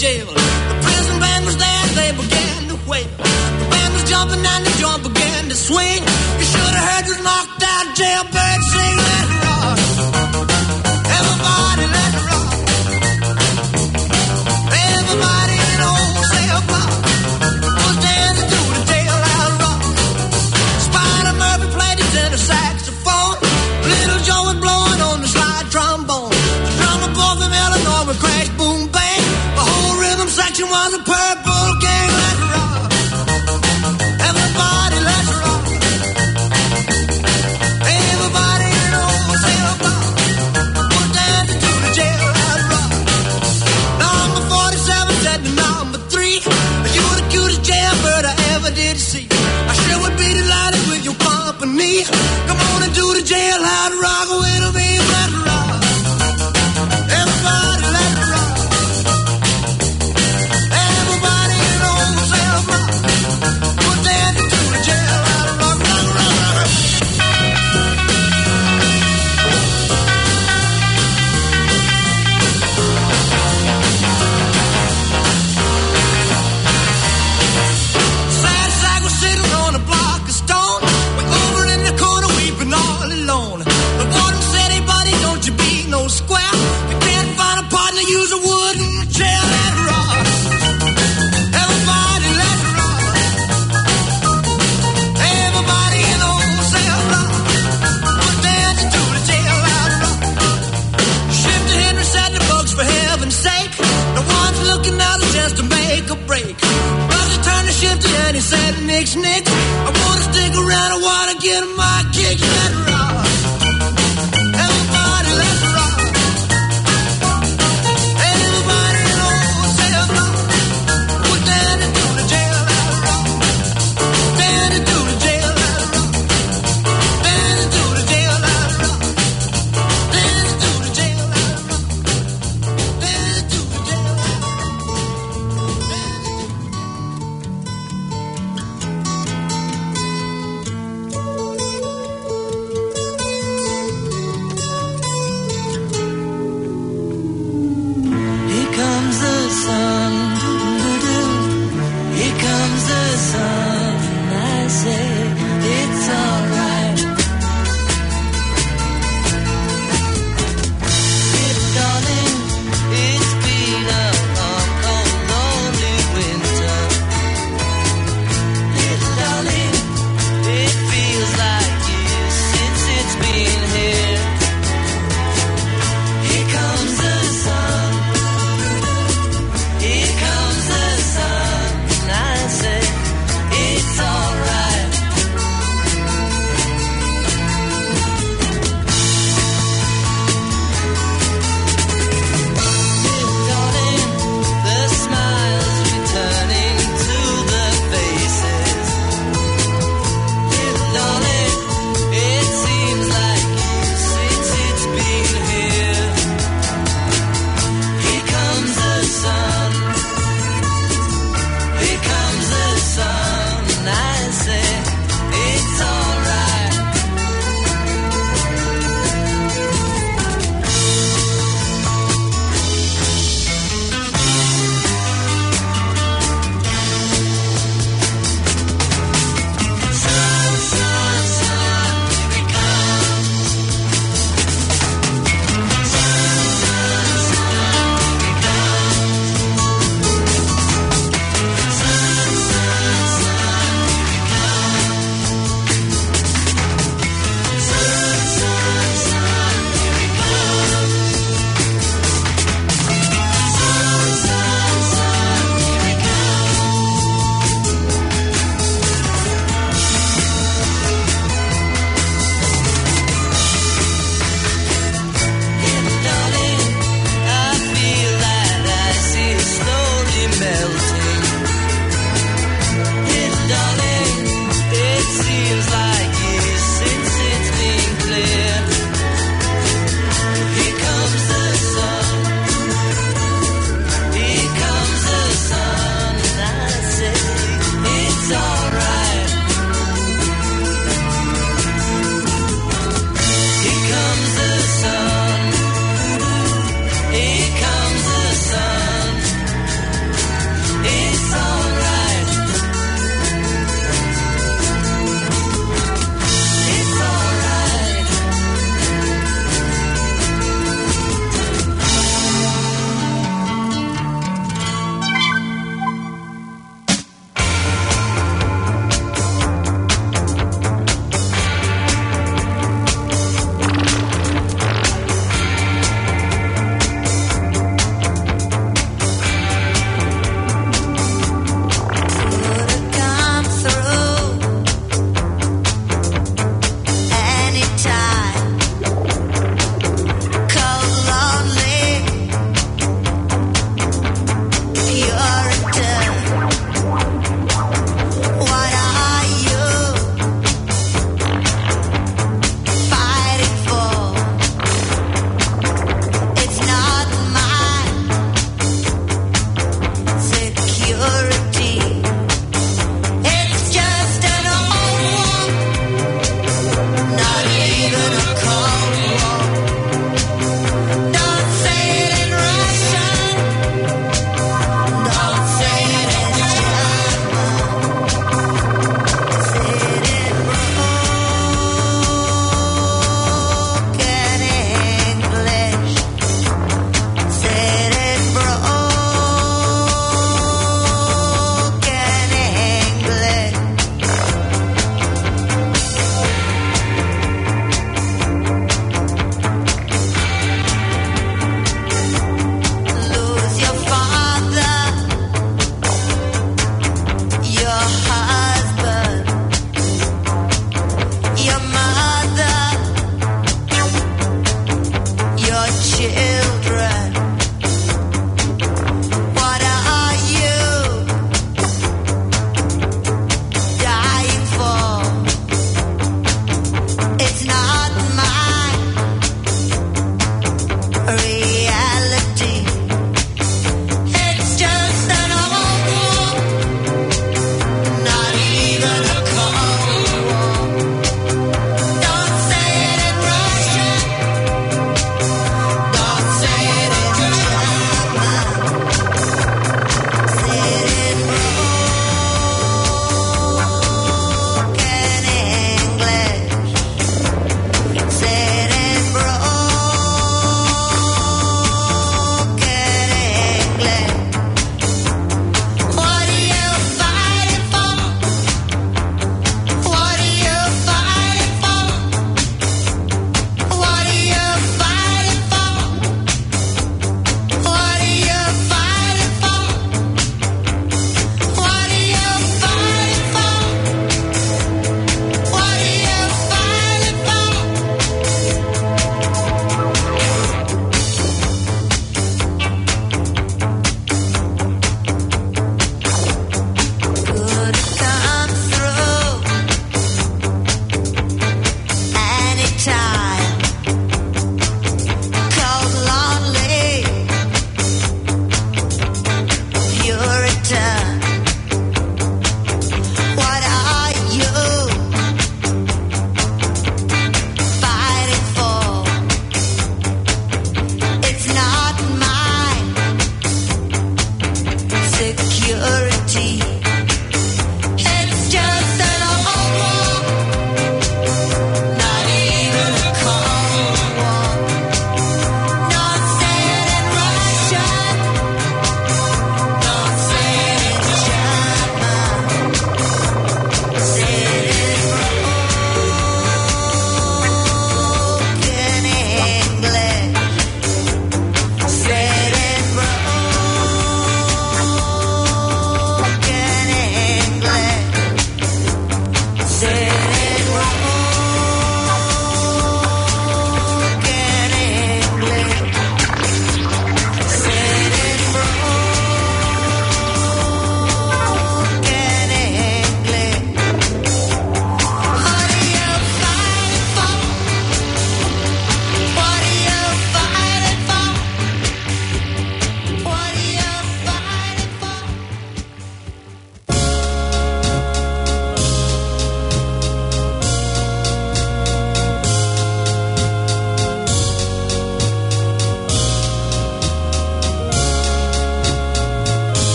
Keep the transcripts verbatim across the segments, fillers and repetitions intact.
jail. The prison band was there, they began to wail. The band was jumping and the joint began to swing. You should have heard this knocked out jailbird sing, "Let it rock. Everybody, let it rock." Everybody in the whole cell block was dancing to the jailhouse rock. Spider Murphy played his tenor saxophone. Little Joe was blowing on the slide trombone. The drummer boy from Illinois would crash, boom, bang. The whole rhythm section was a Purple Gang. Let it rock. Everybody, let's rock. Everybody in the whole cell block was dancing to the jailhouse rock. Number forty-seven said to number three, "You're the cutest jailbird I ever did see. I sure would be delighted with your company. Come on and do the jailhouse rock with me, let it rock. Everybody, let it rock." Everybody in the whole cell block was dancing to the jailhouse rock, rock, rock, rock. Sad sack was sitting on a block of stone, way over in the corner weeping all alone. The warden said, "Hey, buddy, don't you be no square. You can't find a partner, use a wooden chair, let it rock. Everybody, let it rock." Everybody in the whole cell block was dancing to the jailhouse rock. Shifty Henry said, "The folks, for heaven's sake, no one's looking out a chance to make a break." Roger turned to Shifty and he said, "Nix, nix, I wanna stick around, I wanna get my kicks, let it rock. Everybody, let's rock." Everybody in the whole cell block was dancing to the jailhouse rock. Dancing to the jailhouse rock. Dancing to the jailhouse rock. Dancing to the jailhouse rock. Dancing to the jailhouse rock.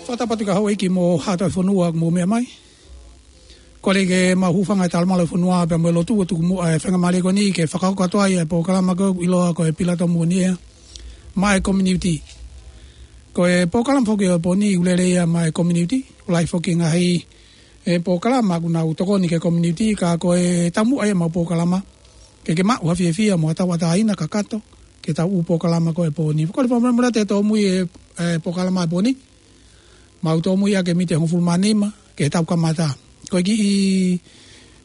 Fakatapu atu ki he houʻeiki mo e haʻa ʻo e fonua ʻoku mou meʻa mai. Kole ke mau hūfanga he talamalu ʻo e fonua pea mo e lotu ʻo tuku muʻa e faingamālie ko eni ke fakahoko atu ai e polokalama ko ē ʻoku ʻiloa ko e Pilatomu ʻo e Niʻihi maʻa e community. Ko e polokalama foki ʻo e pō ni ʻoku lelei ia maʻa e community. ʻOku lahi foki e ngaahi polokalama ʻoku nau tokoni ki he community, ka ko e taumuʻa ia ʻemau polokalama ke ke maʻu ha fiefia mo ha tauʻatāina kakato ki heʻetau ʻū polokalama ko ē ʻo e pō ni. Kole fakamolemole atu he tōmui e, e polokalama ʻo e pō ni. Mau tōmui ʻaki e miniti ʻe hongofulu mā nima ke tau kamata. Ko e kiʻi,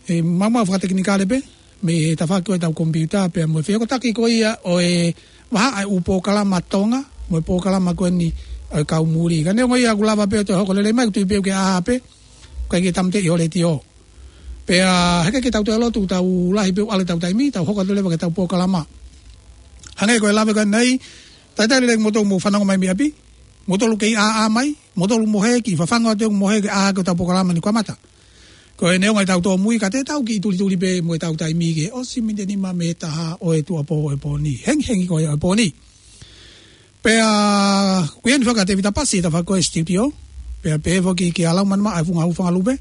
e, maumau fakatekinikale pē mei he tafaʻaki ʻo ʻetau komipiuta pea mo e fehokotaki ko ia ʻo e vahaʻa e ʻū polokalama Tonga mo e polokalama ko eni ʻo e kau muli. Ka neongo ia ʻoku lava pē ʻo toe hoko lelei mai, ʻoku tui pē ʻoku ke ʻā pē, ʻikai ke tāmateʻi ho letiō. Pea heʻikai ke tau toe lotu, tau lahi pē ʻoku ʻalu ʻetau taimi, tau hoko atu leva ki heʻetau polokalama. Hangē ko e lave ko eni, talitali lelei kimoutolu ʻoku mou fanongo mai mei ʻapi, moutolu kei ʻāʻā mai, moutolu mohe, kiʻi fafangu atu ʻeku mohe ke ʻā hake hotau polokalama ni kamata. Ko e neongo ʻetau tōmui ka te tau kiʻi tulituli pē mo ʻetau taimi ke ʻosi miniti ʻe nima mei he taha ʻo e tuʻuapō ʻo e pō ni. Hengihengi ko ia ʻo e pō ni. Pea ʻoku ʻi heni foki ʻa Tevita Pasi he tafaʻaki ʻo e studio. Pea pehē foki kia Laumanimaʻa e Funga Hūfangalupe.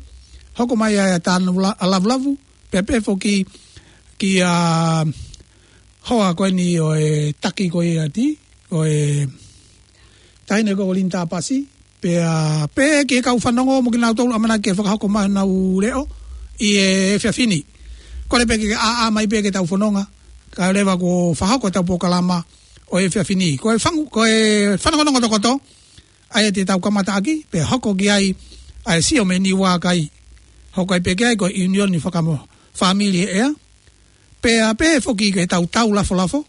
Hoko mai ʻa e Tāna Vula-, ʻa Lavulavu. Pea pehē foki kia hoa ko eni ʻo e taki ko ia ʻa e, ʻo e taʻahine ko Linda Pasi. Pea pehē ki he kau fanongo mo kinautolu ʻamanaki ke fakahoko mai honau leʻo ʻi he efiafi ni. Kole pē ke ʻāʻā mai pē ke tau fononga kae ʻoua leva kuo fakahoko ʻetau polokalama ʻo e efiafi ni. Ko e fangu-, ko e fanongonongo tokoto, ʻa ia te tau kamata ʻaki, pea hoko ki ai ʻa e sio mei Niuakai. Hoko ai pē ki ai ko e ʻiunioni fakamo-, fāmili ʻea. Pea pehē foki ki heʻetau tau lafolafo,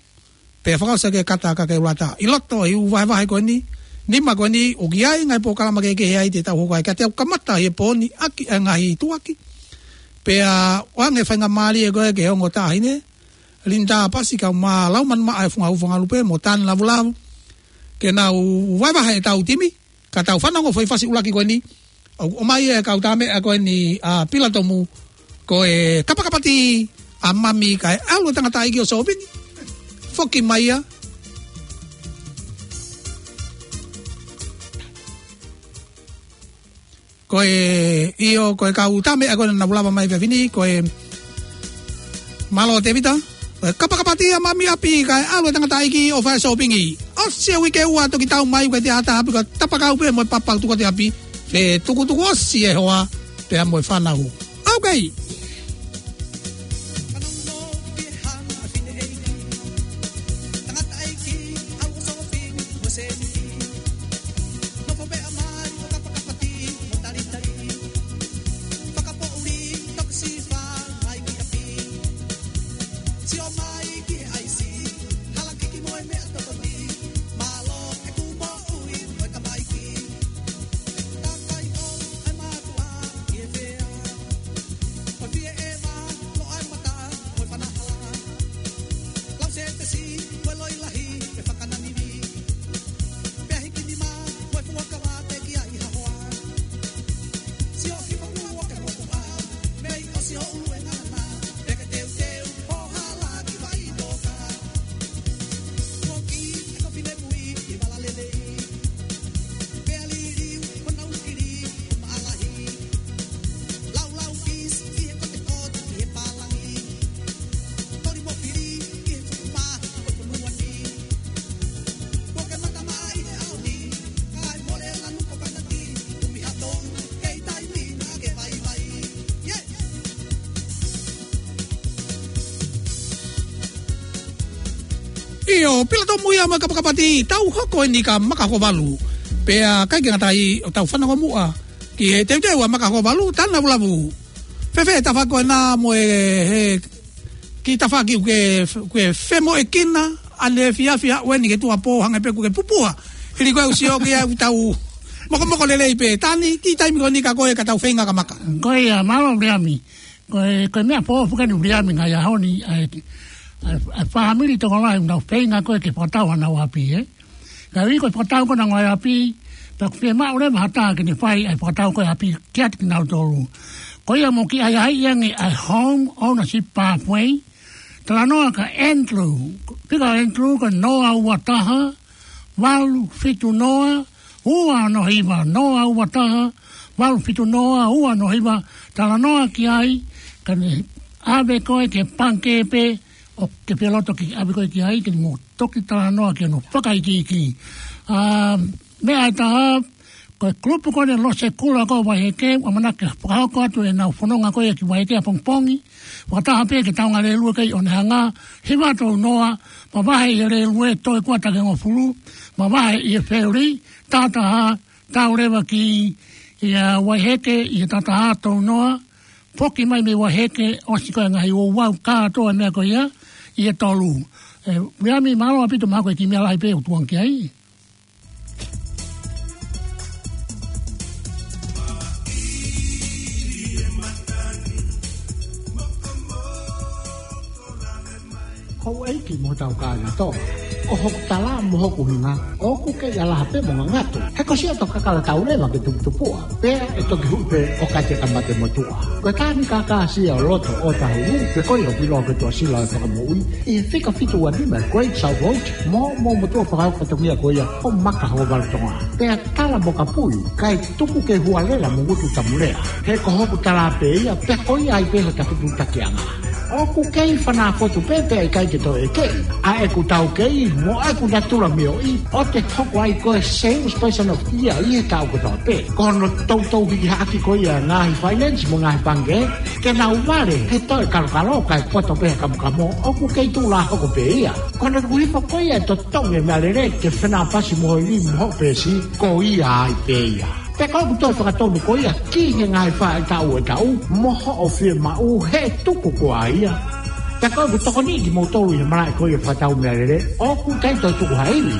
pea fakaʻosi ki he kata ʻa Kakeulata. ʻI loto ʻi he ʻū vahevahe ko eni, nima ko eni, ʻoku ʻi ai e ngaahi polokalama kehekehe ia te tau hoko ai, ka te tau kamata ʻi he pō ni ʻaki e ngaahi tuʻuaki. Pea ʻoange faingamālie ko ē ki he ongo taʻahine, Linda Pasi kae ʻumaʻā Laumanimaʻa e Funga Hūfangalupe mo Tāna Lavulavu, ke nau vahevahe ʻetau timi, ka tau fanongo foʻi fasi ʻuluaki ko eni, ʻo, ʻomai e kau tā meʻa ko eni ʻa Pilatomu, ko e Kapakapati ʻa Mami kae ʻalu e tangataʻeiki ʻo sōpingi. Foki mai ia. Ko e, ʻio, ko e kau tā meʻa ko ē naʻa nau lava mai he efiafi ni, ko e mālō Tevita. Ko e Kapakapati ʻa Mami ʻapi kae ʻalu e tangataʻeiki ʻo fai sōpingi. ʻOsi e uike ua toki tau mai, ʻikai te ʻi ai ha taha ʻapi, ka tapakau pē mo e papa tuku atu e ʻapi. Fetukutuku ʻosi e hoa pea mo e fānau. Okay. ʻIo, Pilatomu ia mo e Kapakapati, tau hoko eni kia Makahokovalu. Pea ʻikai ke ngata ai, ʻo tau fanongo muʻa ki he teuteu ʻa Makahokovalu, Tāna Lavulavu. Fēfē tafaʻaki ko ena mo e, he kiʻi tafaʻaki ʻoku ke, ʻoku ke femoʻuekina ʻaneefiafi ʻo aʻu eni ki he tuʻuapō, hangē pē ʻoku ke pupuha. Hili ko e ʻusi ʻoku ke ʻai ʻetau mokomoko lelei pē. Tāna, kiʻi taimi ko eni kia koe ka tau feinga kia Maka. Ko ia, mālō Viliami. Ko e, ko e meʻa foʻou foki eni Viliami he ngaahi ʻaho ni, ʻa e, ʻa e, ʻa e fāmili tokolahi ʻoku nau feinga ko ē ke fakatau honau ʻapi, ē? Ka ʻi he ko e fakatau ko ē honau ngaahi ʻapi, pea ʻoku fiemaʻu leva ha taha ke ne fai ʻa e fakatau ko ē ʻapi kiate kinautolu. Ko ia mou kiʻi ʻahiʻahiʻi ange ʻa e Home Ownership Pathway, talanoa kia Andrew, fika ʻo Andrew ko e noa ua taha, valu fitu noa, ua ono hiva, noa ua taha, valu fitu noa, ua ono hiva, talanoa ki ai, ka ne ʻave koe ki he pangikē pē, ʻoku ke fie loto ke ʻave koe ki ai, ke mou toki talanoa ki hono fakaikiiki. ʻA, meʻa ʻe taha, ko e kulupu ko eni Losekula ko Vaiheke, ʻoku ʻamanaki fakahoko atu ʻenau fononga ko ia ki Vaiheke ʻapongipongi, fakataha pē ki he taunga lēlue ko ia ʻi ʻOnehunga, hiva tolu noa, mavahe ʻi he lēlue, toe ua taha hongofulu, mavahe ʻi he fēlī, taha taha, tau leva ki, ʻi Vaiheke, ʻi he taha taha tolu noa, foki mai mei Vaiheke, ʻosi ko e ngaahi ouau kātoa meʻa ko ia, ʻi he tolu. ʻE, Viliami, mālō ʻaupito, mahalo ko e kiʻi meʻa lahi pē ʻoku tuʻu ange ki ai. Houʻeiki mo hotau kāinga tō. Ko hoku tala mo hoku hinga, ʻoku kei ʻalaha pē mo ngangatu. He ko siʻoto kakala tau leva ke tuputupuʻa. Pea ʻe toki huʻi pē ʻo kate ka mate motuʻa. Ko e tānaki kākā ʻa Loto ʻo Tahuhu, pe ko ia ʻoku ʻiloa ko e Tuʻasila ʻo e Fakamoʻui, ʻi he fika fitu ua nima Great South Road, mo, mo motuʻa fakahoko fatongia ko ia ʻo Maka Hokovalu Tonga. Pea tala mo kapui, kae tuku ke hualela mo ngutu tamulea. He ko hoku tala pē ia, pea ko ia ai pē hota fetuʻutakiʻanga. ʻOku kei fanā fotu pē pea ʻikai ke toe ʻeke. ʻA ʻeku taukei, mo ʻeku natula mioʻi, ʻo te hoko ai ko e salesperson of the year ʻi he taʻu kotoa pē. Ko hono toutou hiki haʻaki ko ia ngaahi finance mo ngaahi pangikē, ke nau vale he toe kalokalo kae poto pē he kamokamo, ʻoku kei tuʻu lā hoko pē ia. Ko hono tuku hifo ko ia e totongi e meʻalele ke fenāpasi mo hoʻo ivi mo hoʻo peesi, ko ia ai pē ia. Pea ko ʻeku toe fakatonu ko ia ki he ngaahi faʻahitaʻu ʻo e taʻu, mo hoʻo fiemaʻu he tuku ko ia. Pea ko ʻeku tokoni kimoutolu ʻi he malaʻe ko ia fakatau meʻalele, ʻoku ʻikai toe tuku ha ivi.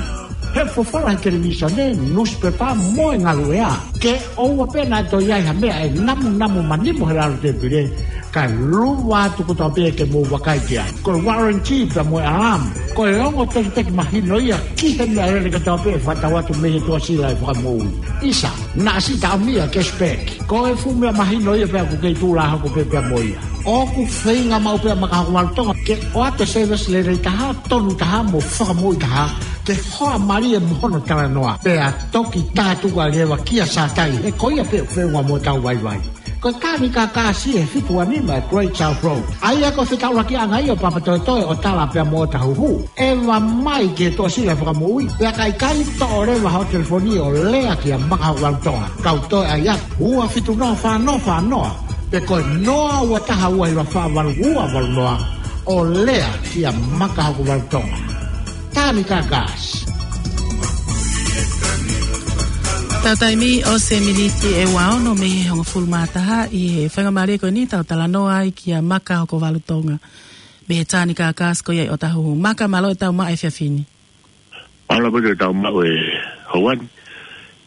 He fofola he televīsone, nusipepa mo e ngaluʻea. Ke ʻoua pē naʻa toe ʻi ai ha meʻa ʻe namunamu manimo he lalo tēpile, kae luva atu kotoa pē ke mou vakai ki ai. Ko e warranty pea mo e alarm. Ko e ongo tekiteki mahino ia ki he meʻalele kotoa pē ʻe fakatau atu mei he Tuʻasila ʻo e Fakamoʻui. ʻIsa, naʻa si taʻamia cashback. Ko e fuʻu meʻa mahino ia pea ʻoku kei tuʻu lā hoko pē pea mo ia. ʻOku feinga maʻu pē ʻa Maka Hokovalu Tonga ke ʻoatu e service lelei taha, tonu taha mo fakamoʻui taha. Ke hoa mālie mo hono talanoa. Pea toki tātuku leva kia Sātai, he ko ia pē ʻoku feʻunga mo hotau vaivai. Ko e tānaki kākā ʻa Loto ʻo Tahuhu, Great South Road. ʻA ia ko e fetaulakiʻanga ia ʻo Papatoetoe ʻo Tala pea mo ʻOtahuhu. ʻEva mai ki he Tuʻasila ʻo e Fakamoʻui. Pea ka ʻikai, toʻo leva hoʻo telefoni ʻo lea kia Maka Hokovalu Tonga. Kau toe ʻai atu, ua fitu noa fā noa fā noa. Pe ko e noa ua taha ua hiva fā valu ua valu noa. ʻO lea kia Maka Hokovalu Tonga. Tānaki kākā. Tau taimi ʻosi e miniti ʻe ua ono mei he hongofulu mā taha ʻi he faingamālie ko eni tau talanoa ai kia Maka Hokovalu Tonga. Mei he tānaki kākā ko ia ʻi ʻOtahuhu. Maka, mālō e tau maʻu e efiafi ni. Mālō pē e tau maʻu e houa ni.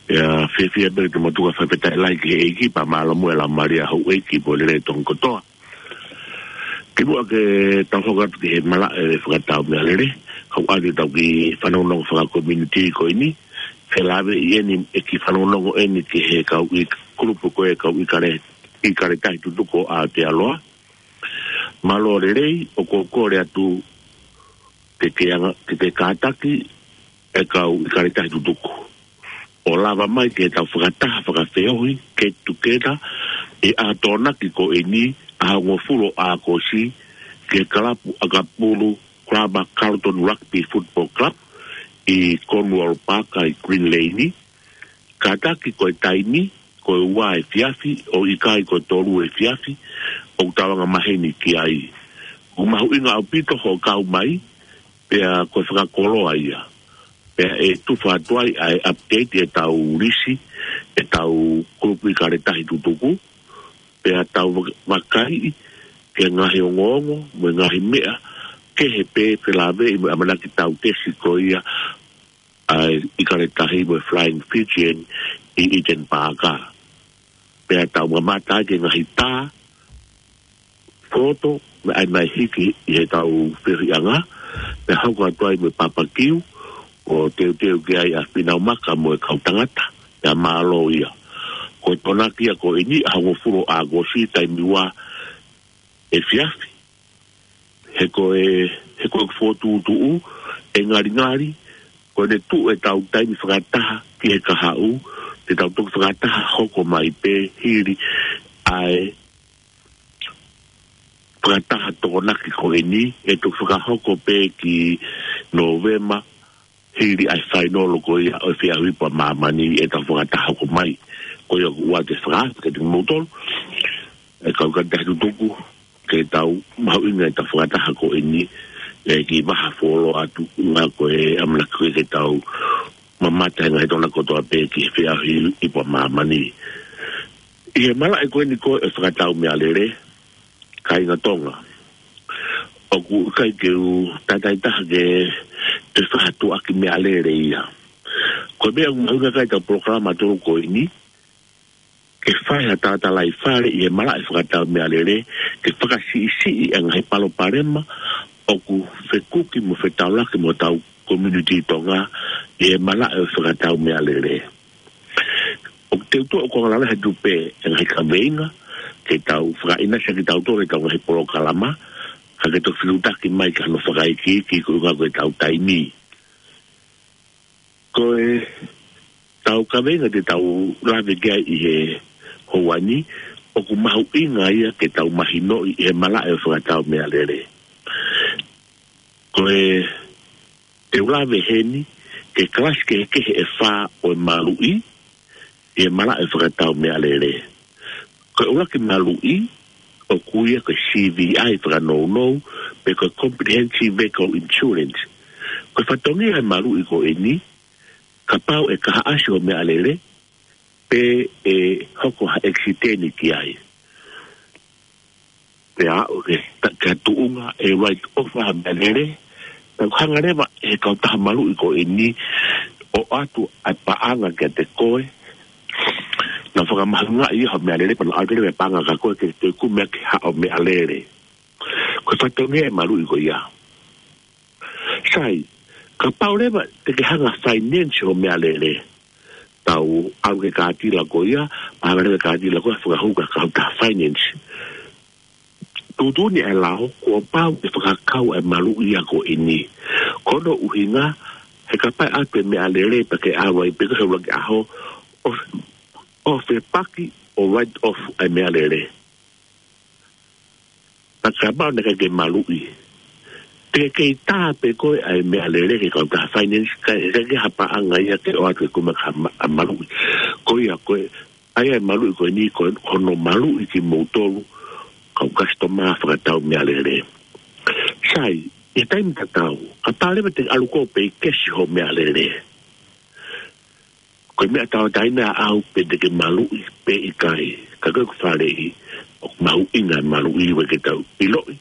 ʻIo, fiefia pē ke te motuka, fakafetaʻi lahi ki he ʻEiki, pea mālō muʻa e Laumālie ʻa houʻeiki mo e lelei ʻa Tonga kotoa. Kimuʻa ke tau hoko atu ki he malaʻe fakatau meʻalele, kau ʻai ke tau kiʻi fanongonongo fakakomiunitī ko eni, felāveʻi ʻeni, e kiʻi fanongonongo ʻeni ki he kau ʻi kulupu ko e kau ʻIkale, ʻIkale Tahi Tutuku ʻo Aotearoa. Mālō lelei, ʻoku ou kole atu ke ke anga, ke ke kātaki e kau ʻIkale Tahi Tutuku ʻo lava mai ke tau fakataha fakafeohi, get together, ʻi he ʻaho Tokonaki ko eni, ʻaho hongofulu ʻo ʻAokosi, ki he kalapu ʻakapulu, Club Carlton Rugby Football Club, ʻi Cornwall Park ʻi Green Lane. Kātaki ko e taimi, ko e ua efiafi, ʻo ʻikai ko e tolu efiafi, ʻoku tau anga maheni ki ai. ʻOku mahuʻinga ʻaupito hoʻo kau mai, pea ko e fakakoloa ia. Pea ʻe tufa atu ai ʻa e update e tau lisi, e tau kulupu ʻIkale Tahi Tutuku, pea tau vak-, vakai ki he ngaahi ongoongo, mo e ngaahi meʻa, kehe pē felāveʻi mo e ʻamanaki tau tesi ko ia, ʻa e ʻIkale Tahi mo e Flying Fijian ʻi Eden Park. Pea tau mamata ai ki he ngaahi tā, foto, mo e ʻai mai hiki ʻi he tau feohiʻanga, pea hoko atu ai mo e papakiu, ʻo teuteu ki ai ʻa Fīnau Maka mo e kau tangata, pea mālō ia. Ko e Tokonaki ia ko eni ʻaho hongofulu ʻo ʻAokosi taimi ua efiafi. He ko e, he ko e fokotuʻutuʻu, ʻe ngalingali, Ko ʻene tuʻu ʻetau taimi fakataha ki he kahaʻu, te tau toki fakataha hoko mai pē hili ʻa e fakataha Tokonaki ko eni, ʻe toki fakahoko pē ki Nōvema, hili ʻa e fainolo ko ia ʻo e Feʻauhi Ipu ʻa Māmani ʻe tau fakataha hoko mai. Ko ia ʻoku ou ʻoatu e fakaafe kiate kimoutolu, ʻe kau kāinga tutuku, ke tau mahuʻingaʻi ʻetau fakataha ko eni, ʻe kiʻi vaha fuoloa atu, ʻuhinga ko e ʻamanaki ko ē ke tau mamata he ngaahi Tokonaki kotoa pē ki he Feʻauhi Ipu ʻa Māmani. ʻI he malaʻe ko eni ko e fakatau meʻalele, kāinga Tonga, ʻoku ʻikai ke u tataitaha ke te fahatuʻaki meʻalele ia. Ko e meʻa ʻoku mahuʻinga ki ai ʻetau polokalama tolu ko eni, ke fai ha talatalaifale ʻi he malaʻe fakatau meʻalele, ke fakasiʻisiʻi e ngaahi palopalema ʻoku fekuki mo fetaulaki mo hotau community Tonga ʻi he malaʻe ʻo e fakatau meʻalele. ʻOku teu tuʻu ʻoku angalala he tupe e ngaahi kaveinga, ke tau fakaʻinasi ʻaki kitautolu ʻetau ngaahi polokalama, ka ke toki fetuʻutaki mai ki hano fakaikiiki koeʻuhi ko ʻetau taimi. Ko ʻetau kaveinga te tau lave ki ai ʻi he houa ni, ʻoku mahuʻinga ia ke tau mahinoʻi ʻi he malaʻe ʻo e fakatau meʻalele. Ko e te u lave heni ki he kalasi kehekehe ʻe fā ʻo e maluʻi ʻi he malaʻe ʻo e fakatau meʻalele. Ko e ʻuluaki maluʻi, ʻoku ui ia ko e C V I fakanounou, pe ko e Comprehensive Vehicle Insurance. Ko e fatongia e maluʻi ko eni, kapau ʻe kahaʻasi hoʻo meʻalele, pe ʻe hoko ha ʻekisiteni ki ai, pea aʻu ki he ta-, ki he tuʻunga ʻe write off ha meʻalele, pea ʻoku hanga leva ʻe he kautaha maluʻi ko eni ʻo ʻoatu ʻa e paʻanga kiate koe, nau fakamahuʻingaʻi ia hoʻo meʻalele, pea nau ʻoatu leva e paʻanga kia koe ke toe kumi ʻaki haʻo meʻalele. Ko e fatongia e maluʻi ko ia. Sai, kapau leva te ke hanga finance hoʻo meʻalele, tau ʻalu ki he kātila ko ia, pea hanga leva e kātila ko ia ʻo fakahū ki he kautaha finance. Tuʻutuʻuni e lao, kuo pau ke fakakau e maluʻi ia ko eni. Ko hono ʻuhinga, he kapau ʻe ʻoatu e meʻalele pea ke ʻalu ai pē ko e ʻuluaki ʻaho, ʻo, ʻo fepaki, ʻo write off e meʻalele. Pea kapau naʻe ʻikai ke maluʻi, te ke kei tā pē koe ʻa e meʻalele ki he kautaha finance, ka ʻe ʻikai ke ha paʻanga ia ke ʻoatu ke kumi ʻaki ha ma-, ha maluʻi. Ko ia ko e, ʻa ia e maluʻi ko eni ko hono maluʻi kimoutolu, kau customer fakatau meʻalele. Sai, ʻi he taimi tatau, kapau leva te ke ʻalu koe pē ʻo kesi hoʻo meʻalele, ko e meʻa tauʻatāina ʻaʻau pe te ke maluʻi pe ʻikai. Ka ko e faleʻi, ʻoku mahuʻinga e maluʻi, ʻoku ʻikai ke tau ʻiloʻi,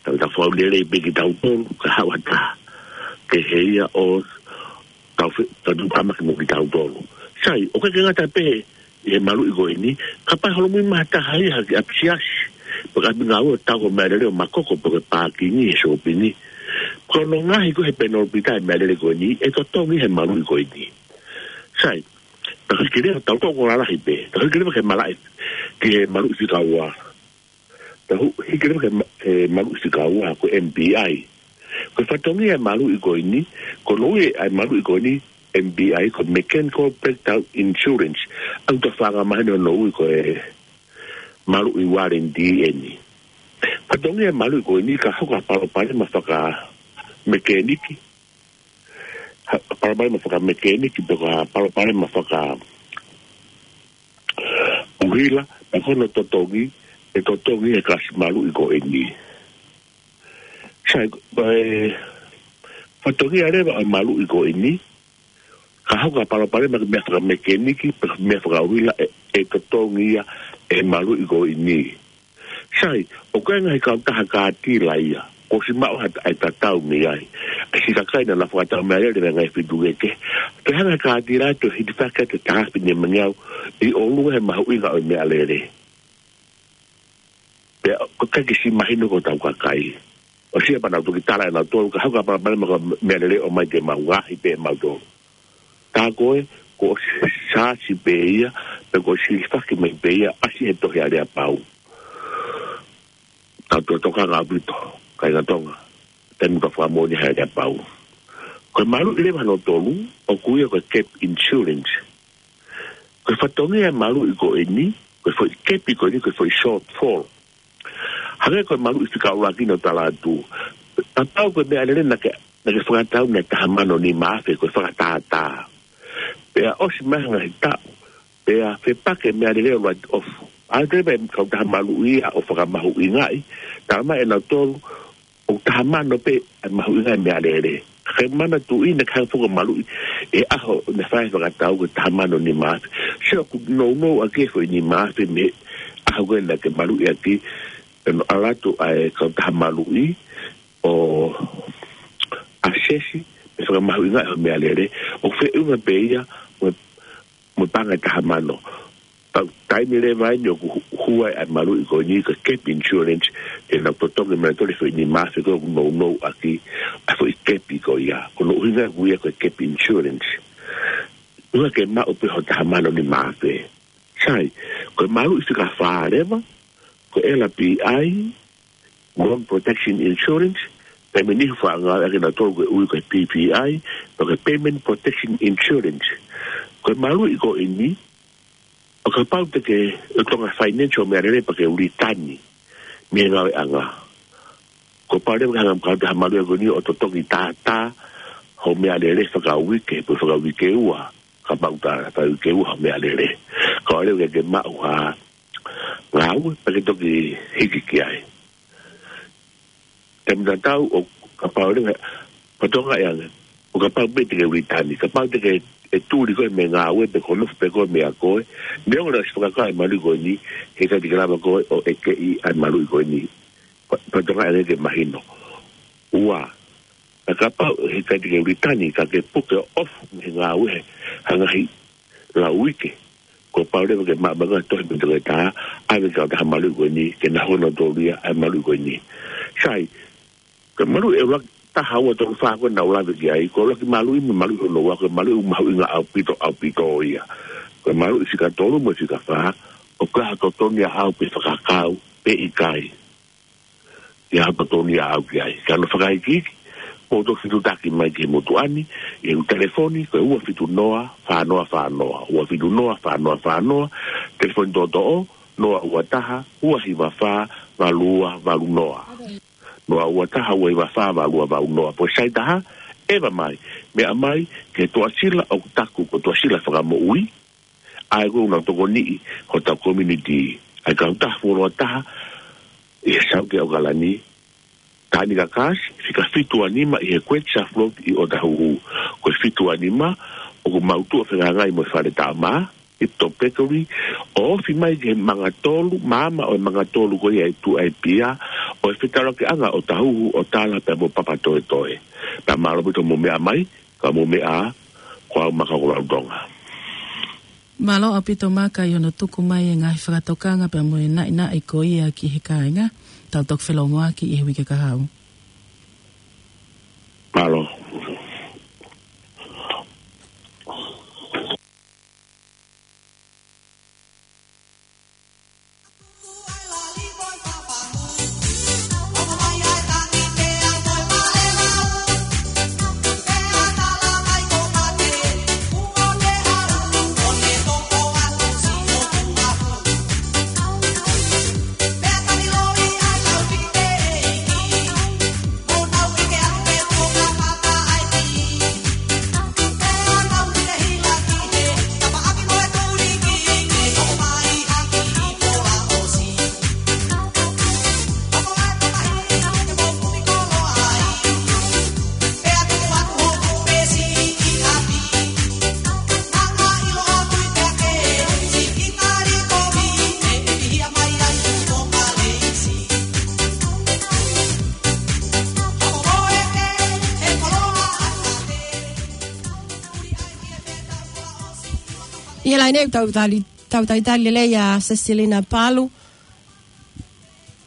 tau tau fau lelei pē kitautolu, ka haʻu ha taha kehe ia ʻo tau fe-, tau tuʻutāmaki mo kitautolu. Sai, ʻoku ʻikai ke ngata pē ʻi he maluʻi ko eni, kapau ʻe holomui mai ha taha ia ha kiʻi ʻapi siasi, pe ko e ʻapi ngāue ʻo tau hoʻo meʻalele ʻo makoko pe ko e pākingi he sōpingi, ko hono ngaohi ko ē he penalty ʻa e meʻalele ko eni, ʻe totongi he maluʻi ko eni. Sai, tau hiki leva, tau toʻo ko e lalahi pē, tau hiki leva ki he malaʻe, ki he maluʻi fika ua. Tau hiki leva ki he ma-, ki he maluʻi fika ua, ko e M B I. Ko e fatongia e maluʻi ko eni, ko hono ui e maluʻi ko eni M B I, ko e Mechanical Breakdown Insurance. ʻOku tau faʻa maheni hono ui ko e maluʻi warranty eni. Fatongia e maluʻi ko eni, ka hoko ha palopalema fakamekeniki, ha, palopalema fakamekeniki, pe ko ha palopalema fakaʻuhila, pea ko hono totongi, ʻe totongi ʻe he kalasi maluʻi ko eni. Sai, ʻa e fatongia leva ʻo e maluʻi ko eni, ka hoko ha palopalema ki he meʻa fakamekeniki, pe ko e meʻa fakaʻuhila, ʻe, ʻe totongi ia ʻe he maluʻi ko eni. Sai, ʻoku ʻi ai e ngaahi kautaha kātila ia, kuo ʻosi maʻu ha ta-, e tatau mei ai. ʻA e siʻi kakai naʻa nau fakatau meʻalele mei he ngaahi feituʻu kehekehe, toe hanga ʻe he kātila ʻo toe hitifaki atu e taha afe nima ngeau ʻi ʻolunga he mahuʻinga ʻo e meʻalele. Pea ʻoku ʻikai ke siʻi mahino ki hotau kakai. ʻOsi ia pea nau toki tala ʻe nautolu, ka hoko ha palopalema ko e meʻalele ʻomai ke mau ngaohi pē ʻe mautolu. Tā ko ē, kuo ʻosi sāsi pē ia, pe kuo ʻosi hilifaki mai pē ia, ʻasi he tohi aleapau. Tau toe tokanga ʻaupito, kāinga Tonga, taimi ka fakamoʻoni he aleapau. Ko e maluʻi leva hono tolu, ʻoku ui ia ko e gap insurance. Ko e fatongia e maluʻi ko eni, ko e foʻi gap ko eni, ko e foʻi shortfall. Hangē ko e maluʻi fika ʻuluaki naʻa ku tala atu. Kapau ko e meʻalele naʻa ke, naʻa ke fakatau naʻe taha mano nima afe, ko e fakatātā. Pea ʻosi mai ha ngaahi taʻu, pea fepaki e meʻalele ʻo write off. ʻAlu atu pē e kautaha maluʻi ia ʻo fakamahuʻingaʻi, talamai ʻe nautolu, ʻoku taha mano pē ʻa e mahuʻinga e meʻalele. Ke manatuʻi naʻe hanga foki ʻo maluʻi e ʻaho naʻe fai ai e fakatau ko e taha mano nima afe. Sio, ʻoku nounou ʻaki e foʻi nima afe mei he ʻaho ko ē naʻa ke maluʻi ʻaki, pea nau ʻalu atu ʻa e kautaha maluʻi ʻo assess, pea fakamahuʻingaʻi hoʻo meʻalele. ʻOku feʻunga pē ia mo e mo e paʻanga ʻe taha mano. Tau, taimi leva eni ʻoku hu-, hū ai ʻa e maluʻi ko eni ko e gap insurance, te nau totongi mai nautolu e foʻi nima afe ko ē ʻoku nounou ʻaki ʻa e foʻi gap ko ia. Ko hono ʻuhinga ʻoku ui ia ko e gap insurance. ʻUhinga ke maʻu pē hoʻo taha mano nima afe. Sai, ko e maluʻi fika fā leva, ko e L P I, Loan Protection Insurance, pea mo e niʻihi faʻa ngāueʻaki ʻe nautolu ko e ui ko e P P I, pe ko e Payment Protection Insurance. Ko e maluʻi ko eni, ʻo kapau te ke, ʻe tonga financial meʻalele pea ke ʻū litani mei he ngāueʻanga. Kuo pau leva ke hanga ʻe he kautaha maluʻi ko eni ʻo totongi tātā hoʻo meʻalele fakauike, pe fakauike ua, kapau tā fakauike ua hoʻo meʻalele. Kae ʻoua leva ke ke maʻu ha ngāue, pea ke toki hiki ki ai. Taimi tatau ʻo kapau leva, pea tonga ʻe ange, ʻo kapau pē te ke ʻū litani, kapau te ke ʻe tuli koe mei he ngāue pe ko e nofo pē koe mei a koe, neongo naʻe ʻosi fakakau e maluʻi ko eni, heʻikai te ke lava koe ʻo ʻekeʻi ʻa e maluʻi ko eni. Pea, pea tonga ʻe ange ke mahino. Ua, ka kapau heʻikai te ke ʻū litani, ka ke puke ʻo off mei he ngāue ha ngaahi lau uike, kuo pau leva ke maʻu mai koe e tohi mei he toketā, ʻave ki he kautaha maluʻi ko eni, ke nau hū nautolu ia ʻa e maluʻi ko eni. Sai, ko e maluʻi ʻe ʻuluaki, taha, ua, tolu, fā ko ē naʻa ku lave ki ai, ko e ʻuluaki maluʻi mo e maluʻi hono ua, ko e maluʻi ʻoku mahuʻinga ʻaupito, ʻaupito ia. Ko e maluʻi fika tolu mo e fika fā, ʻoku ʻi ai ha totongi ʻaʻau pe fakakau, pe ʻikai. ʻI ai ha totongi ʻaʻau ki ai. Ka ʻi hono fakaikiiki, mou toki fetuʻutaki mai ki he motuʻa ni, ʻi he telefoni, ko e ua fitu noa, fā noa fā noa, ua fitu noa, fā noa fā noa, telefoni toʻotoʻo, noa ua taha, ua hiva fā, valu ua valu noa. Noa ua taha, ua hiva fā, valu ua valu noa. Pea sai taha, ʻeva mai, meʻa mai ki he Tuʻasila ʻoku taku ko e Tuʻasila Fakamoʻui, ʻa ia ʻoku nau tokoniʻi hotau community, ʻa e kautaha fuoloa taha ʻi he South ʻAokalani, Tānaki Kākāsi, fika fitu ua nima ʻi he Great South Road ʻi ʻŌtāhuhu. Ko e fitu ua nima, ʻoku mau tuʻu ʻo fehangahangai mo e Fale Taʻamā, Tiptop Bakery, ʻo ofi mai ki he Mangatolu, maama ʻo e Mangatolu ko ia ʻi tuʻa ʻi Pia, ʻo e fetaulaki ʻanga ʻo ʻŌtāhuhu, ʻo Tala pea mo Papatoetoe. Pea mālō ʻaupito hoʻomou meʻa mai, ka mou meʻa ā, ko au Maka ko Lautonga. Mālō ʻaupito Maka ʻi hono tuku mai e ngaahi fakatokanga pea mo e naʻinaʻi ko ia ki he kāinga, tau toki felōngoaki ʻi he uike kahaʻu. Mālō. ʻI he laine ʻoku tau tali, tau talitali lelei ʻa Sesilina Palu,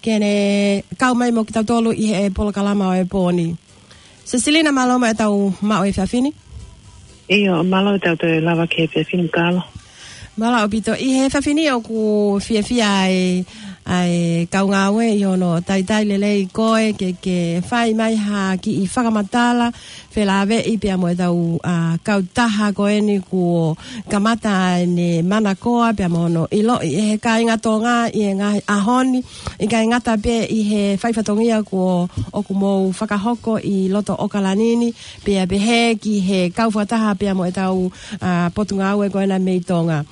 ke ne kau mai mo kitautolu ʻi he polokalama ʻo e pō ni. Sesilina, mālō mo e tau maʻu e efiafi ni. ʻIo, mālō e tau toe lava ki he efiafi ni, Kalo. Mālō ʻaupito. ʻI he efiafi ni ʻoku fiefia ai ʻa e kau ngāue ʻi hono talitali lelei koe ke, ke fai mai ha kiʻi fakamatala felāveʻi pea mo ʻetau, ʻa, kautaha ko eni kuo kamata ʻene manakoa pea mo hono ʻiloʻi ʻe he kāinga Tonga ʻi he ngaahi ʻaho ni, ʻikai ngata pē ʻi he fai fatongia kuo ʻoku mou fakahoko ʻi loto ʻOkalani ni, pea pehē ki he kau fakataha pea mo ʻetau, ʻa, potungāue ko ena mei Tonga.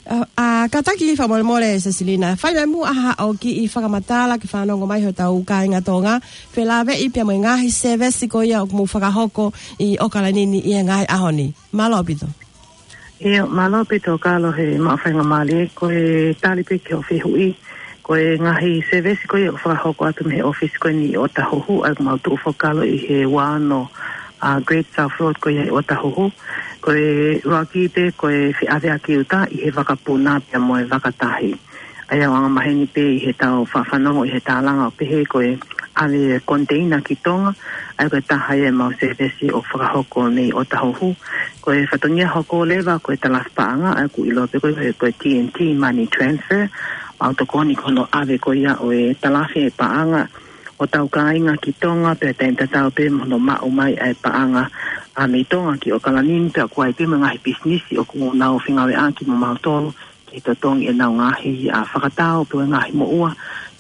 ʻA, ʻa, kātaki fakamolemole Seselina, fai mai muʻa haʻo kiʻi fakamatala ke fanongo mai hotau kāinga Tonga, felāveʻi pea mo e ngaahi sēvesi ko ia ʻoku mou fakahoko ʻi ʻOkalani ni ʻi he ngaahi ʻaho ni. Mālō ʻaupito. ʻIo, mālō ʻaupito Kalo he maʻu faingamālie, ko e tali pē ki hoʻo fehuʻi, ko e ngaahi sēvesi ko ia ʻoku fakahoko atu mei he ʻōfisi ko eni ʻi ʻŌtāhuhu, ʻa ia ʻoku mau tuʻu foki Kalo ʻi he ua ono, ʻa, Great South Road ko ia ʻi ʻŌtāhuhu. Ko e ʻuluaki pē, ko e feʻaveʻaki ʻuta ʻi he vakapuna pea mo e vakatahi. ʻA ia ʻoku angamaheni pē ʻi heʻetau faʻa fanongo ʻi he tālanga ʻo pehē ko e ʻave container ki Tonga, ʻa ia ko e taha ia ʻemau sēvesi ʻoku fakahoko mei ʻŌtāhuhu. Ko e fatongia hoko leva ko e talafi paʻanga, ʻa ia ʻoku ʻiloa pē ko e, ko e T N T money transfer, mau tokoni ki hono ʻave ko ia ʻo e talafi e paʻanga ʻo hotau kāinga ki Tonga, pea taimi tatau pē mo hono maʻu mai ʻa e paʻanga, ʻa, mei Tonga ki ʻOkalani ni, pea ʻoku ʻi ai pē mo e ngaahi pisinisi ʻoku nau fengāueʻaki mo mautolu ke totongi ʻenau ngaahi, ʻa, fakatau pe ko e ngaahi moʻua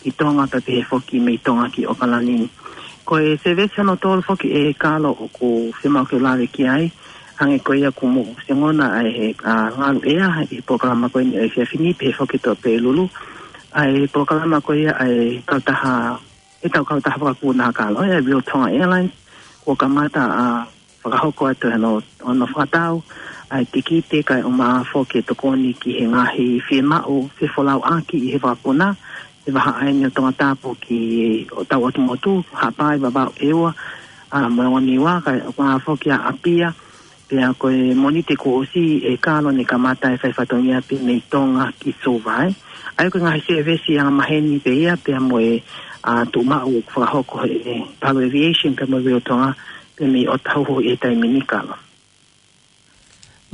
ki Tonga pea pehē foki mei Tonga ki ʻOkalani ni. Ko e sēvesi hono tolu foki ʻe Kalo ʻoku fiemaʻu ke u lave ki ai, hangē ko ia kuo mou ʻosi ongona ʻa e, ʻa, Ngalu ʻEa ʻi he polokalama ko eni ʻo e efiafi ni, pehē foki ʻe Tope Lulu, ʻa e polokalama ko ia ʻa e kautaha, ʻetau kautaha vakapuna Kalo, ʻa e Real Tonga Airlines, kuo kamata ʻa fakahoko atu hono, hono fakatau ʻa e tikite kae ʻumaʻā foki e tokoni ki he ngaahi fiemaʻu fefolauʻaki ʻi he vakapuna, ʻi he vahaʻa eni ʻo Tongatapu ki hotau ʻotu motu, Haʻapai, Vavaʻu, ʻEua, ʻa, mo e ongo Niua, kae ʻumaʻā foki ʻa ʻApia, pea ko e Mōnite kuo ʻosi ʻe Kalo ne kamata e fai fatongia pē mei Tonga ki Suva, ē. ʻA ia ko e ngaahi sēvesi angamaheni pē ia, pea mo e, ʻa, tuʻumaʻu ʻoku fakahoko ʻe he Palu Aviation pea mo Real Tonga, pea mei ʻŌtāhuhu ʻi he taimi ni Kalo.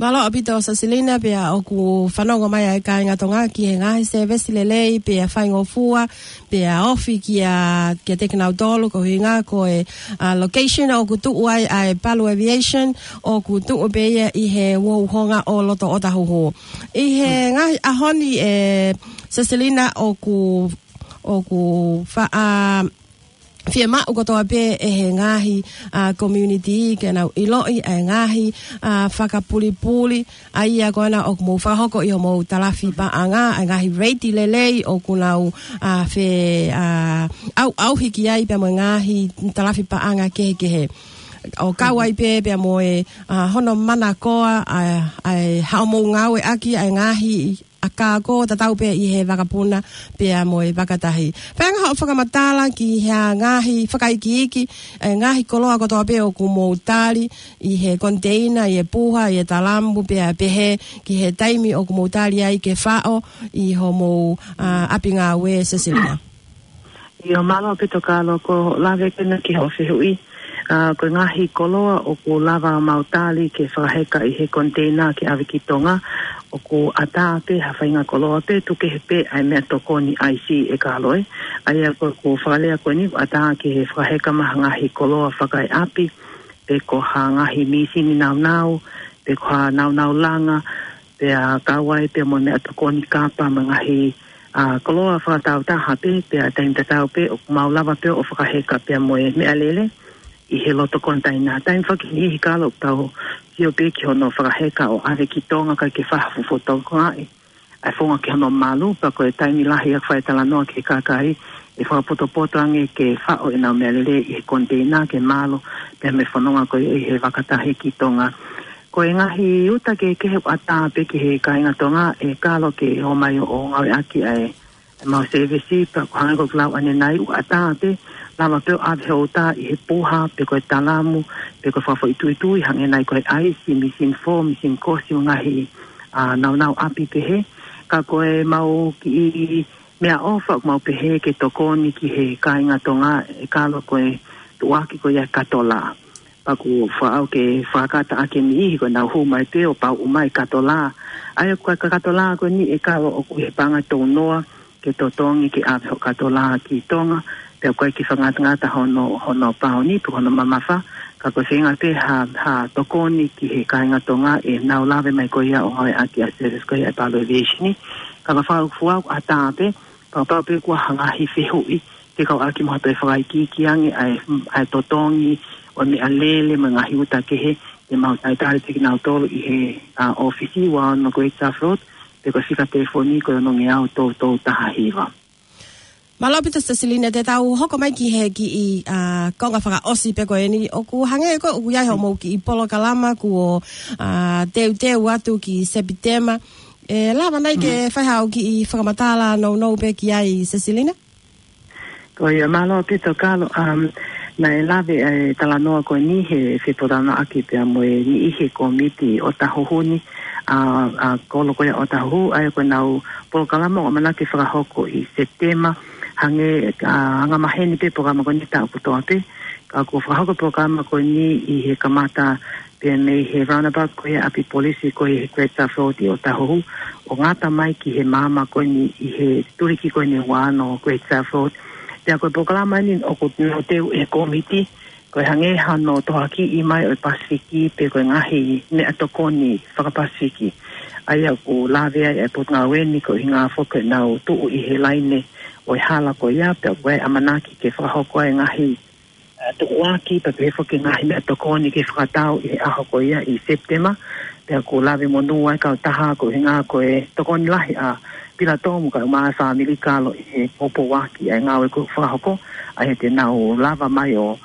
Mālō ʻaupito Seselina, pea ʻoku fanongo mai ʻa e kāinga Tonga ki he ngaahi sēvesi lelei, pea faingofua, pea ofi kia, kiate kinautolu, ko e ʻuhinga ko e, ʻa, location ʻoku tuʻu ai ʻa e Palu Aviation, ʻoku tuʻu pē ia ʻi he uhouhonga ʻo loto ʻŌtāhuhu. ʻI he ngaahi ʻaho ni ʻe Seselina ʻoku, ʻoku faʻa, ʻa, fiemaʻu kotoa pē ʻe he ngaahi, ʻa, community ke nau ʻiloʻi ʻa e ngaahi, ʻa, fakapulipuli, ʻa ia ko ena ʻoku mou fakahoko ʻi hoʻomou talafi paʻanga, ʻa e ngaahi rate lelei ʻoku nau, ʻa, fe, ʻa, ʻauʻauhi ki ai pea mo e ngaahi talafi paʻanga kehekehe. ʻO kau ai pē pea mo e, ʻa, hono manakoa, ʻa, ʻa e haʻamou ngāueʻaki ʻa e ngaahi ʻakā ko ē tatau pē ʻi he vakapuna pea mo e vakatahi. Pea ngaahi haʻo fakamatala ki he ngaahi fakaikiiki, ʻa e ngaahi koloa kotoa pē ʻoku mou tali ʻi he container, ʻi he puha, ʻi he talamu pea pehē ki he taimi ʻoku mou tali ai ke faʻo ʻi hoʻomou, ʻa, ʻapi ngāue Seselina. ʻIo, mālō ʻaupito Kalo, ko e lave ko ena ki hoʻo fehuʻi, ʻa, ko e ngaahi koloa ʻoku lava mau tali ke fakaheka ʻi he container ke ʻave ki Tonga, ʻoku ʻatā pē ha faʻahinga koloa pē, tuku kehe pē ʻa e meʻatokoni ʻaisi ʻe Kalo, ē. ʻA ia ko, ko e fakalea ko eni, ʻatā ke fakaheka mai ha ngaahi koloa fakaeʻapi, pe ko ha ngaahi mīsini naunau, pe ko ha naunau langa, pea kau ai pea mo e meʻatokoni kapa mo e ngaahi, ʻa, koloa fakataautaha pē, pea taimi tatau pē ʻoku mau lava pē ʻo fakaheka pea mo e meʻalele ʻi he loto container. Taimi foki ʻe niʻihi Kalo ʻoku tau sio pē ki hono fakaheka ʻo ʻave ki Tonga kae ʻikai ke fai ha fuʻu fokotuʻutuʻu ʻa e founga ki hono malu, pea ko e taimi lahi ʻoku fai talanoa ki he kakai ʻe fakapotopoto ange ke faʻo ʻenau meʻalele ʻi he container ke malu pea mo e fononga ko ia ʻi he vakatahi ki Tonga. Ko e ngaahi uta kehekehe ʻoku ʻatā pē ki he kāinga Tonga ʻe Kalo ke ō mai ʻo ngāueʻaki ʻa e ʻemau sēvesi, pea ko e hangē ko ʻeku lau ʻanenai, ʻoku ʻatā pē, lava pē ʻo ʻave hoʻo uta ʻi he puha, pe ko e talamu, pe ko e fakafoʻituitui, hangē nai ko e ʻaisi, mīsini fō, mīsini kosi, ngaahi, ʻa, naunau ʻapi pehē. Ka ko ʻemau kiʻi meʻaʻofa ʻoku mau pehē ke tokoni ki he kāinga Tonga ʻe Kalo ko e tuʻuaki ko ia e katolā. Pea ʻoku faʻa ʻoua ke fakakata ʻaki e niʻihi ko ʻenau hū mai pē ʻo pauʻu mai katolā. ʻA ia ko e katolā ko eni ʻe Kalo ʻoku ʻi he paʻanga tau noa ke totongi ke ʻave hoʻo katolā ki Tonga, Pea ʻoku ʻikai ke fakangatangata hono, hono pāuni pe hono mamafa, ka ko e feinga pē ha, ha tokoni ki he kāinga Tonga ʻenau lave mai ko ia ʻo ngāueʻaki ʻa e service ko ia ʻa e Palu Aviation. Ka ko e fakaʻuhinga ʻoku ʻatā pē, kapau pē kuo hanga ʻo fehuʻi, ke kau ʻaki mo ha toe fakaikiiki ange ʻa e, ʻa e totongi ʻo e meʻalele mo e ngaahi uta kehe, te mau talitali pē kinautolu ʻi he, ʻa, ʻōfisi ua ono Great South Road, pe ko e fika telefoni ko e ono ngeau tolu tolu taha hiva. Mālō ʻaupito Sesilina, te tau hoko mai ki he kiʻi, ʻa, konga fakaʻosi pē ko eni, ʻoku hangē ko ē ʻoku ʻi ai hoʻomou kiʻi polokalama kuo, ʻa, teuteu atu ki Sepitema. ʻE lava nai ke fai haʻo kiʻi fakamatala nounou pē ki ai Sesilina? Ko ia, mālō ʻaupito Kalo, um, naʻe lave ʻa e talanoa ko eni he fepōtalanoaʻaki pea mo e niʻihi he kōmiti ʻo Tahuhu ni, ʻa, ʻa e kolo ko ia ʻo Tahuhu, ʻa ia ko ʻenau polokalama ʻoku ʻamanaki ke fakahoko ʻi Sepitema, hangē, ʻa, anga maheni pē polokalama ko eni taʻu kotoa pē, ka kuo fakahoko polokalama ko eni ʻi he kamata pea mei he roundabout ko ia ʻa e ʻapi polisi ko ia he Great South Road ʻi ʻŌtāhuhu, ʻo ngata mai ki he maama ko eni ʻi he tuliki ko eni ua ono Great South Road. Pea ko e polokalama eni ʻoku nau teu ʻe he kōmiti, ko e hangē hano tohoakiʻi mai ʻo e Pasifiki pe ko e ngaahi meʻatokoni faka-Pasifiki. ʻA ia ʻoku lave ai ʻa e potungāue ni ko e ʻuhinga foki ʻenau tuʻu ʻi he laine ʻo e hala ko ia, pea ʻoku ʻi ai e ʻamanaki ke fakahoko ai e ngaahi ʻa, tukuakiʻi pea pehē foki e ngaahi meʻatokoni ke fakatau ʻi he ʻaho ko ia ʻi Sepitema, pea ʻoku lave monū ai e kautaha ko e ʻuhinga ko e tokoni lahi ʻa Pilatomu kae ʻumaʻā e fāmili Kalo ʻi he poupouaki ʻa e ngāue kuo fakahoko, ʻa ia te nau lava mai ʻo,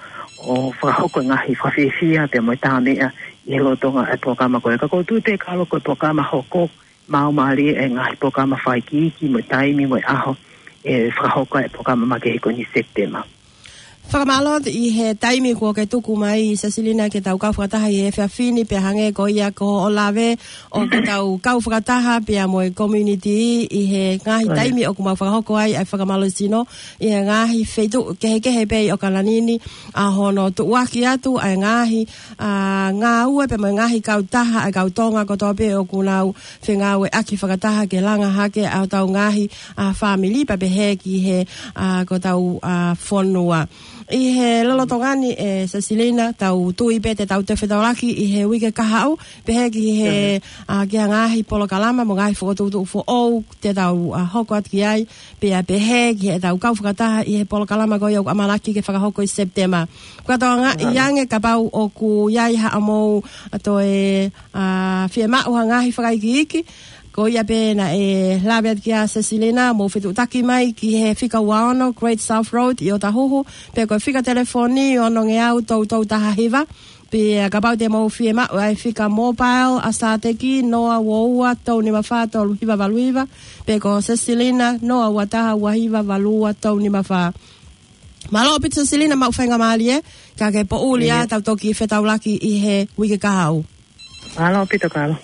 ʻo fakahoko e ngaahi fakafiefia pea mo e tā meʻa ʻi he lolotonga ʻa e polokalama ko ia. Ka ʻoku ou tui pē Kalo ko e polokalama hoko, maumālie e ngaahi polokalama fakaikiiki mo e taimi mo e ʻaho ʻe fakahoko ai e polokalama makehe ko eni Sepitema. Fakamālō atu ʻi he taimi kuo ke tuku mai Sesilina ke tau kau fakataha ʻi he efiafi ni, pea hangē ko ia ko hoʻo lave ʻoku tau kau fakataha pea mo e community ʻi he ngaahi taimi ʻoku mau fakahoko ai ʻa e fakamālohisino ʻi he ngaahi feituʻu kehekehe pē ʻi ʻAokalani ni, ʻa hono tuʻuaki atu ʻa e ngaahi, ʻa, ngāue pea mo e ngaahi kautaha ʻa e kau Tonga kotoa pē ʻoku nau fengāueʻaki fakataha ke langa hake ʻa hotau ngaahi, ʻa, fāmili pea pehē ki he, ʻa, ko hotau, ʻa, fonua. ʻI he lolotonga ni ʻe Sesilina, tau tui pē te tau toe fetaulaki ʻi he uike kahaʻu, pehē ki he, ʻa, ki he ngaahi polokalama mo e ngaahi fokotuʻutuʻu foʻou te tau, ʻa, hoko atu ki ai, pea pehē ki heʻetau kau fakataha ʻi he polokalama ko ia ʻoku ʻamanaki ke fakahoko ʻi Sepitema. Ko e tokanga ʻi ange kapau ʻoku ʻi ai haʻamou, ʻa, toe, ʻa, fiemaʻu ha ngaahi fakaikiiki, ko ia pē naʻe lave atu ki ai ʻa Sesilina, mou fetuʻutaki mai ki he fika ua ono Great South Road ʻi ʻŌtāhuhu, pe ko e fika telefoni ono ngeau tolu tolu taha hiva, pea kapau te mou fiemaʻu ʻa e fika mobile ʻa Sateki, noa ua ua tolu nima fā tolu hiva valu hiva, pe ko Sesilina, noa ua taha ua hiva valu ua tolu nima fā. Mālō ʻaupito Sesilina, maʻu faingamālie, ka ke poʻuli ʻa tau toki fetaulaki ʻi he uike kahaʻu. Mālō ʻaupito Kalo.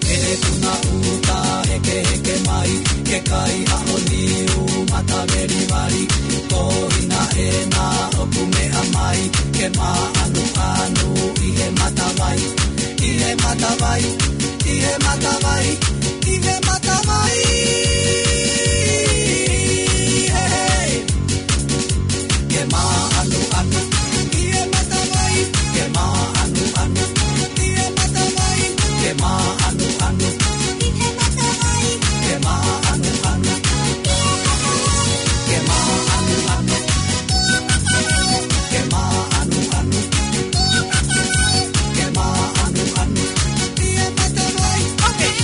ʻE tuna uta hekeheke mai, ke kai haʻo niu mata velivali, ko hina ena ʻoku meʻa mai, ke māʻanuʻanu ʻi he matavai, ʻi he matavai, ʻi he matavai, ʻi he matavai. He, he. Ke māʻanuʻanu ʻi he matavai, ke māʻanuʻanu ʻi he matavai, ke māʻanuʻanu ʻi he matavai, ke māʻanuʻanu ʻi he matavai, ke māʻanuʻanu, ke māʻanuʻanu, ke māʻanuʻanu ʻi he matavai. ʻOkei.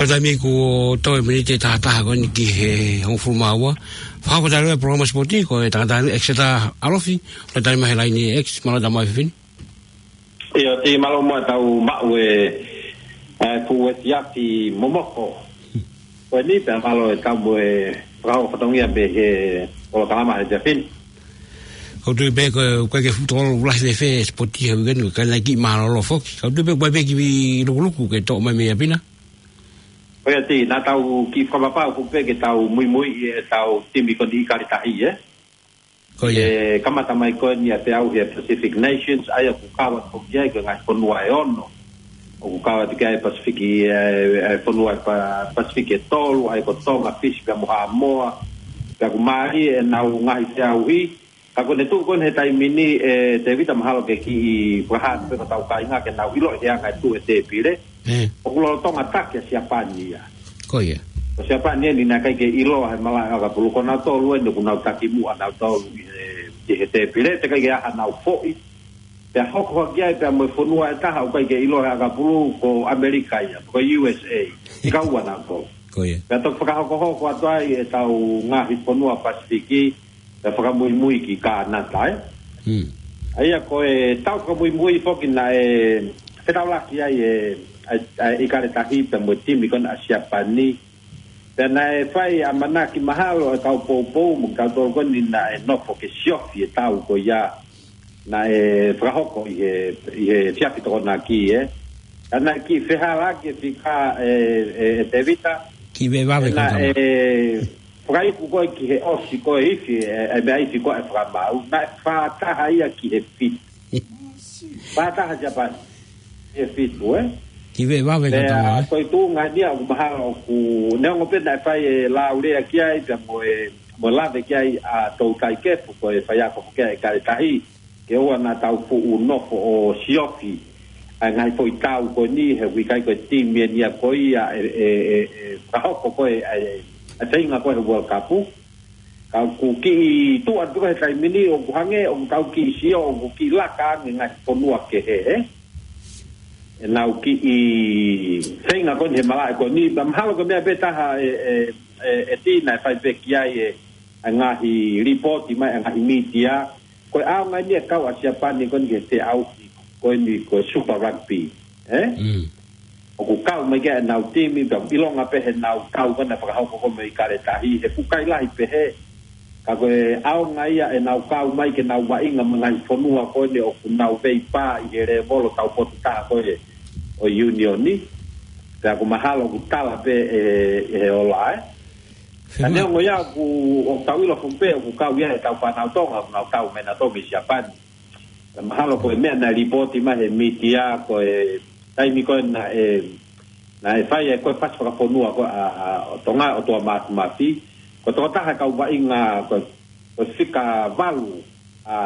Taimi kuo toe miniti ʻe taha taha ko eni ki he hongofulu mā ua. Fakafetaʻi e polokalama sipoti ko e tangata ni Exeter Alofi, ʻo tali mai he laine X, mālō e tama e fefine. ʻIo, Tī, mālō muʻa ʻetau maʻu e, e, fuʻu efiafi momoko. Ko eni pea mālō e tau mo e fakahoko fatongia pē he polokalama he efiafi ni. Kau tui pē ko, ko e ke futu olo ulahi fēfē e sipoti he uike ni, ka naʻe kiʻi mālōlō foki. Kau tui pē ko e pē kiʻi lukuluku ke toʻo mai mei ʻapi na. Ko ia Tī, naʻa tau kiʻi fakapapau ko pē ke tau muimui ʻetau timi ko eni ʻIkale Tahi, ē? Ko ia. ʻE kamata mai ko eni ʻa e feʻauhi ʻa e Pacific Nations, ʻa ia ʻoku kau atu ki ai ko e ngaahi fonua ʻe ono. ʻOku kau atu ki ai Pasifiki, e, e fonua ʻa e Pa-, Pasifiki ʻe tolu, ʻa ia ko Tonga, Fisi pea mo Haʻamoa. Pea ʻoku mālie ʻenau ngaahi feʻauhi, ka ko ʻene tuʻu ko eni he taimi ni, ʻe Tēvita, mahalo ke kiʻi fakahā pē ki hotau kāinga ke nau ʻilo ʻi he anga e tuʻu e tēpile. ʻE. ʻOku lolotonga taki ʻa Siapani ia. Ko ia. Ko Siapani eni naʻe ʻikai ke ʻiloa he malaʻe ʻakapulu, ko nautolu eni ʻoku nau taki muʻa nautolu ʻi he, ʻi he tēpile, teʻeki ai ke ʻi ai hanau foʻi. Pea hoko hake ai pea mo e fonua ʻe taha ʻoku ʻikai ke ʻiloa he ʻakapulu, ko ʻAmelika ia, ko U S A. ʻIkai ua nautolu. Ko ia. Pea toki fakahokohoko atu ai ʻetau ngaahi fonua Pasifiki, pea fakamuimui ki Kānata, ē? Hmm. ʻA ia ko e tau fakamuimui foki naʻe fetaulaki ai e, ʻa e, ʻa e ʻIkale Tahi pea mo e timi ko ena ʻa Siapani. Pea naʻe fai ʻamanaki mahalo e kau poupou mo kitautolu ko eni naʻe nofo ke siofi e tau ko ia naʻe fakahoko ʻi he, ʻi he efiafi Tokonaki, ē. Ka naʻe kiʻi fehālaaki e fika, ē, ē, ē Tēvita. Kiʻi vave ko e naʻe, ē, fakaiku ko ē ki he ʻosi ko ē ifi, ē, ē, meʻa ifi ko ē ʻa e fakamaau. Naʻe fā taha ia ki he fitu. Fā taha Siapani. Ki he fitu, ē. Kiʻi vave ko e, ē, tama, ē. Ko e tuʻunga ni ia ʻoku mahalo ʻoku neongo pē naʻe fai e lāulea ki ai, pea mo e, mo e lave ki ai ʻa Toutai Kefu, ko e faiako foki ʻa e ʻIkale Tahi. Ke ʻoua naʻa tau fuʻu nofo ʻo siofi ʻa e ngaahi foʻi tau ko eni, he ʻoku ʻikai ko e timi eni ia ko ia ʻe, ʻe, ʻe, ʻe fakahoko ko ē ʻa e, ʻa e feinga ko ē he World Cup. Ka ʻoku kiʻi tuʻu atu ko ē he taimi ni, ʻoku hangē ʻoku tau kiʻi sio, ʻoku kiʻi laka ange ngaahi fonua kehe, ē? ʻEnau kiʻi feinga ko eni he malaʻe ko eni, pea mahalo ko e meʻa pē taha ē, ē, ē, ē Tī, naʻe fai pē ki ai e, ʻa e ngaahi lipooti mai ʻa e ngaahi mītia, ko e ʻaonga eni e kau ʻa Siapani ko eni ki he feʻauhi ko eni ko e Super Rugby, ē? Mm. ʻOku kau mai ki ai ʻenau timi, pea ʻilonga pē heʻenau tau ko ena fakahoko ko ē mo e ʻIkale Tahi, he ʻoku ʻikai lahi pehē. Ka ko e ʻaonga ia ʻenau kau mai ke nau vaʻinga mo e ngaahi fonua ko eni ʻoku nau veipā ʻi he lēvolo taupotu taha ko ē ʻo e Union ni. Pea ʻoku mahalo ʻoku tala pē ʻe, ʻe he ola, ē? Ka neongo ia ʻoku, ʻoku tau ʻilo foki pē ʻoku kau ia ʻetau fānau Tonga, ʻoku nau tau mai nautolu mei Siapani. Ka mahalo ko e meʻa naʻe lipooti mai he mītia, ko e taimi ko ē naʻe, naʻe fai ai ko e fasi fakafonua ko ē ʻa, ʻa, ʻo Tonga, ʻo Tuʻa Māfimafi. Ko e tokotaha e kau vaʻinga ko e, ko e fika valu ʻa,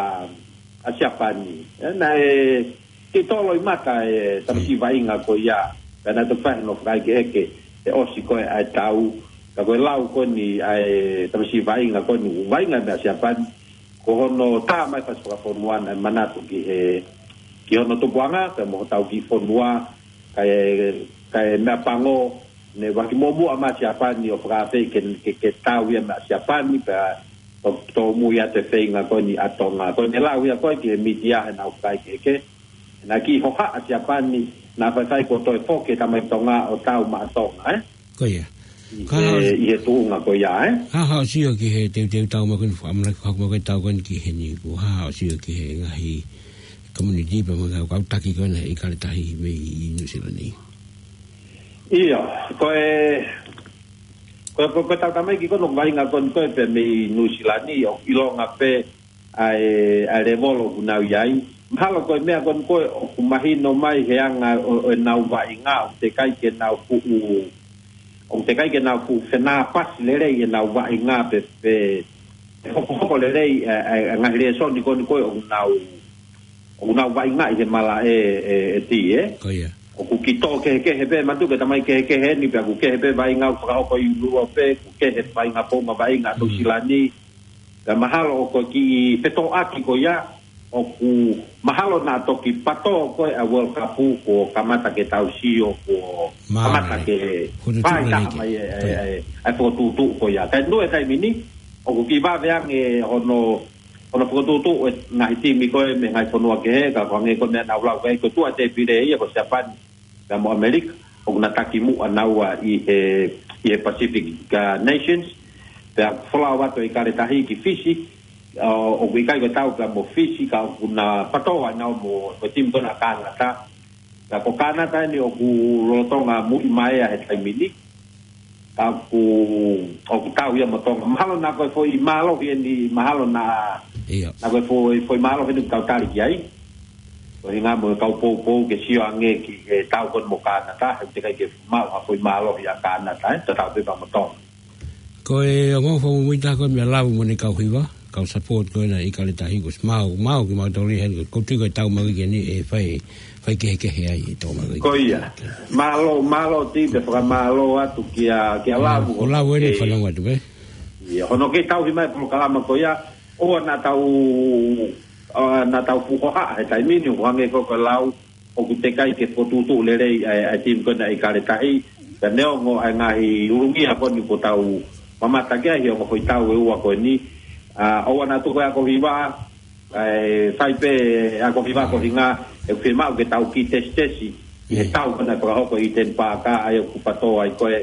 ʻa Siapani. ʻE, naʻe kiʻi tō loʻimata e tamasiʻi vaʻinga ko ia. Pea naʻe toki fai hono fakaʻekeʻeke he ʻosi ko ē ʻa e tau. Ka ko e lau ko eni ʻa e tamasiʻi vaʻinga ko eni, vaʻinga mei Siapani. Ko hono tā mai fasi fakafonua naʻe manatu ki he, ki hono tupuʻanga, pea mo hotau kiʻi fonua, kae, kae meʻapango, ne vaki muʻomuʻa mai Siapani ʻo fakaafeʻi ke, ke, ke tau ia mei Siapani, pea to, tōmui atu e feinga ko eni ʻa Tonga. Ko ʻene lau ia ko ē ki he mītia heʻenau fakaʻekeʻeke. Naʻe kiʻi hohaʻa Siapani, naʻa faifai kuo toe foki e tamaiki Tonga ʻo tau maʻa Tonga, ē? Ko ia. ʻI he, ʻi he tuʻunga ko ia, ē? Hā haʻo sio ki he teuteu tau mai ko eni, fakaʻamanaki fakahoko mai ko ē tau ko eni ki heni, ko e hā haʻo sio ki he ngaahi community pea mo e kau, kau taki ko ena ʻIkale Tahi mei Nuʻusila ni? ʻIo, ko e, ko e, ko e, ko e tau tamaiki ko ena ʻoku vaʻinga ko eni ko ē pē mei Nuʻusila ni, ʻoku ʻilonga pē ʻa e, ʻa e lēvolo ʻoku nau ʻi ai. Mahalo ko e meʻa ko eni ko ē ʻoku mahino mai he anga ʻo, ʻo ʻenau vaʻinga, ʻoku teʻeki ai ke nau fuʻu, ʻoku teʻeki ai ke nau fuʻu fenāpasi lelei ʻenau vaʻinga pe, pe, pe hokohoko lelei e, e, e ngaahi lēsoni ko eni ko ē ʻoku nau, ʻoku nau vaʻingaʻi he malaʻe, ē, ē Tī, ē? Ko ia. ʻOku kiʻi tō kehekehe pē, manatu ki he tamaiki kehekehe ni, pea ʻoku kehe pē vaʻinga ʻoku fakahoko ʻi ʻIulope, ʻoku kehe vaʻinga, founga vaʻinga ʻa Nuʻusila ni. Pea mahalo ʻoku kiʻi fetōʻaki ko ia, ʻoku mahalo naʻa toki pato ko ē ʻa e World Cup kuo kamata ke tau sio, kuo Mā kamata mai. Ke Hunu tuʻu fai mai taha ke mai e, e, Toi. e, e fokotuʻutuʻu ko ia. Kae nue taimi ni, ʻoku kiʻi vave ange hono, hono fokotuʻutuʻu e ngaahi timi ko ē mei he ngaahi fonua kehe, ka ko e hangē ko e meʻa naʻa ku lau ko ē, ko e tuʻa tēpile ia ko Siapani pea mo ʻAmelika, ʻoku na taki muʻa naua ʻi he, ʻi he Pacific, ka Nations, pea folau atu ʻa ʻIkale Tahi ki Fisi, ʻo, ʻoku ʻikai ko e tau pea mo Fisi, ka ʻoku na pato ai naua mo, mo e timi ko ena Kanata. Ka ko Kanata eni ʻoku lolotonga muimui ai he taimi ni. Ka ʻoku, ʻoku tau ia mo Tonga. Mahalo naʻa ko e foʻi mālohi eni, mahalo naʻa, ʻIo. naʻa ko e foʻi, foʻi mālohi eni ʻoku tau tali ki ai. Ko e hinga mo e kau poupou ke sio ange ki he tau ko ena mo Kanata, he ʻoku teʻeki ai ke maʻu ha foʻi mālohi ʻa Kanata, ē, tatau pē pea mo Tonga. Ko e ongo fo muita ko e meʻa lau mo ʻene kau hiva, kau support ko ena ʻIkale Tahi ko si mau, mau ki mau toli hen, ko tui ko e tau mau ki ni e fai, fai kehekehe ai e tau mau ki. Ko ia. Mālō, mālō Ti, pea fakamālō atu kia, kia Lavu. Ko Lavu eni e fanongo atu, ē? Ia, hono kei tauhi mai e polokalama ko ia, ʻoua naʻa tau, ʻoua naʻa tau fuʻu hohaʻa he taimi ni, ʻo hangē ko e lau, ʻoku teʻeki ai ke fokotuʻutuʻu lelei ʻa e, ʻa e timi ko ena ʻIkale Tahi, ka neongo ʻa e ngaahi ulungia ko eni kuo tau mamata ki ai he ongo foʻi tau ʻe ua ko eni, ʻa, ʻoua naʻa tuku e ako hiva, ʻa e fai pē ako hiva ko e hinga, ʻoku fiemaʻu ke tau kiʻi tesitesi, ʻi he Mm. tau ko ena ʻe fakahoko ʻi Eden Park, ʻa ia ʻoku pato ai ko ē,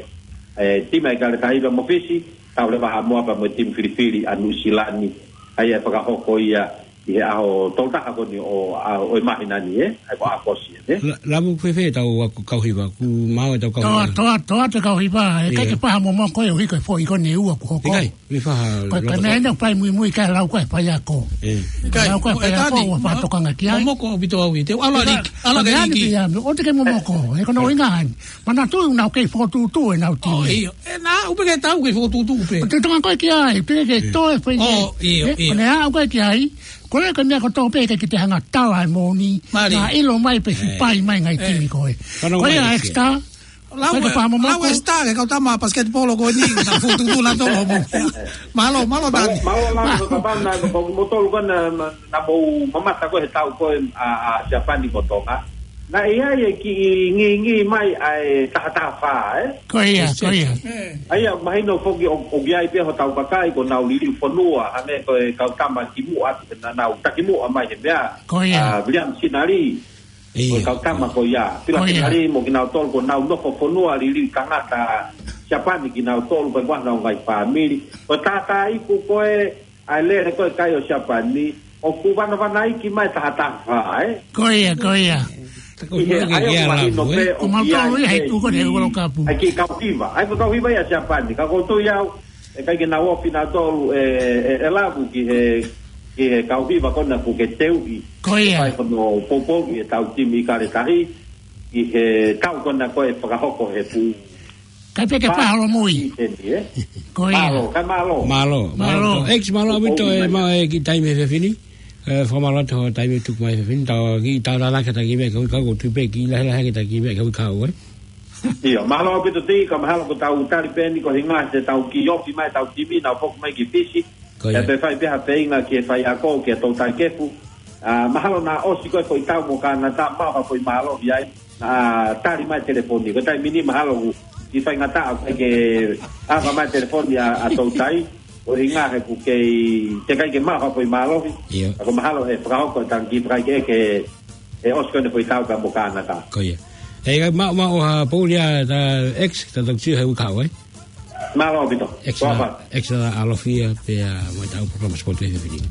ʻa e timi ʻa ʻIkale Tahi pea mo Fisi, tau leva Haʻamoa pea mo e timi filifili ʻa Nuʻu Sila ni, ʻa ia ʻe fakahoko ia, ʻi he ʻaho tolu taha ko eni ʻo, ʻa, ʻo e māhina ni, ē? ʻA ia ko ʻAokosi, ē? La-, Lavu, fēfē tau ako kau hiva, ʻoku maau e tau kau Toa, hiva. toa, toa te kau hiva, ʻe ʻIo. ʻikai ke faha momoko e ʻuhi ko e foʻi ko eni ʻe ua kuo hoko. ʻIkai, ʻe faha Ko e, ko e loto meʻa ko. eni ʻoku fai muimui ki ai e lau ko ē ʻa e faiako. ʻE. ʻIkai, Lau ko ē ʻa e faiako, ua mo-, fakatokanga ki ai. momoko ʻaupito au ʻi he, ʻalu ʻa Liki, ʻalu ʻa Liki. Pea ʻe ʻi ai pē ia, ʻoua te ke momoko, he ko hono ʻuhinga eni. Manatuʻi naʻa ku kei fokotuʻutuʻu ʻenau timi. ʻIo. ʻE, naʻa ku pehē tau kei fokotuʻutuʻu pē. ʻOku te tokanga koe ki ai, te ke toe fai ʻIo, ʻio. ʻE, ʻio. Ko ena ʻoku ʻikai ke ai, ko e lea ko e meʻa kotoa pē ʻikai ke te hanga tau ai moʻoni. Mali. Naʻa ʻilo mai pē siʻi pai mai ngaahi timi ko ē. Ko ia, Exeter. Lau Ko e, lau momoko. Exeter, ke kau tama basketball ko eni, naʻa fokotuʻutuʻu naʻa tolo mo. Mālō, mālō Tani. Mālō, mālō, mālō, ko e kapau naʻa, ko, ko mou tolu ko ena, naʻa, naʻa mou mamata ko ē he tau ko ē ʻa, ʻa Siapani mo Tonga. Naʻe ʻi ai e kiʻi ngingila mai ʻa e taha taha fā, ē? Ko ia, ko ia. ʻA ia, mahino foki ʻo, ʻoku ʻi ai pē hotau kakai kuo nau liliu fonua, hangē ko e kau tama kimuʻa, naʻa nau taki muʻa mai he meʻa. Ko ia. ʻA, William Sinali. ʻIo. Ko e kau tama ko ia. Pila Ko ia. Sinali mo kinautolu kuo nau nofo fonua liliu tangata Siapani kinautolu pea kuo nau ngaahi fāmili. Ko e tātā iku ko ē, ʻa e lele ko ē kai ʻo Siapani, ʻoku vanavanaiki mai taha taha fā, ē? Ko ia, ko ia. ʻI he ʻai ʻoku mahino pē ʻoku ʻi ai ʻa e kiʻi, ʻa e kiʻi kau hiva. ʻA ia ko e kau hiva ia ʻa Siapani. Ka ʻoku ou tui au, ʻe ʻikai ke nau ofi nautolu ʻe, ʻe, ʻe Lavu ki he, ki he kau hiva ko ena ʻoku ke teuʻi. Ko ia. Fai ko hono poupouʻi e tau timi ʻIkale Tahi, ʻi he tau ko ena ko ē ʻe fakahoko he fuʻu Kai pē ke pā. Pahalo mui. Eni, ē? Ko ia. Mālō, kai mālō. Mālō, mālō. Mālō. X, mālō ʻaupito e maʻu e kiʻi taimi he efiafi ni. ʻE, fakamālō atu hoʻo taimi tuku mai he efiafi ni. Tau kiʻi tau lala ke taki meʻa, ka ui kau ko tupe kiʻi lahi lahi ke taki meʻa, ka ui kau, ē? ʻIo, mālō ʻaupito Ti, ka mahalo ko ʻetau tali pē eni ko e hinga he tau kiʻi ofi mai ʻetau timi, nau foki mai ki Fisi. Ko ia. ʻE pē fai pē ha feinga ki he faiako, kia Toutai Kefu. ʻA, mahalo naʻa ʻosi ko ē foʻi tau mo Kanata, maʻu ha foʻi mālohi ai. ʻA, tali mai telefoni. Ko e taimi ni mahalo ʻoku kiʻi faingataʻa ʻoku ʻikai ke ʻave mai telefoni ʻa, ʻa Toutai. ʻUhinga he ʻoku kei, teʻeki ai ke maʻu ha foʻi mālohi. ʻIo. Ka ko e mahalo ʻe fakahoko ʻetau kiʻi fakaʻekeʻeke, ʻe ʻosi ko ena foʻi tau pea mo Kanata. Ko ia. ʻE, ka maʻu, maʻu ha pouli ʻa ta X, ta tau sio he uike kahaʻu, ē? Mālō ʻaupito. X, X ʻalofi ia, pea mo ʻetau polokalama sipoti he efiafi ni.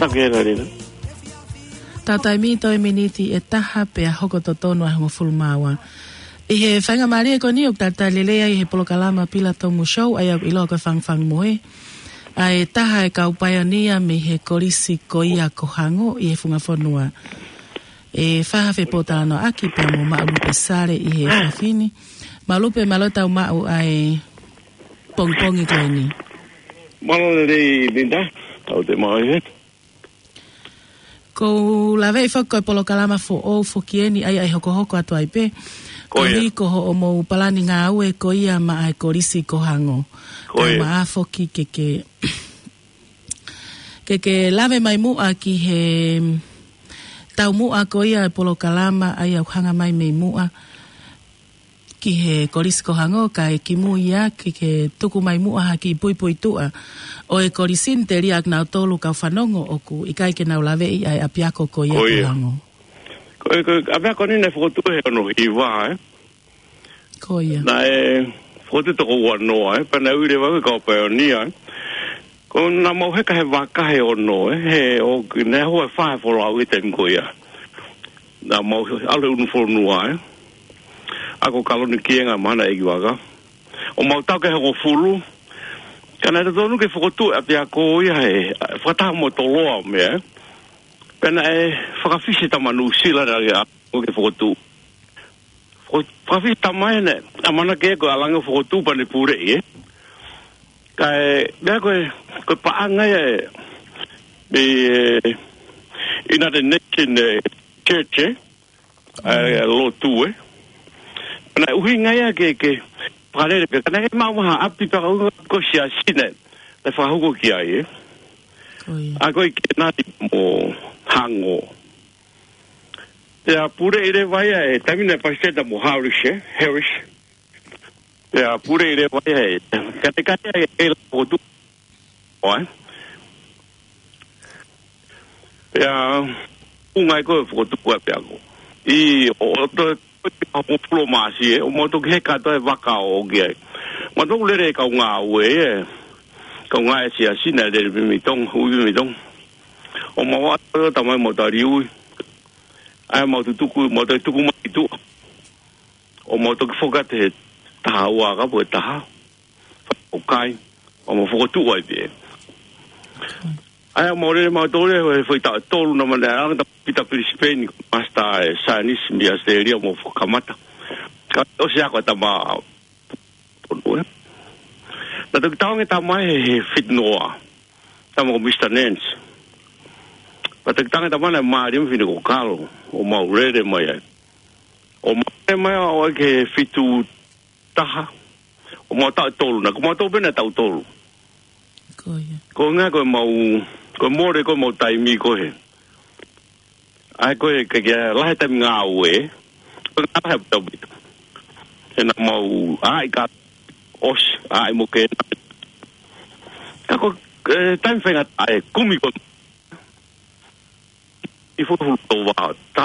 Ake la lina. Tau taimi toe miniti ʻe taha pea hoko totonu ʻa e hongofulu mā ua. ʻI he faingamālie ko eni ʻoku talitali lelei ai he polokalama Pila Tomu Show, ʻa ia ʻoku ʻiloa ko e Fangafanga Mohe. ʻA e taha e kau paionia mei he kolisi ko ia ko Hango ʻi he funga fonua. ʻE fai ha fepōtalanoaʻaki pea mo Maʻulupe Sale ʻi he efiafi ni. Maʻulupe, mālō e tau maʻu ʻa e pongipongi ko eni. Mālō lelei Linda, tau te mau ʻi he. Ko u laveʻi foki ko e polokalama foʻou foki eni ʻa ia ʻe hokohoko atu ai pē. Ko ia. Koeʻuhi ko hoʻomou palani ngāue ko ia maʻa e kolisi ko Hango. Ko ia. Tau maʻa foki ke ke, ke ke lave mai muʻa ki he taumuʻa ko ia e polokalama ʻa ia ʻoku hanga mai mei muʻa ki he kolisi ko Hango, kae kimui ia ke ke tuku mai muʻa ha kiʻi puipuituʻa ʻo e kolisi ni, telia ʻa kinautolu kau fanongo ʻoku ʻikai ke nau laveʻi ʻa e ʻapiako ko ia ko Hango. Ko e, ko e ʻapiako ni naʻe fokotuʻu he ono hiva, ē? Ko ia. Naʻe fokotuʻu toko ua noa, ē? Pea naʻe ui leva ko e kau paionia, ē? Ko naʻa mau heka he vaka he ono, ē? He ʻoku ne hoa fa he folau he taimi ko ia. Naʻa mau ʻalu he unu fonua, ē? ʻA ko Kaloni Kienga mahana ʻeikivaka. ʻO mau tau ke hongofulu. Ka naʻe totonu ke fokotuʻu ʻapiako ia he, fakataha mo Toloa mea, ē? Pea naʻe fakafisi tama Nuʻusila naʻe ʻa ko ke fokotuʻu. Fo-, fakafisi tama ʻe ne, ʻamanaki ko e ʻalu ange ʻo fokotuʻu pea ne puleʻi, ē? Kae, meʻa ko e, ko e paʻanga ia ʻe, ʻe, ʻe, United Nation, ē, Church, ē? ʻE, lotu, ē? Naʻe ʻuhinga ia ke, ke, fakalele pē, ka naʻe ʻikai maʻu ha ʻapi pea ka ʻuhinga ko e siasi naʻe, naʻe fakahoko ki ai, ē? Ko ia. ʻA ko e ke nati mo Hango. Pea puleʻi leva ia ʻe, taimi naʻe palesiteni mo Harris, ē? Harris. Pea puleʻi leva ia ʻe, ka te kai ia ʻe la fokotuʻu. ʻOe. Pea, ʻunga ʻi ko e fokotuʻu ʻapiako. ʻI ʻo, ʻo to, ʻo hongofulu Māʻasi, ē, ʻo mau toki heka atu he vaka ʻo ʻoki ai. Mau toki lele e kau ngāue, ē. Kau ngāue siasi naʻe lele pē mei Tonga, ui pē mei Tonga. ʻO mau ʻatu tamai mau tali ui. ʻAi mau tutuku, mau toki tuku mai ki tuʻa. ʻO mau toki foki atu he taha ua ka po e taha. ʻOku ʻikai, ʻo mau fokotuʻu ai pē. ʻAi mau lele mau tole, he foʻi taʻu ʻe tolu naʻa mau lele ʻa Pita Pilisipeni, ko e Master ʻa e Saienisi mei ʻAositelēlia mo fakakamata. Ka ʻosi ako e tama, ʻo, ē? Naʻe toki tau ange tama he, he fitu noa. Tama ko Misa Nance. Pea toki tau ange tama naʻe mālie mo e fefine ko Kalo. ʻO mau lele mai ai. ʻO mau lele mai ʻo aʻu ki he fitu taha. ʻO mau taʻu ʻe tolu, naʻa ko mau tau pē naʻe taʻu ʻe tolu. Ko ia. Ko e ʻuhinga ko e mau, ko e mole ko e mau taimi ko ē. ʻAi ko e ke, ke lahi e taimi ngāue. Ko e ngāue he ʻapiako. He naʻa mau, ʻai ka ʻosi, ʻai mo ke. Ka ko e, taimi faingataʻa ʻe kumi ko ʻi fuʻu fuʻu tau vā, tā.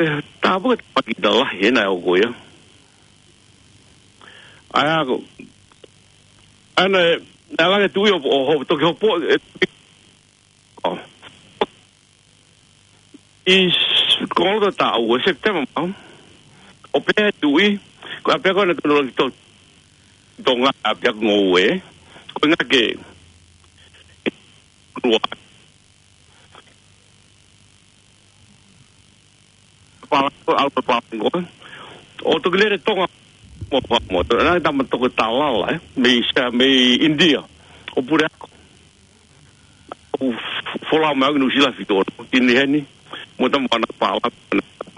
ʻE, tā puke tā paki tā lahi, he naʻe ʻo ko ia. ʻAi ʻa ko, ʻana ē, naʻe langa e tuʻi ʻo, ʻo, ʻo, toki hopo, ē, ʻo. ʻI s-, ko loto taʻu ʻe Sepitema mau. ʻO pehē tuʻi, ko e ʻapiako naʻe tonu lagi to, Tonga ʻapiako ngoue, ko e ngake, lua. Palango, ʻalu Palango. ʻO toki lele Tonga mo, mo, mo, naʻe tama toko talala, ē? Mei sa, mei ʻInitia. ʻO pule ako. ʻO f-, folau mai ʻo ki Nuʻusila fitu ono. Tini heni, mo tama ana pala,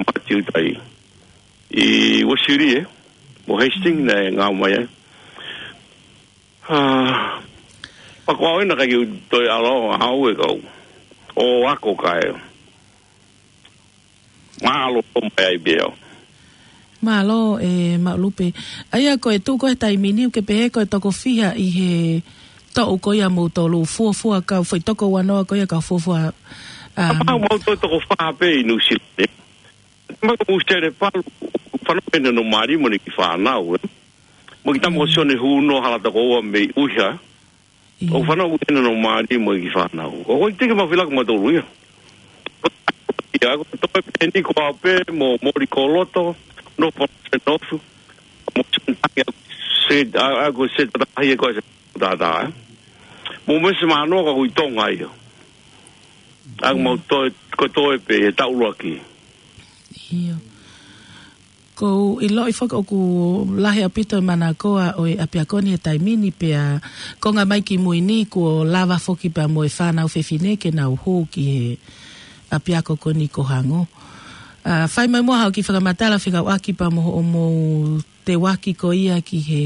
mati utai. ʻI Uesili, ē? Mo Hastings, naʻe ngāue mai, ē? ʻA, pea ko au ena ka kiu toe ʻalu au e kau. ʻO ako kae. Mālō mai ai pē au. Mālō, ē, Maʻulupe. ʻA ia ko e tuʻu ko ē he taimi ni ʻoku ke pehē ko e toko fiha ʻi he toʻu ko ia moutolu fuofua kau foʻi toko ua noa ko ia kau fuofua, ʻa, ʻa, mau toko fā pē ʻi Nuʻusila. Mau ko Sele Palu, fānau pē naʻa nau mali mo ni ki fānau, ē. Mo ki tama ko Sione Huno hala toko ua mei ʻUiha. ʻIo. ʻOku fanau ʻi heni ʻo mālie mo e kiʻi fānau. ʻOku ʻikai ke mau fie laka mautolu ia. ʻIo, ko e toe pē ni ko ā pē mo Moli Koloto, no pa se nofu. Mo se tangi a se, a, a ko se tata hia ko se tata, ē. Mo me se mano ka ko ʻi Tonga ia. ʻA ʻoku mau toe, ko e toe pē he taʻu ʻuluaki. ʻIo. ʻOku ou ʻiloʻi foki ʻoku lahi ʻaupito e manakoa ʻo e ʻapiako ni he taimi ni pea konga mai ki mui ni kuo lava foki pea mo e fānau fefine ke nau hū ki he ʻapiako ko eni ko Hango. ʻA, fai mai muʻa haʻo kiʻi fakamatala fekauʻaki pea mo hoʻomou teuaki ko ia ki he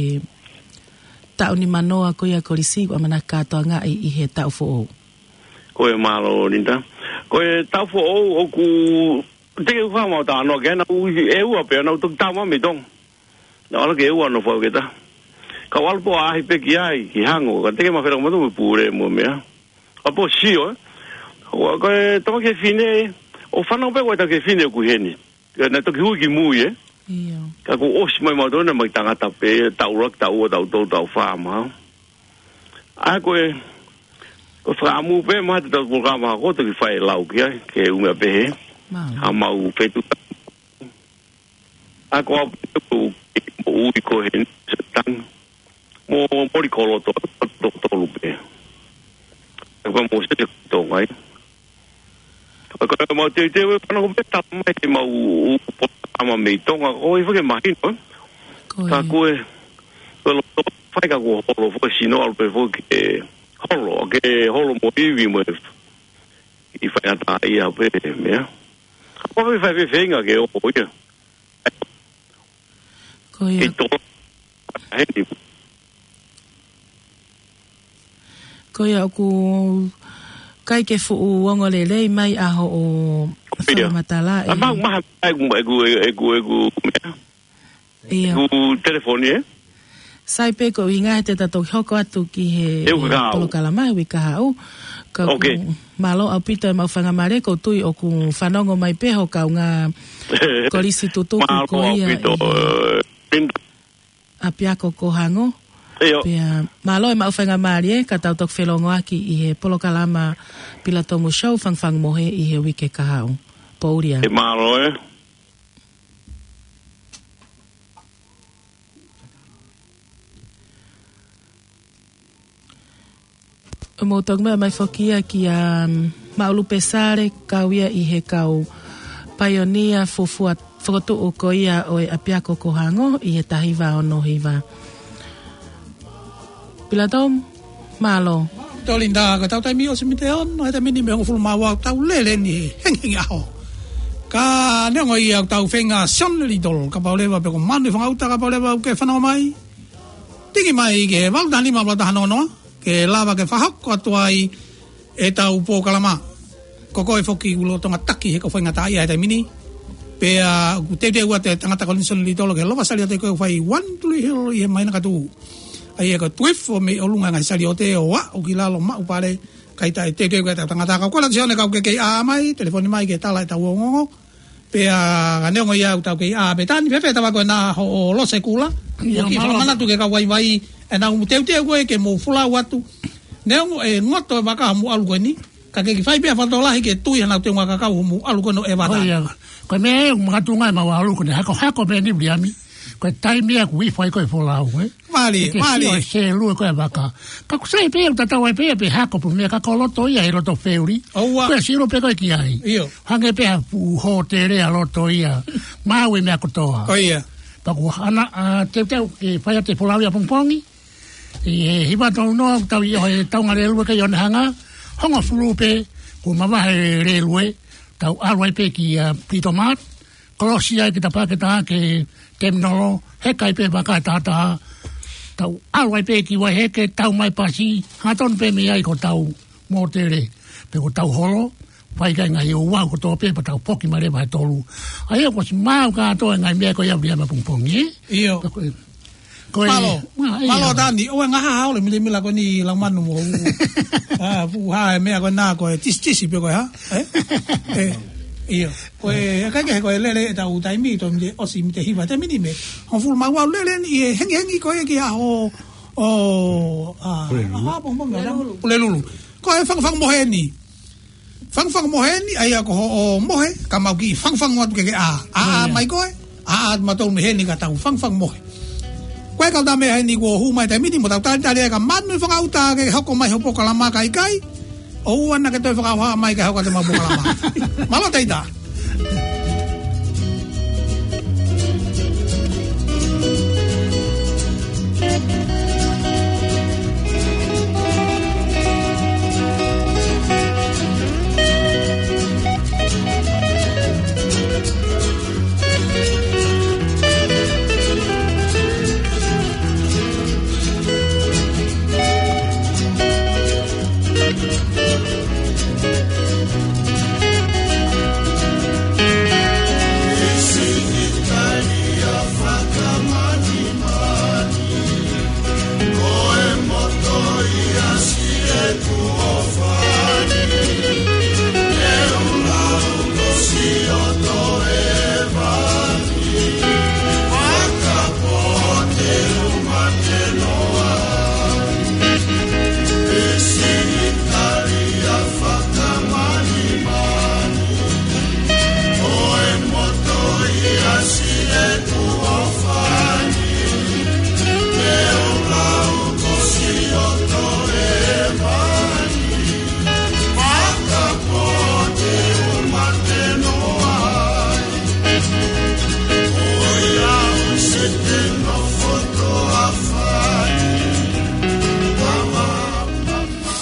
taʻu nimanoa ko ia kolisi ʻoku ʻamanaki kātoangaʻi ʻi he taʻu foʻou. Ko e mālō, Linda. Ko e taʻu foʻou ʻoku teʻeki ke u faʻa mau talanoa ki ai, naʻa nau ʻi he ʻEua pē, naʻa nau toki tama mei Tonga. Naʻa nau ala ki he ʻEua ʻo nofo au ke ta. Ka u ʻalu pē ʻo ʻaʻahi pē ki ai, ki Hango, ka teʻeki ke ma fela mo e pule mo e meʻa. ʻA pō sio, ē. Ko e, ko e tama fefine, ʻoku fanau pē ko e tama fefine ʻoku ʻi heni. Ka naʻe toki hū ki mui, ē. ʻIo. Ka kuo ʻosi mai mautolu naʻe mai tangata pē, taʻu ʻuluaki, taʻu ua, taʻu tolu, taʻu fā, mahalo. ʻA ko e, ko e fakaʻamu pē, mahalo te tau polokalama ko ē toki fai e lau ki ai, ke ʻume pē hē. Mālō. ʻA mau fetuʻutaki. ʻA ko au pē ʻoku ou ui ko heni se tangi. Mo Moli Koloto, toko tolu pē. ʻA ko Mōsese Tonga ia. Ka ko e mau teuteu e fānau ko ē pē tama mai te mau u, u, polokalama mei Tonga, ko e fake mahino, ē? Ko ia. Ka ko e, ko e loto fai ka kuo holo foki sino ʻalu pē foki ke holo, ke holo mo ivi mo e, ʻi fai ata ia pē, meʻa. Ko e fai fefeinga ke o, o ia. Ko ia. ʻI to, heni. Ko ia ʻoku ʻikai ke fuʻu ongo lelei mai ʻa hoʻo fakamatala ʻe. ʻA mau maha ʻeku, ʻeku, ʻeku, ʻeku, meʻa. ʻIo. ʻEku telefoni, ē? Sai pē ko e ʻuhinga he te ta toki hoko atu ki he, ʻe uka he kahaʻu. Polokalama he uike kahaʻu. Ka ʻoku mālō ʻaupito e mau faingamālie, ʻoku ou tui ʻoku fanongo mai pē ho kaungā kolisi tutuku ko ia ʻi he ʻapiako ko Hango. ʻIo. Pea mālō e mau faingamālie ka tau toki felongoaki ʻi he polokalama Pilatomu Show, Fangufangu Mohe ʻi he uike kahaʻu. Poulia. ʻE mālō, ē. Mou toki meʻa mai foki ia kia, um, Maʻulu Pesale, kau ia ʻi he kau paionia fufua fokotuʻu ko ia ʻo e ʻapiako ko Hango ʻi he taha hiva ono hiva. Pilatomu, mālō. Tō Linda, ko ʻetau taimi ʻosi mei he ono, he taimi ni mei he hongofulu mā ua ʻetau lele ni he hengihengi ʻaho. Ka neongo ia ʻoku tau feinga Sione Litolo, kapau leva pe ko Manu Fangauta, kapau leva ʻoku ke fanongo mai. Tiki mai ki he valu taha nima valu taha noa noa, ke lava ke fakahoko atu ai ʻetau polokalama. Ko koe foki ʻoku lolotonga taki he ko e faingataʻaʻia he taimi ni. Pea ʻoku teuteu atu e tangata ko Sione Litolo ke lava saliote ko e fai One Tree Hill ʻi he māhina ka tuʻu. ʻA ia ko e tuifo mei ʻolunga e ngaahi saliote ʻo aʻu ki lalo maʻu pale, kae teuteu atu e tangata. Ka ko la Sione ka ʻoku ke kei ʻā mai, telefoni mai ke tala ʻetau ongoongo. Pea ka neongo ia ʻoku tau kei ʻā pē, Tani, fēfē tava ko ena hoʻo lose kula? ʻIo, ʻoku mālō. Fakamanatu ki he kau vaivai, ʻenau teuteu ko ē ke mou folau atu. Neongo e ngoto e vaka hoʻomou ʻalu ko eni, ka ke kei fai pē ha fakatokolahi ke tui hanau teunga kakau hoʻomou ʻalu ko eni ʻo e vaka. ʻIo. Ko e meʻa ē ʻoku makatuʻunga ʻemau ʻalu ko eni, hako, hako pē eni Viliami. Ko e taimi ia ʻoku ʻi fai ko e folau, ē? Mālie, mālie. Ke sio e selu ko e vaka. Ka ʻoku sai pē ʻoku tatau ai pē ia pe hako pe meʻa ka ko loto ia he loto feuli. ʻOua. Ko e sio pē ko ē ki ai. ʻIo. Hangē pē ha fuʻu hōtele ʻa loto ia. Maʻu e meʻa kotoa. Ko ia. Pea ʻoku hanga ʻa teuteu ke fai atu e folau ia pongipongi. ʻI he hiva tolu noa ʻoku tau ʻi he taunga lēlue kei ʻOnehunga. Hongofulu pē kuo mavahe e lēlue. Tau ʻalu ai pē kia Britomart. Kolosi ai ki he pāketa ke teminolo, heka ai pē vaka ʻe taha taha. Tau ʻalu ai pē ki Vaiheke, tau mai pasi, hangatonu pē mei ai ko hotau mōtele, pe ko hotau holo, fai ki ai e ngaahi ouau kotoa pē, pea tau foki mai leva he tolu. ʻA ia kuo ʻosi maʻu kātoa e ngaahi meʻa ko ia Viliami ʻapongipongi, ē? ʻIo. Ka ko e Ko e, mālō, ma, ʻio. Mālō Tani, ʻoua ʻe ngaahi hao le milemila ko eni lau manu mo u. ʻA, fuʻu hā e meʻa ko ena ko e tisitisi pē ko e hā? Ē? Ē, ʻio. Ko e, ʻikai ke he ko e lele ʻetau taimi, tō mei he ʻosi mei he hiva, taimi ni mei he hongofulu mā ua lele ni, ʻi he hengihengi ko ē ki he ʻaho ʻO, ʻa, Pulelulu. ʻA, Pulelulu. Pulelulu. Ko e fangufangu mohe eni. Fangufangu mohe eni, ʻa ia ko hoʻo mohe, ka mau kiʻi fangufangu atu ke ke ʻā. ʻĀ, ʻā mai koe, ʻā, ʻā atu mautolu mei heni ka tau fangufangu mohe. Ko e kau tā meʻa heni kuo hū mai taimi ni, mo tau talitali ai ka Manu Fangaʻuta ke hoko mai hoʻo polokalama ka ʻikai. ʻOua naʻá ke toe fakaʻauha mai ke hoko atu ʻemau polokalama. Mālō Taita.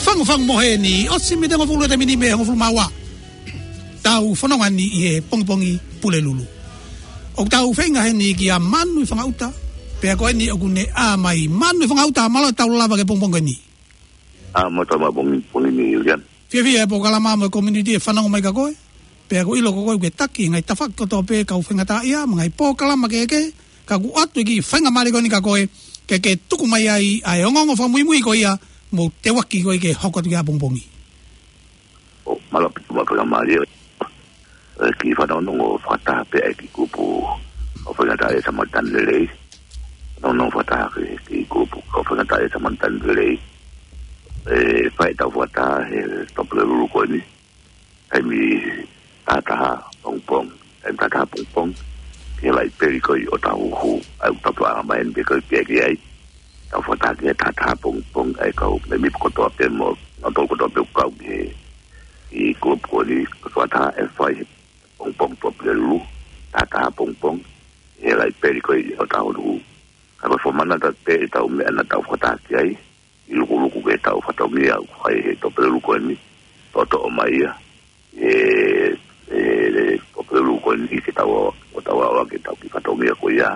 Fangufangu mohe eni, ʻosi mei he hongofulu e taimi ni mei he hongofulu mā ua. Tau fononga ni ʻi he pongipongi Pulelulu. ʻOku tau feinga heni kia Manu Fangaʻuta, pea ko eni ʻoku ne ʻā mai. Manu Fangaʻuta, mālō e tau lava ki he pongipongi ni. ʻA, mālō e tau lava pongipongi ni, Ulian. Fiefia e polokalama mo e community ʻe fanongo mai kia koe. Pea ʻoku ʻilo ko koe ʻokú ke taki ngaahi tafaʻaki kotoa pē kau faingataʻaʻia, mo e ngaahi polokalama kehekehe, ka ʻoku ʻoatu e kiʻi faingamālie ko eni kia koe, ke ke tuku mai ai ʻa e ongoongo fakamuimui ko ia, mo teuaki ko ē ke hoko atu ki he ʻapongipongi. ʻO, mālō ʻaupito mo e faingamālie. ʻE, kiʻi fanongonongo fakataha pē ʻa e kiʻi kupu kau faingataʻaʻia Samaritan Lelei. Fanongonongo fakataha ki he kiʻi kupu kau faingataʻaʻia Samaritan Lelei. ʻE, fai ʻetau fakataha he Tuʻapulelulu ko eni. Taimi taha taha pongipongi, taimi taha taha pongipongi, ki he laipeli ko ē ʻi ʻŌtāhuhu, ʻa ia ʻoku tau tuʻa mai eni pē ko ē ki ai, ki ai. Tau fakataha ki he taha taha pongipongi, ʻa e kau mēmipa kotoa pē mo, nautolu kotoa pē ʻoku kau ki he, ʻi he kupu ko eni, ko e fakataha ʻe fai he pongipongi Tuʻapulelulu, taha taha pongipongi, ki he laipeli ko ē ʻi ʻŌtāhuhu. Ka ko e fakamanatu pē ʻetau meʻa naʻa tau fakataha ki ai, ʻi he lukuluku ki heʻetau fatongia ʻoku fai he Tuʻapulelulu ko eni, toʻotoʻo mai ia, ʻe, ʻe, ʻe, Tuʻapulelulu ko eni ke tau, ʻo tau ʻalu ke tau kiʻi fatongia ko ia,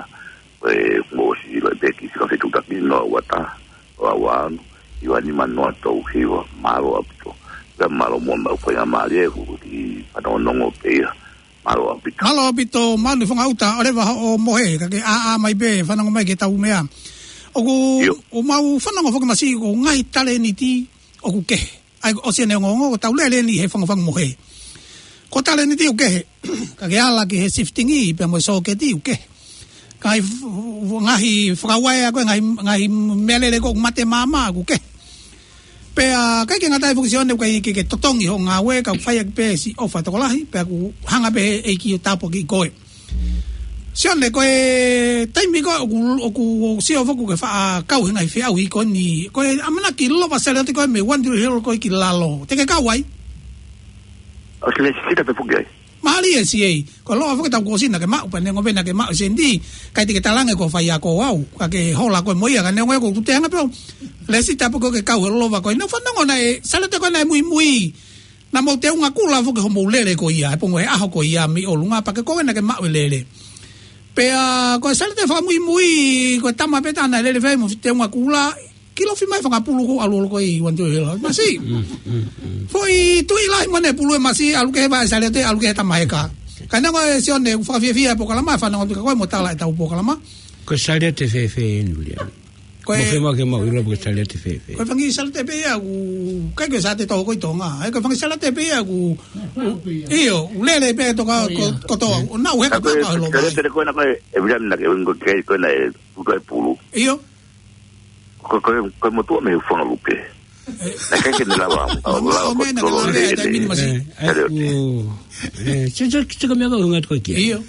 ko e mou ʻosi ʻilo pē kiʻi fika fetuʻutaki noa ua taha, noa ua ono, hiva nima noa tolu hiva, mālō ʻaupito. Pea mālō muʻa mo e faingamālie, ʻoku kiʻi fanongonongo pē ia, mālō ʻaupito. Mālō ʻaupito, Manu Fangaʻuta, ʻoleva hoʻo mohe, ka ke ʻā, ʻā mai pē, fanongo mai ki heʻetau meʻa. ʻOku, ʻIo. ʻOku mau fanongo foki masiʻi ko e ngaahi talēniti ʻoku kehe. ʻA ia, ʻosi ʻene ongoongo, ko ʻetau lele eni he fangufangu mohe. Ko e talēniti ʻoku kehe, ka ke ala ki he shifting ʻi, pea mo e sōketi ʻoku kehe. Ngaahi f-, f-, ngaahi fakauaea ko ē, ngaahi, ngaahi meʻalele ko ē ʻoku mate maama ʻoku kehe. Pea, ʻikai ke ngata ai foki Sione, ʻoku ʻikai ke, ke totongi hoʻo ngāue, ka ʻoku fai ʻaki pē siʻi ʻofa tokolahi, pea ʻoku hanga pē ʻe he ʻEiki ʻo tāpuakiʻi koe. Sione, ko e taimi ko ē ʻoku, ʻoku sio foki ke faʻa kau he ngaahi feʻauhi ko eni, ko e ʻamanaki lova Saliote ko ē mei One Tree Hill ko ē ki lalo. Te ke kau ai? ʻOsi lesisita pē foki ai. Mālie siʻi, ko e lolotonga foki ʻetau kōsina ke maʻu, pea neongo pē naʻá ke maʻu e sēniti, ʻikai te ke talaange ko e faiako au, ka ke hola koe mo ia, ka neongo ia ko e tuʻunga pē ʻo lesisita pē ko ē ke kau he lolotonga ko ē. Naʻá ku fanongo naʻe, Saliote ko ē naʻe muimui, naʻa mou teunga kula foki hoʻomou lele ko ia, he pongipongi he ʻaho ko ia mei ʻolunga, pea ko koe naʻá ke maʻu e lele. Pea, ko e Saliote fakamuimui, ko e tama pē taha naʻe lele fai mo teunga kula, kilofi mai fanga pulu ko ē ʻalu holo ko ē ʻi One Tree Hill. Masiʻi. Mm, mm, mm. Foʻi tuʻi lahi mo ʻene pulu ʻe masiʻi, ʻalu ki he vaʻe Saliote, ʻalu ki he tama heka. Ka neongo ia Sione, ʻoku fakafiefia e polokalama, fanongo atu kia koe mo tala ʻetau polokalama. Ko e Saliote fēfē eni, Ulian? Ko e Mo fē mau ke mau ʻilo pe ko e Saliote fēfē? Ko e fanga kiʻi Saliote pē ia ʻoku, ʻikai ko e Saliote Toho ko ē ʻi Tonga. ʻA ia ko e fanga kiʻi Saliote pē ia ʻoku, ʻio, ʻoku lele pē toka ko, kotoa. ʻO nau heka Ka ko e pē ka he lōmai. Saliote ko ena ko e, ʻe Ulian naʻá ke ʻuhinga ki ai ko ena ʻe puto e pulu. ʻIo. ko, ko, ko e motuʻa mei Hūfangalupe. Naʻe ʻikai ke ne lava, ʻo lava ko e tolo lele. Ē, ē, ʻū. Ē, se, se, se ka meʻa ka unga ko kia. ʻIo.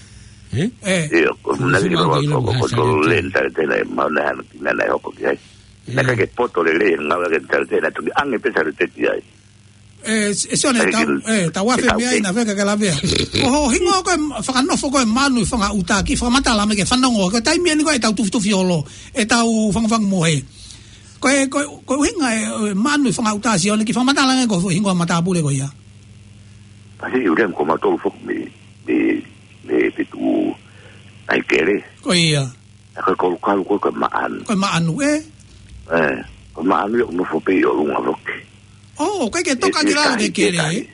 Ē? ʻIo, ko, naʻe ʻikai ke lava ko, ko, ko e tolo lele, talitali naʻe, ma naʻe hana ki, naʻe, naʻe hoko ki ai. Naʻe ʻikai ke poto lelei, ngāue ke talitali naʻe toki ʻange pē talitali ai. Ē, s-, ʻe Sione, ʻikai tau, ke, ē, tau afe tau mei ai ke na feka ke lavea. Ko hoʻo hingoa ko e fakanofo ko e Maʻanu ʻi Fangaʻuta, kiʻi fakamatala mai ke fanongo, ko e taimi eni ko e ʻetau tufitufi olo, ʻetau fangufangu mohe. Ko e, ko e, ko e ʻuhinga e, ʻo e Maʻanu ʻi Fangaʻuta, Sione, kiʻi fakamatala ange ko e hingoa matāpule ko ia. Pasi ʻi ule ko mautolu foki mei, mei, mei Fetuʻu ʻAikele. Ko ia. Ko e Kolukalu ko e, ko e Maʻanu. Ko e Maʻanu, ē? Ē, ko e Maʻanu ia ʻoku nofo pē ʻi ʻolunga foki. ʻŌ, ʻikai ke toka ki lalo ki Aikele.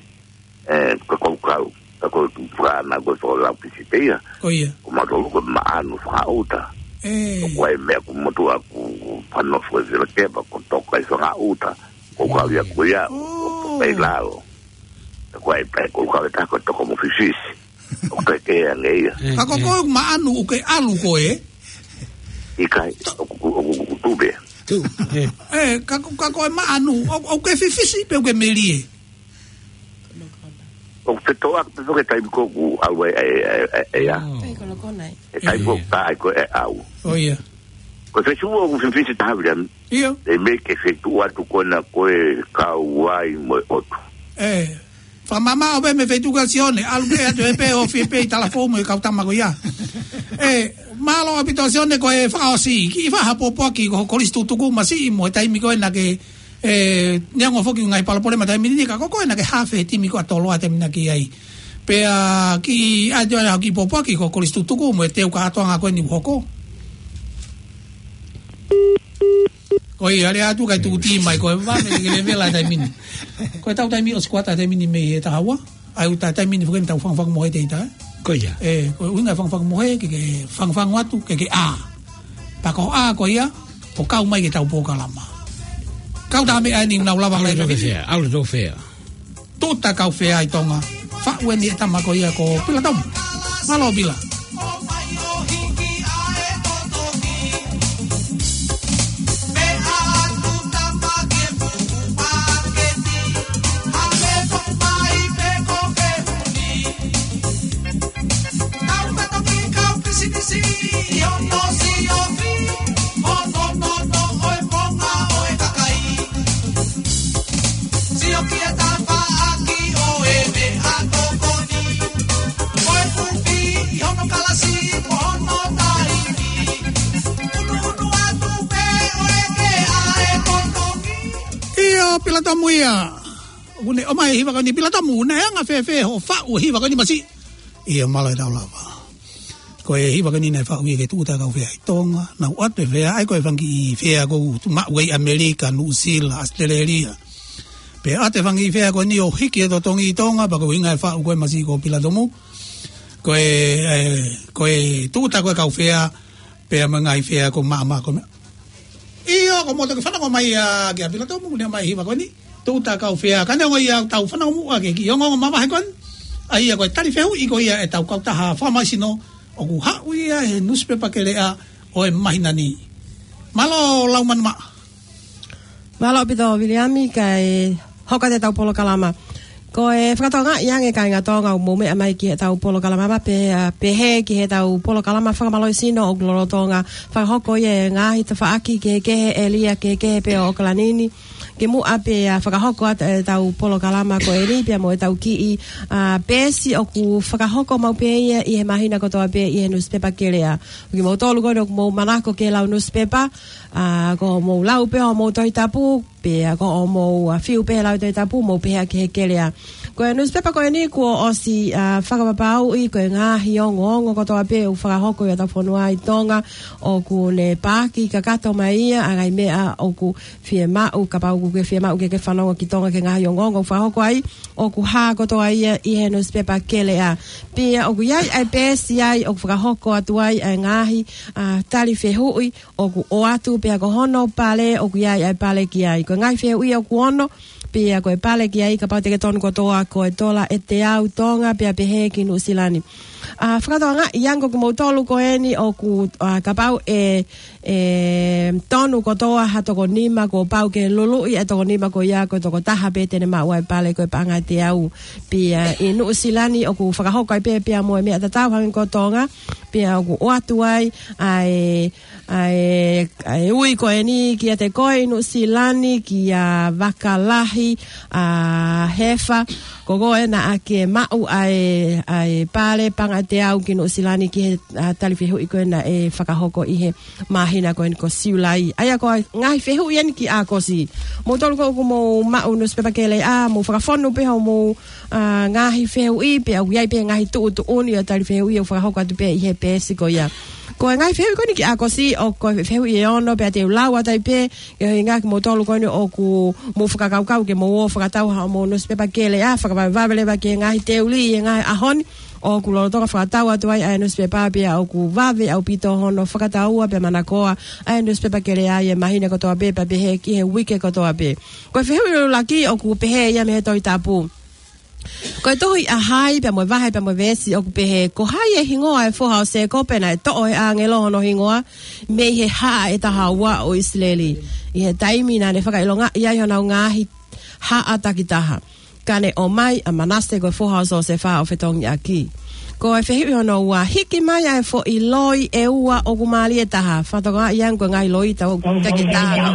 Ē, ko e Kolukalu, ka ko e tuʻu fana ko e Fakalau Pisi pē ia. Ko ia. Ko mautolu ko e Maʻanu Fangaʻuta. Ē. Ko e meʻa ko motuʻa ʻoku, ʻoku fanofo e vela kepa ko toka ʻi Fangaʻuta. Ko Kolukalu ia ko ia, ʻo toka ʻi lalo. Ko e pē Kolukalu ʻe taha ko e toko mo fifisi. ʻOku ʻikai ke ange ia. Ē, ka ko ē. Ko e Maʻanu ʻoku ke ʻalu ko ē? ʻIkai, ʻoku, ʻoku, ʻoku tuʻu pē. Tuʻu, ē. Ē, ka ko, ka ko e Maʻanu, ʻo, ʻoku ke fifisi pe ʻoku ke melie? ʻOku fetoʻaki pē foki e taimi ko ē ʻoku ʻalu ai, ai, ai, ai, ai, ʻa. ʻŌ. Pei ko loko nai. E taimi ko ē ʻoku tā ai ko ē ʻe ʻalu. ʻŌ, ia. Ko e fefine ʻoku fifisi taha viliami. ʻIo. Te mei ke fetuʻu atu ko ena ko e kau ai mo e ʻotu. Ē. Fakamāmā ʻo pē mei Fetuʻu ka Sione, ʻalu pē atu ē pē ʻo fie pē ʻi Talafou mo e kau tama ko ia. Ē, mālō ʻaupito Sione ko e fakaʻosi, kiʻi fakahapopoaki ko Kolisi Tutuku masiʻi mo e taimi ko ē naʻa ke, ē, neongo foki ngaahi palopalema taimi ni ka ko koe naʻa ke haafe he timi ko ē ʻa Toloa taimi naʻa ke ʻi ai. Pea kiʻi ʻai atu ʻa e kiʻi popoaki ko Kolisi Tutuku mo e teu kātoanga ko eni ʻoku hoko. Ko ia, lea atu kae tuʻu tī mai, ko e vave ke levela taimi ni. Ko e tau taimi ʻosi kuata taimi ni mei he taha ua. ʻAi ʻuta taimi ni foki eni tau fangufangu mohe te ita, ē? Ko ia. Ē, ko e ʻuhinga fangufangu mohe, ke, ke fangufangu atu, ke, ke ʻā. Pea ko e ʻā ko ia, ʻo kau mai ke tau polokalama. Kau tā meʻa eni nau lava ʻAlu lai tau fea, ʻalu tau fea. Tuta Kaufea ʻi Tonga. Faʻu eni e tama ko ia ko Pila Tomu. Mālō Pila. Sio ki he tafaʻaki ʻo e meʻatokoni. Ko e kupi ʻi hono kalasi mo hono taimi. Unuunu atu pē ʻo e ke ʻa e kotoki. ʻIo, Pila Tomu ia. ʻOku ne ʻomai e hiva ko eni Pila Tomu, naʻe anga fēfē hoʻo faʻu e hiva ko eni masiʻi? ʻIo, mālō e tau lava. Ko e hiva ko eni naʻe faʻu ia ke Tuta Kaufea ʻi Tonga, naʻa ku ʻoatu e fea, ʻa ia ko e fanga kiʻi fea ʻoku tuʻu maʻu ai ʻAmelika, Nuʻusila, ʻAositelēlia. Pea ʻoatu e fanga kiʻi fea ko eni ʻo hiki e totongi ʻi Tonga, pea ko e ʻuhinga e faʻu ko ē masiʻi ko Pila Tomu. Ko e, ē, ko e Tuta ko e Kaufea, pea mo e ngaahi fea ko e maama ko e meʻa. ʻIo, ko moto ke fanongo mai ia kia Pila Tomu, ne ʻomai e hiva ko eni. Tuta Kaufea, ka neongo ia tau fanongo muʻa ki he kiʻi ongoongo mavahe ko eni. ʻA ia ko e tali fehuʻi ko ia ʻetau kautaha fakamaʻisino ʻoku haʻu ia he nusipepa Keleʻa ʻo e māhina ni. Mālō Laumanu Maʻa. Mālō ʻaupito Viliami, kae hoko atu ʻetau polokalama. Ko e fakatokangaʻi ange kāinga Tonga ʻoku mou meʻa mai ki heʻetau polokalama ma pe, ā, pehē ki heʻetau polokalama fakamālohisino ʻoku lolotonga fakahoko ia he ngaahi tafaʻaki kehekehe, ʻēlia kehekehe pē ʻo ʻOkalani ni. Kimuʻa pea fakahoko atu ʻetau polokalama ko eni pea mo ʻetau kiʻi, ā, peesi ʻoku fakahoko maʻu pē ia ʻi he māhina kotoa pē ʻi he nusipepa Keleʻa. Kimoutolu ko eni ʻoku mou manako ke lau nusipepa, ā, ko hoʻomou lau pē hoʻomou Tohi Tapu, pea ko hoʻomou, ā, fiu pē he lau Tohi Tapu, mou pehē ki he Keleʻa. Ko e nusipepa ko eni kuo ʻosi, ā, fakapapauʻi ko e ngaahi ongoongo kotoa pē ʻoku fakahoko ʻi hotau fonua ʻi Tonga, ʻoku ne paaki kakato mai ia ʻa e ngaahi meʻa ʻoku fiemaʻu, kapau ʻoku ke fiemaʻu ke ke fanongo ki Tonga ki he ngaahi ongoongo ʻoku fakahoko ai, ʻoku hā kotoa ia ʻi he nusipepa Keleʻa. Pea ʻoku ʻi ai ʻa e peesi ai ʻoku fakahoko atu ai ʻa e ngaahi, ā, tali fehuʻi ʻoku ʻoatu pea ko hono pale ʻoku ʻi ai ʻa e pale ki ai. Ko e ngaahi fehuʻi ʻoku ono, Pea ko e pale ki ai kapau te ke tonu kotoa ko e tola ʻe teau Tonga pea pehē ki Nuʻusila ni. ʻA, fakatokangaʻi ange ko kimoutolu ko eni ʻoku, ʻa, kapau ʻe, ʻe tonu kotoa ha toko nima kuo pau ke luluʻi e toko nima ko ia ko e toko taha pē te ne maʻu ʻa e pale ko e paʻanga ʻe teau. Pea ʻi Nuʻusila ni ʻoku fakahoko ai pē pea mo e meʻa tatau hangē ko Tonga. Pea ʻoku ʻoatu ai ʻa e ʻa e, ʻa e ui ko eni kiate koe ʻi Nuʻusila ni, kia Vakalahi, ʻa Hefa, ko koe naʻa ke maʻu ʻa e, ʻa e pale paʻanga ʻe teau ki Nuʻusila ni ki he, ʻa, tali fehuʻi ko ē naʻe fakahoko ʻi he māhina ko eni ko Siulai. ʻA ia ko e ngaahi fehuʻi eni ki ʻAokosi. Moutolu ko ē ʻoku mou maʻu nusipepa Keleʻa, mou fakafonu pē hoʻomou ʻa, ngaahi fehuʻi, pea ʻoku ʻi ai pē ngaahi tuʻutuʻuni ʻo e tali fehuʻi ʻoku fakahoko atu pē ʻi he peesi ko ia. Ko e ngaahi fehuʻi ko eni ki ʻAokosi, ʻoku ko e fehuʻi ʻe ono, pea te u lau atu ai pē, ke ʻuhinga kimoutolu ko eni ʻoku mou fakakaukau ke mou ō ʻo fakatau haʻamou nusipepa Keleʻa, fakavavevave leva ki he ngaahi teuli ʻi he ngaahi ʻaho ni, ʻoku lolotonga fakatau atu ai ʻa e nusipepa pea ʻoku vave ʻaupito hono fakataua pea manakoa ʻa e nusipepa Keleʻa ʻi he māhina kotoa pē pea pehē ki he uike kotoa pē. Ko e fehuʻi ʻuluaki ʻoku pehē ia mei he Tohi Tapu. Ko e tohi ʻa hai pea mo e vahe pea mo e veesi ʻoku pehē, ko hai e hingoa ʻo e foha ʻo Sēkope naʻe toʻo ʻe he ʻāngelo hono hingoa mei he haʻa ʻe taha ua ʻo ʻIsileli, ʻi he taimi naʻa ne fakaʻilongaʻi ai honau ngaahi haʻa takitaha, ka ne ʻomai ʻa Manase ko e foha ʻo Siosefa ʻo fetongi ʻaki. Ko e fehuʻi hono ua, hiki mai ʻa e foʻi loi ʻe ua ʻoku mālie taha. Fakatokangaʻi ange ko e ngaahi loi tau takitaha.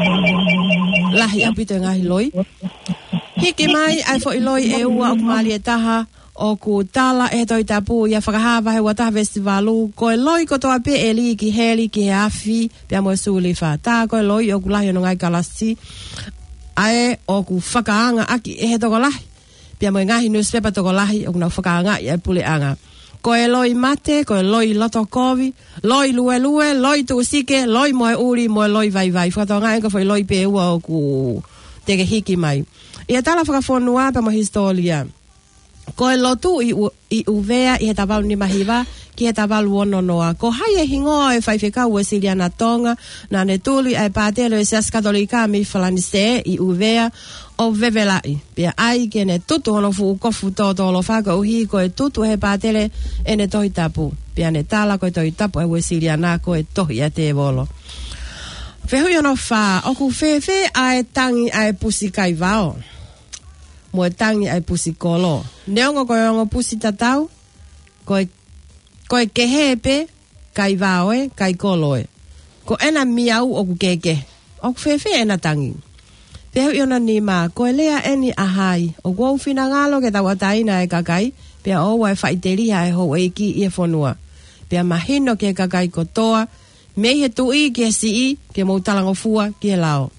Lahi ʻaupito e ngaahi loi. Hiki mai ʻa e foʻi loi ʻe ua ʻoku mālie taha, ʻoku tala ʻe he Tohi Tapu ʻia Fakahā vahe ua taha veesi valu, ko e loi kotoa pē ʻe lī ki heli ki he afi pea mo e sulifa. Tā ko e loi ʻoku lahi hono ngaahi kalasi, ʻa ē ʻoku fakaangaʻaki ʻe he tokolahi pea mo e ngaahi nusipepa tokolahi ʻoku nau fakaangaʻi ʻa e puleʻanga. Ko e loi mate, ko e loi loto kovi, loi luelue, loi tuʻusike, loi moeʻuli, mo e loi vaivai. Fakatokangaʻi ange ko e foʻi loi pē ʻe ua ʻoku te ke hiki mai. ʻI he tala fakafonua pea mo e hisitōlia, ko e lotu ʻi ʻU-, ʻi ʻUvea ʻi he taha valu nima hiva ki he taha valu ono noa. Ko hai e hingoa ʻo e faifekau Uēsiliana Tonga naʻa ne tuli ʻa e pātele ʻo e Siasi Katolika mei Falanisē ʻi ʻUvea ʻo vevelaʻi, pea ʻai ke ne tutu hono fuʻu kofu tōtōlofa koeʻuhi ko e tutu ʻe he pātele ʻene Tohi Tapu, pea ne tala ko e Tohi Tapu ʻa e Uēsiliana ko e tohi ʻa e tēvolo. Fehuʻi hono fā, ʻoku fēfē ʻa e tangi ʻa e pusi kaivao mo e tangi ʻa e pusi kolo? Neongo ko e ongo pusi tatau, ko e, ko e kehe pē, kaivao ē, kai kolo ē. Ko ʻena miau ʻoku kehekehe. ʻOku fēfē ʻena tangi? Fehuʻi hono nima, ko e lea eni ʻa hai? ʻOku ou finangalo ke tauʻatāina e kakai, pea ʻoua ʻe faʻiteliha e houʻeiki ʻi he fonua, pea mahino ki he kakai kotoa, mei he tuʻi ki he siʻi, ke mou talangofua ki he lao.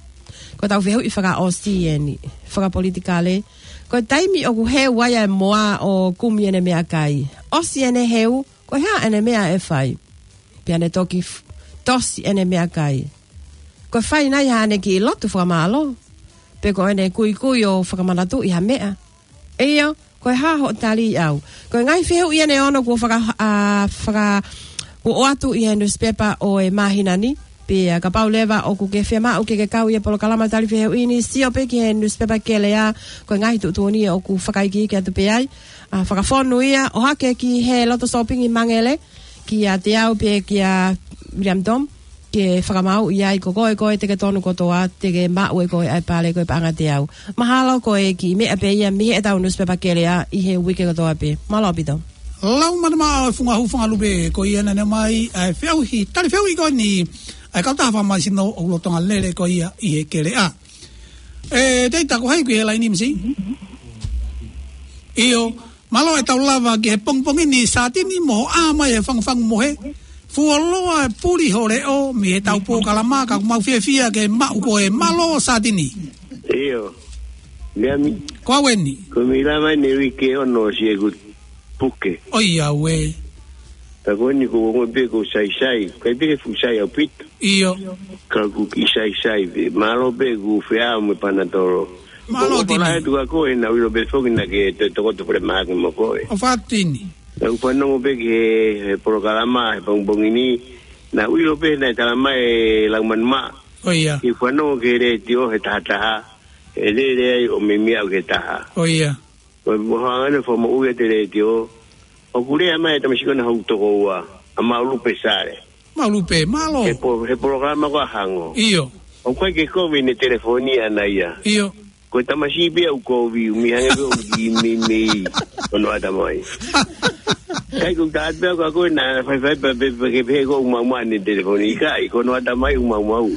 Ko ʻetau fehuʻi fakaʻosi eni, fakapolitikale. Ko e taimi ʻoku heu ai ʻa e moa ʻo kumi ʻene meʻakai, ʻosi ʻene heu, ko e hā ʻene meʻa ʻe fai? Pea ne toki f-, tosi ʻene meʻakai. Ko e fai nai haʻane kiʻi lotu fakamālō, pe ko ʻene kuikui ʻo fakamanatuʻi ha meʻa? ʻIo, ko e hā hoʻo tali au? Ko e ngaahi fehuʻi eni ʻe ono kuo faka-, ʻa, faka-, kuo ʻoatu ʻi he nusipepa ʻo e māhina ni. Pea kapau leva ʻoku ke fiemaʻu ke ke kau ʻi he polokalama tali fehuʻi ni, sio pē ki he nusipepa Keleʻa, ko e ngaahi tuʻutuʻuni ʻoku fakaikiiki atu pē ai. ʻA, fakafonu ia, ʻohake ki he loto sōpingi Mangele, kiate au pē kia William Tom, ke fakamaauʻi ai ko koe, ko koe te ke tonu kotoa, te ke maʻu ʻe koe ʻa e pale ko e paʻanga ʻe teau. Mahalo ko e kiʻi meʻa pē ia mei heʻetau nusipepa Keleʻa ʻi he uike kotoa pē. Mālō ʻaupito. Lau manamaʻa ʻo e funga hū funga lupe, ko ia naʻe ʻomai ʻa e fehuʻi, tali fehuʻi ko eni ʻa e kautaha fakamaisino ʻoku lolotonga lele ko ia ʻi he Keleʻa. ʻE, Teita, ko hai ʻoku ʻi he laini, misi? ʻIo, mālō, ʻe tau lava ki he pongipongi ni, Satini, mo hoʻo ʻā mai he fangufangu mohe. Fuoloa e puli ho leʻo mei heʻetau polokalama, ka ʻoku mau fiefia ke maʻu koe. Mālō, Satini. ʻIo. Meʻa mi- Ko au eni. Ko e meʻa mai ne uike ono ʻosi ʻeku puke. ʻOiauē. Ka ko eni ko e ongo pē ko e saisai. Kai pē ke fuʻu sai ʻaupito. ʻIo. Ka ʻoku kiʻi saisai pē. Mālō pē ʻeku feʻao mo e panatolo. Mālō, Tini. Ko e pala he tuka ko ē naʻa ku ʻilo pē foki naʻa ke toe tokoto pole mahaki mo koe. ʻO fakatini. Naʻa ku fanongo pē ki he, he polokalama, he pongipongi ni. Naʻa ku ʻilo pē naʻe tala mai e lau manamaʻa. ʻOia. Kiʻi fanongo ki he letiō he tahataha. ʻE lele ai ʻo meimei aʻu ki he taha. Ko ia. Ko e moʻoni ʻa e fakamoʻui ʻa e letiō. ʻOku lea mai e tamasiʻi ko ena hoku tokoua, ʻa Maulupe Sale. Maulupe, mālō. He po-, he polokalama ko ē ʻa Hango. ʻIo. ʻOku ʻikai ke kovi ʻene telefoni ʻaʻana ia. ʻIo. Ko e tamasiʻi pē ia ʻoku kovi, ʻoku mei hangē pē ʻoku kiʻi meimei hono ʻatamai. ʻIkai, ʻoku ou tala atu pē ʻe au kia koe naʻa faifai pē, pē, pē, ke pehē ʻoku maumau ʻene telefoni, ʻikai, ko hono ʻatamai ʻoku maumau.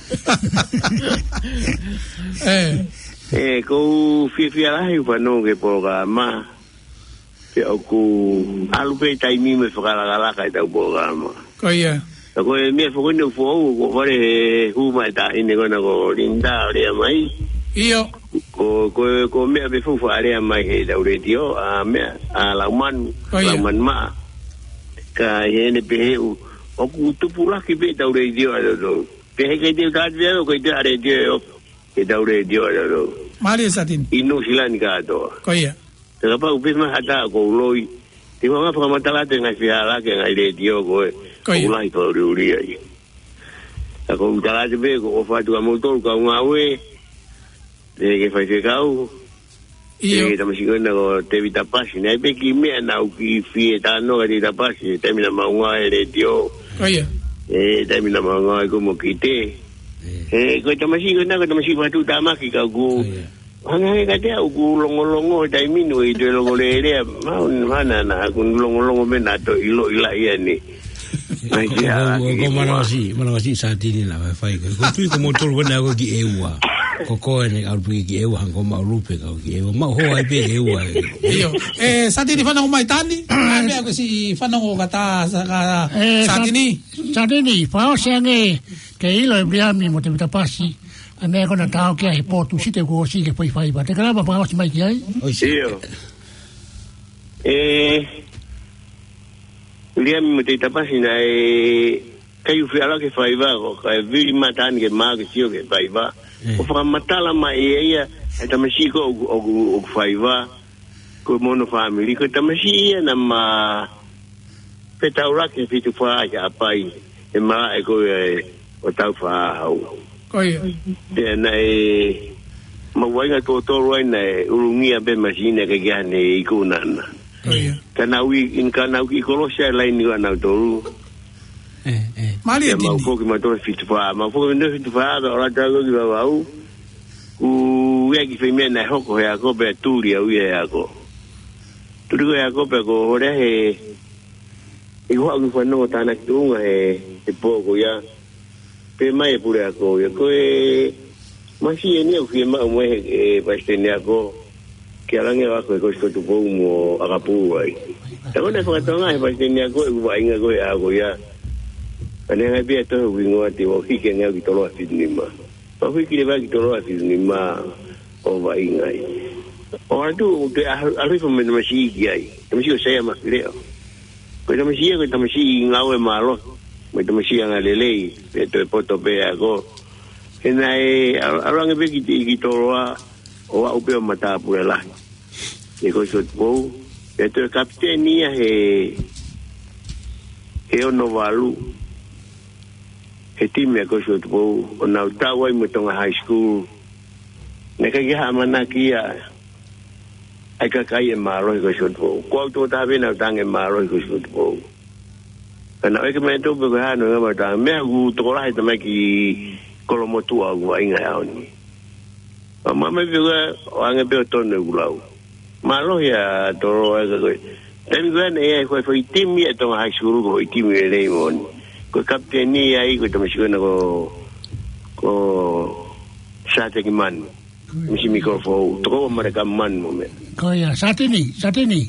ʻE. ʻE, ʻoku ou fiefia lahi ʻi hoʻo fanongo ki he polokalama. Pea ʻoku ʻalu pē taimi mo e fakalakalaka ʻetau polokalama. Ko ia. Ka ko e meʻa foki eni ʻoku foʻou, ʻoku fale he hū mai e taʻahine ko ena ko Linda ʻo lea mai. ʻIo. Ko, ko, ko e meʻa pē foʻou fakalea mai heʻetau letiō, ʻa meʻa, ʻa Laumanu, ko ia. Laumanu Maʻa. Ka ʻi heʻene pehē ʻoku, ʻoku tupulaki pē ʻetau letiō ʻatautolu. Pehē ʻikai te u tala atu pē ʻe au ʻoku ʻikai toe ʻa e letiō ʻe ofi, heʻetau letiō ʻatautolu. Mālie Satini. ʻI Nuʻu Sila ni kātoa. Ko ia. Te kapau pē mai ha taha ʻoku ou loi. Te u hanga ʻo fakamatala atu e ngaahi fehālaaki e ngaahi letiō ko ē. Ko ia. ʻOku lahi fakaʻuliʻuli ai. Ka ʻoku ou tala atu pē ʻoku ou ʻofa atu kia moutolu kau ngāue. Pehē ki he faifekau. ʻIo. Pehē ki he tamasiʻi ko ena ko Tēvita Pasi. Naʻe ʻi ai pē kiʻi meʻa naʻá ku kiʻi fie talanoa kia Tēvita Pasi. Taimi naʻa mau ngāue he letiō. Ko ia. ʻE, taimi naʻa mau ngāue ko ē mo Kite. ʻE. ʻE, ko e tamasiʻi ko ena ko e tamasiʻi fakatuʻutāmaki ka ʻoku. Ko ia. Hangē hangē kiate au ʻoku longolongo he taimi ni ʻoku ʻikai toe longolelei, mau ni mana na, ʻoku longolongo mei he toe ʻilo ʻi laʻi ʻaneafi. Mai ko, kia ko, ko, ko Kiʻeua. Manavasiʻi, Manavasiʻi Satini naʻa faifai ko. Ko e tui ko moutolu ko ena ko Kiʻeua. Ko koe ʻeni ʻalu pē ki Kiʻeua, hangē ko Maulupe ka ko Kiʻeua. Mau hoa ai pē ʻEua. ʻIo. ʻE, Satini fanongo mai Tani. ʻAi meʻa ko e siʻi fanongo ka ta, sa, ka, ʻE, Sat-, Satini. Satini, fakaʻosi ange ke ʻilo ʻe Viliami mo Tēvita Pasi. ʻA e meʻa ko ena tau ki ai he potu site kuo ʻosi ke faifai pē. Te kalama fakaʻosi mai ki ai. ʻIo. ʻE, Viliami mo Tēvita Pasi naʻe ʻikai u fie ʻalu ke faiva ko, kae vili mai Tani ke mau ke sio ke faiva. ʻE. ʻO fakamatala mai ʻe ia, ʻa e tamasiʻi ko ē ʻoku, ʻoku, ʻoku faiva. Ko e mono fāmili, ko e tamasiʻi ia naʻa ma fetaulaki fitu fā ʻi ʻapi, he malaʻe ko ē ʻo Taufaʻāhau. Ko ia. Pea naʻe maʻu vaʻinga tuʻo tolu ai naʻe ʻulungia pē masina ke ʻikai ke ʻi ai haʻane iku naʻa na. Ko ia. Ka naʻá ku ʻi, ʻi, ka naʻá ku kiʻi kolosi ʻa e laini ko ē ʻanautolu. ʻE, ʻe. Mālie Tini. Pea mau foki mautolu fitu fā, mau foki mautolu fitu fā, pea ʻalu atu au ki Vavaʻu. Kuo ʻi ai e kiʻi foʻi meʻa naʻe hoko he ako pea tuli au ia he ako. Tuli ko ē he ako pea ko e holi he, ʻi hoʻo ʻalu fanongo tānaki tuʻunga he, he pō ko ia. Pehē mai e puleako ia. Ko e masiʻi eni ʻoku fiemaʻu mo e, e palesiteni ako. Ke ʻalu ange ʻo ako he Kolisi Kotupou mo ʻAkapulu ai. Ka ko ʻene fakatonga he palesiteni ako ʻeku vaʻinga ko ē he ako ia. Ka ne hanga pē ia ʻo tohi hoku hingoa te u hiki ange au ki Toloa fitu nima. Pea u hiki leva ki Toloa fitu nima ʻo vaʻinga ai. ʻO ʻalu atu ʻo toe ʻalu, ʻalu hifo mo e tamasiʻi ki ai. Tamasiʻi ko Saia Mafileʻo. Ko e tamasiʻi ia, ko e tamasiʻi ngāue mālohi. Mo e tamasiʻi angalelei, pea toe poto pē ako. He naʻe ʻalu, ʻalu ange pē ki, ki Toloa, ʻo aʻu pē ʻo matāpule lahi. ʻI he Kolisi Kotupou, pea toe kapiteni ia he, he ono valu, he timi ʻa e Kolisi Kotupou, ʻo nau tau ai mo Tonga High School. Naʻe ʻikai ke ʻi ai ha ʻamanaki ia, ʻa e kakai ʻe mālohi he Kolisi Kotupou. Ko au tokotaha pē naʻá ku tangi ʻe mālohi he Kolisi Kotupou. Ka naʻe ʻikai ke mei tō pē ko e hā hono ngaahi meʻa, tanga meʻa ʻoku tokolahi e tamaiki kolomotuʻa ʻoku vaʻinga he ʻaho ni. Pea ma mai pē ko ē ʻo ange pē ʻo tonu ʻeku lau. Mālohi ʻa Toloa ē ka ko e. Taimi ko ē naʻe ʻi ai ko e foʻi timi ʻa Tonga High School ko e foʻi timi lelei moʻoni. Ko e kapiteni ia ai ko e tamasiʻi ko ena ko, ko Sateki Manu. Misi Mikolo Foʻou. Tokoua Maleka Manu mo meʻa. Ko ia, Satini, Satini.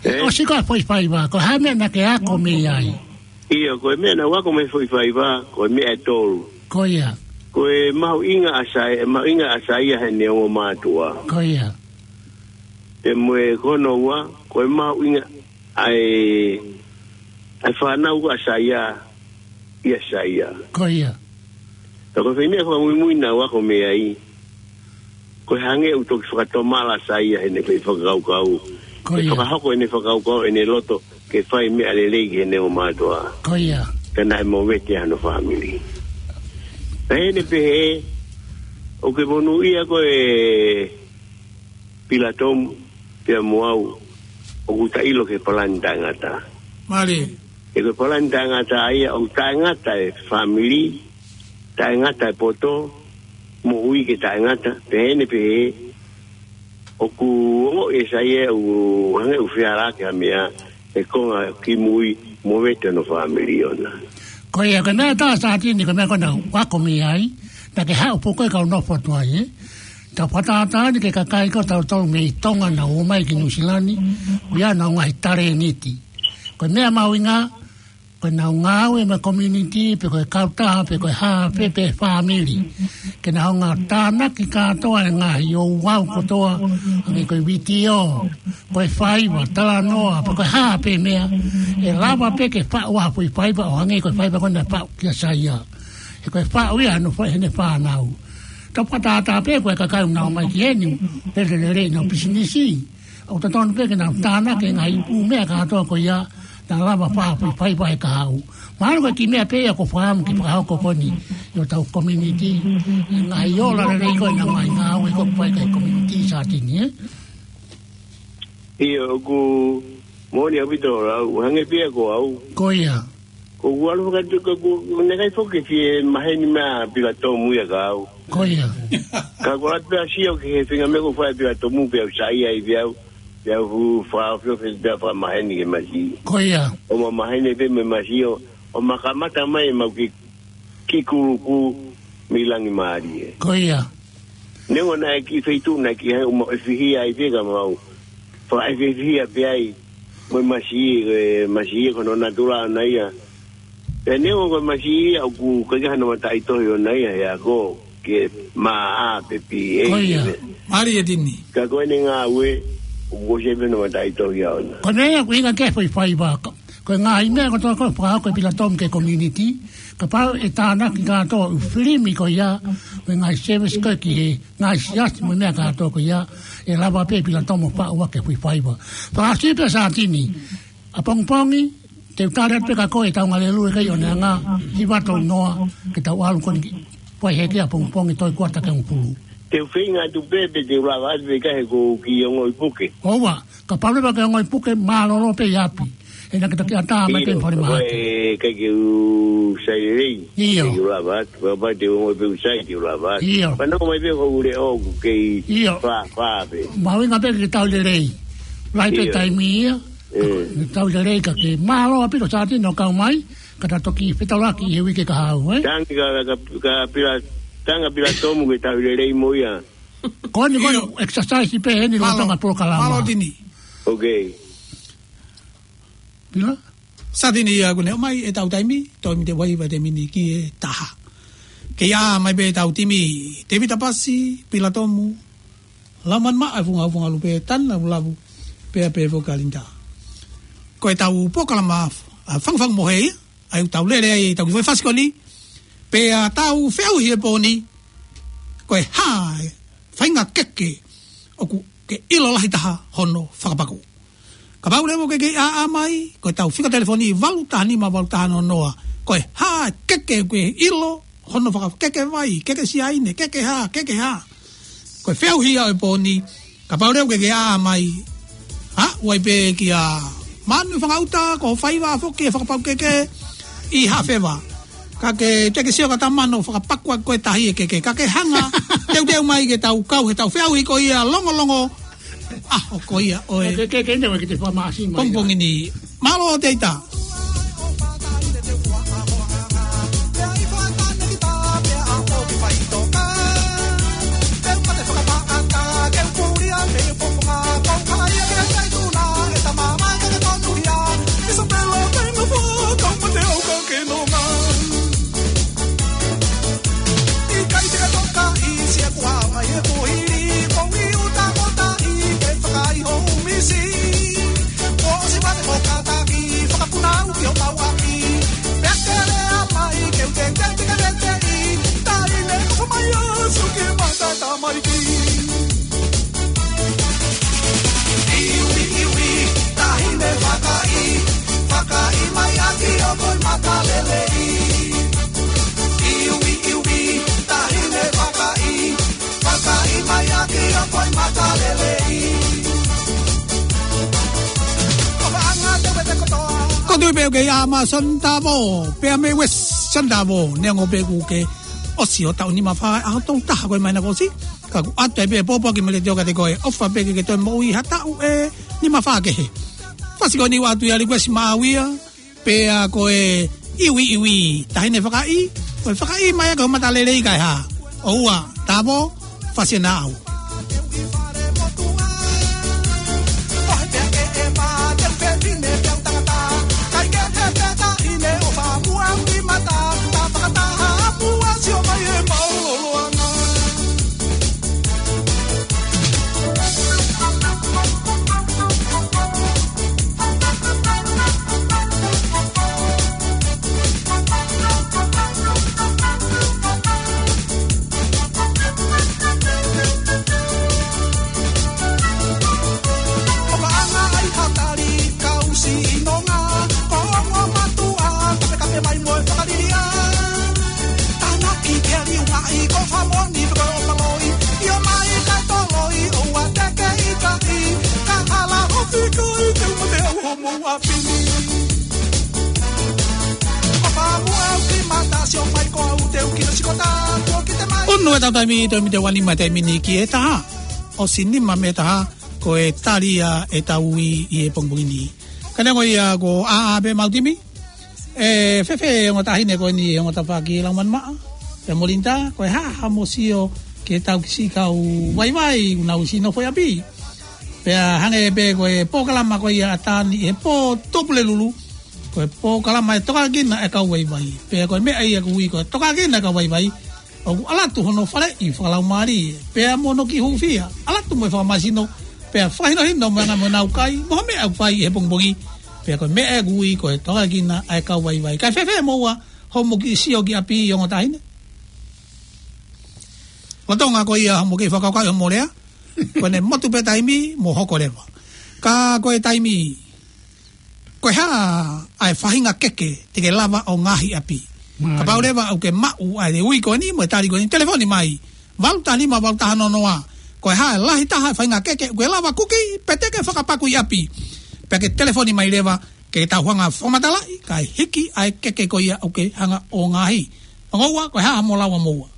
ʻE? ʻOsi ko e foʻi faiva, ko e hā e meʻa naʻá ke ako mei ai? ʻIo, ko e meʻa naʻá ku ako mei he foʻi faiva, ko e meʻa ʻe tolu. Ko ia. Ko e mahuʻinga ʻa Sai-, e mahuʻinga ʻa Saia heʻene ongo mātuʻa. Ko ia. Pea mo e ko hono ua, ko e mahuʻinga ʻa e, ʻa e fānau ʻa Saia, ʻia Saia. Ko ia. Ka ko e foʻi meʻa fakamuimui naʻá ku ako mei ai. Ko e hangē ʻoku toki fakatomala ʻa Saia heʻene foʻi fakakaukau. Ko ia. ʻE fakahoko ʻene fakakaukau, ʻene loto, ke fai meʻa lelei ki heʻene ongo mātuʻa. Ko ia. Ka naʻe movete hano fāmili. Naʻe ʻi ai e pehē, ʻOku ke monūʻia koe Pilatomu, pea mo au, ʻoku ta ʻilo ki he palani taʻengata. Mālie. He ko e palani taʻengata ia ʻoku taʻengata e fāmili, taʻengata e poto, moʻui ke taʻengata, pehē ni pehē, ʻoku ongoʻi ʻe Saia ʻoku hangē ʻoku fehālaaki ha meʻa, he konga kimui mo vete hono fāmili ʻona. Ko ia, ko e meʻa ʻe taha Sātini, ko e meʻa ko ena ʻoku ako mei ai, naʻa ke haʻu pē koe kau nofo atu ai, ē? Tau fakatātā eni ki he kakai ko ē tautolu mei Tonga naʻa nau ō mai ki Nuʻusila ni, ʻoku ʻi ai ʻenau ngaahi talēniti. Ko e meʻa mahuʻinga, ko ʻenau ngāue mo e community, pe ko e kautaha, pe ko e hā, pe, pe fāmili. Ke nau hanga ʻo tānaki kātoa e ngaahi ouau kotoa, hangē ko e vitiō, ko e faiva, talanoa, pe ko e hā pē meʻa, ʻe lava pē ke faʻu ha foʻi faiva ʻo hangē ko e faiva ko ena naʻe faʻu kia Saia. He ko e faʻu ia hono fai heʻene fānau. Tau fakatātā pē ko e kakai ʻoku nau ō mai ki heni, lele lelei ʻenau pisinisi. ʻOku totonu pē ke nau tānaki e ngaahi ʻū meʻa kātoa ko ia, naʻa lava ʻo fai ha foʻi faiva he kahaʻu. Mahalo ko e kiʻi meʻa pē ia ʻoku ou fakaʻamu ke fakahoko ko eni ʻi hotau community. Ngaahi ola lelei ko ena, ngaahi ngāue ko ē ʻoku fai ki he community Sātini, ē? ʻIo, ʻoku moʻoni ʻaupito ʻa e lau, hangē pē ia ko au. Ko ia. ʻOku ou ʻalu fakatu ka ʻoku, ʻoku ʻikai foki ke fie maheni mai ʻa Pilatomu ia kia au. Ko ia. Ka ʻoku ou ʻalu pē ʻo sio ki he faʻahinga meʻa ʻoku fai ʻe Pilatomu pea u saiʻia ai pea u, pea u fakaofiofi pea fakamaheni ki he masiʻi. Ko ia. ʻO ma maheni pē mo e masiʻi ʻo, ʻo ma kamata mai ʻemau kiʻi, kiʻi kulupu mei langi mālie. Ko ia. Neongo naʻe kiʻi feituʻu naʻe kiʻi hangē ʻoku mau ʻefihia ai pē ka mau fakaʻefihia pē ai. Mo e masiʻi, ko e masiʻi ko hono natula ʻona ia. Pea neongo ko e masiʻi ia ʻoku ʻikai ke ʻi ai hano mataʻitohi ʻona ia he ako ke maʻa pe P A. Ko ia. Mālie Tini. Ka ko ʻene ngāue, ʻoku ʻosi ʻi ai pē hono mataʻitohi ʻona. Ko e meʻa ia ʻoku ʻuhinga ki he foʻi faiva. Ko e ngaahi meʻa kotoa ko ē ʻoku fakahoko ʻe Pilatomu ki he community, kapau ʻe tānaki kātoa e ʻū filimi ko ia, mo e ngaahi service ko ē ki he ngaahi siasi mo e meʻa kātoa ko ia, ʻe lava pē ʻe Pilatomu ʻo faʻu ʻaki e foʻi faiva. Fakaʻosi pē Sātini, ʻapongipongi, te u tali atu pē kia koe ʻetau ngalelue kai ʻo ne anga, hiva tolu noa, ke tau ʻalu ko eni ki, pea hiki ʻapongipongi toe kuata ki he hongofulu. Te u feinga atu pē, pe te u lava atu pē ka he ʻoku ou kiʻi ongoʻi puke. ʻOua, kapau leva ke ongoʻi puke, mālōlō pē ʻi ʻapi. He naʻa ke toki ʻatā mai pē ʻi falemahaki. ʻIo, ko e ʻikai ke u sai lelei. ʻIo. Te u lava atu, kapau te u ongoʻi pē ʻoku sai te u lava atu. ʻIo. Pea nofo mai pē ko e ʻū leʻo ʻoku kei, ʻio, fā, fā pē. Mahuʻinga pē ke tau lelei. Lahi pē, ʻio, taimi ia. ʻE. Ke tau lelei ka ke mālō ʻaupito Sātini hoʻo kau mai, ka ta toki fetaulaki he uike kahaʻu, ē? Tangi ka, ka, ka Pila, tangi Pilatomu ke tau lelei mo ia. Ko eni, ko eni, ʻio, exercise pē heni, mālō, lolotonga polokalama. Mālō Tini. Ok. Pila? Sātini ia ʻoku ne ʻomai ʻetau taimi, taimi te vaivai te mini ki he taha. Ke ʻā mai pē ʻetau timi, Tēvita Pasi, Pilatomu, Laumanu Maʻa, Funga Funga Lupe, Tana Vulavu, pea pē foki Kalinda. Ko ʻetau polokalama, ʻa, Fangufangu Mohe ia, ʻa ia ʻoku tau lele ai ʻetau kiʻi foʻi fasi ko eni, pea tau feʻauhi he pō ni, ko e hā e faʻahinga keke ʻoku ke ʻilo lahi taha hono fakapaku. Kapau leva ʻoku ke kei ʻā mai, ko ʻetau fika telefoni valu taha nima valu taha noa noa. Ko e hā e keke ʻoku ke ʻilo hono fakakeke vai, keke siaine, keke hā, keke hā. Ko e feʻauhi ia ʻo e pō ni, kapau leva ʻoku ke kei ʻā mai. Ha, ʻoua ʻe pehē kia Manu Fangaʻuta, ko e faiva foki e fakapakukeke ʻi Hafeva. Ka ke, te ke sio ka ta mano fakapaku ʻaki ko e tahi e keke. Ka ke hanga, teuteu mai ke tau kau heʻetau feʻauhi ko ia longolongo. ʻA, ʻo ko ia, ʻo e. Ke, ke, ke, ne, ke te fakamāsima ia. Pongipongi ni. Mālō Tēvita. Pea ʻoku ʻi ai ʻa Mason Tavo, pea mei West Sandavo, neongo pē kuo ke ʻosi ʻo taʻu nima fā ʻa e tolu taha ko ē mai naʻe ʻosi. Ka ʻoku ʻoatu ai pē pōpoaki mei he letiō kiate koe, ʻofa pē ke ke toe moʻui ha taʻu ʻe nima fā kehe. Fasi ko eni ʻoku ʻoatu ia ʻa Likuesi Maʻauia, pea ko e iwi iwi, taʻahine fakaʻī, ko e fakaʻī mai ʻaki ʻo mata lelei kae hā. ʻOua, Tavo, fasi ʻe naʻa au. Ono ʻetau taimi, taimi te uanima taimi ni ki he taha. ʻOsi nima mei he taha, ko e tali ia ʻetau ui ʻi he pongipongi ni. Ka neongo ia ko ʻAʻa pē mautimi. ʻE, fēfē ongo taʻahine ko eni, ongo tafaʻaki Laumanimaʻa, pea mo Linda, ko e hā haʻamo sio ki heʻetau kiʻi siʻi kau vaivai, ʻoku nau ʻosi nofo ʻi ʻapi. Pea hangē pē ko e polokalama ko ia ʻa Tani he pō Tuʻapulelulu, ko e polokalama ʻe tokanga ki ai ʻa e kau vaivai. Pea ko e meʻa ia ʻoku ui ko e tokanga ki ai ʻa e kau vaivai, ʻoku ʻalu atu hono faleʻi fakalaumālie, pea mo hono kiʻi hūfia, ʻalu atu mo e fakamāsino, pea fakahinohino mo e anga mo e nāukai, mo ha meʻa ʻoku fai he pongipongi, pea ko e meʻa ʻoku ui ko e tokanga ki ai ʻa e kau vaivai. Kae fēfē moua hoʻomo kiʻi sio ki ʻapi ongo taʻahine? Lolotonga ko ia hoʻomo kiʻi fakakaukau hoʻomo lea, ko ʻene motu pē taimi mo hoko leva. Ka ko e taimi, ko e hā ʻa e faʻahinga keke te ke lava ʻo ngaohi ʻapi? Mālie. Kapau leva ʻoku ke maʻu ʻa e ui ko eni mo e tali ko eni, telefoni mai. Valu taha nima, valu taha noa noa. Ko e hā e lahi taha e faʻahinga keke ʻoku ke lava kuki pe te ke fakapaku ʻi ʻapi? Pea ke telefoni mai leva ke tau hanga ʻo fakamatalaʻi, kae hiki ʻa e keke ko ia ʻoku ke hanga ʻo ngaohi. Ongo ua, ko e hā haʻamo lau ʻamoua?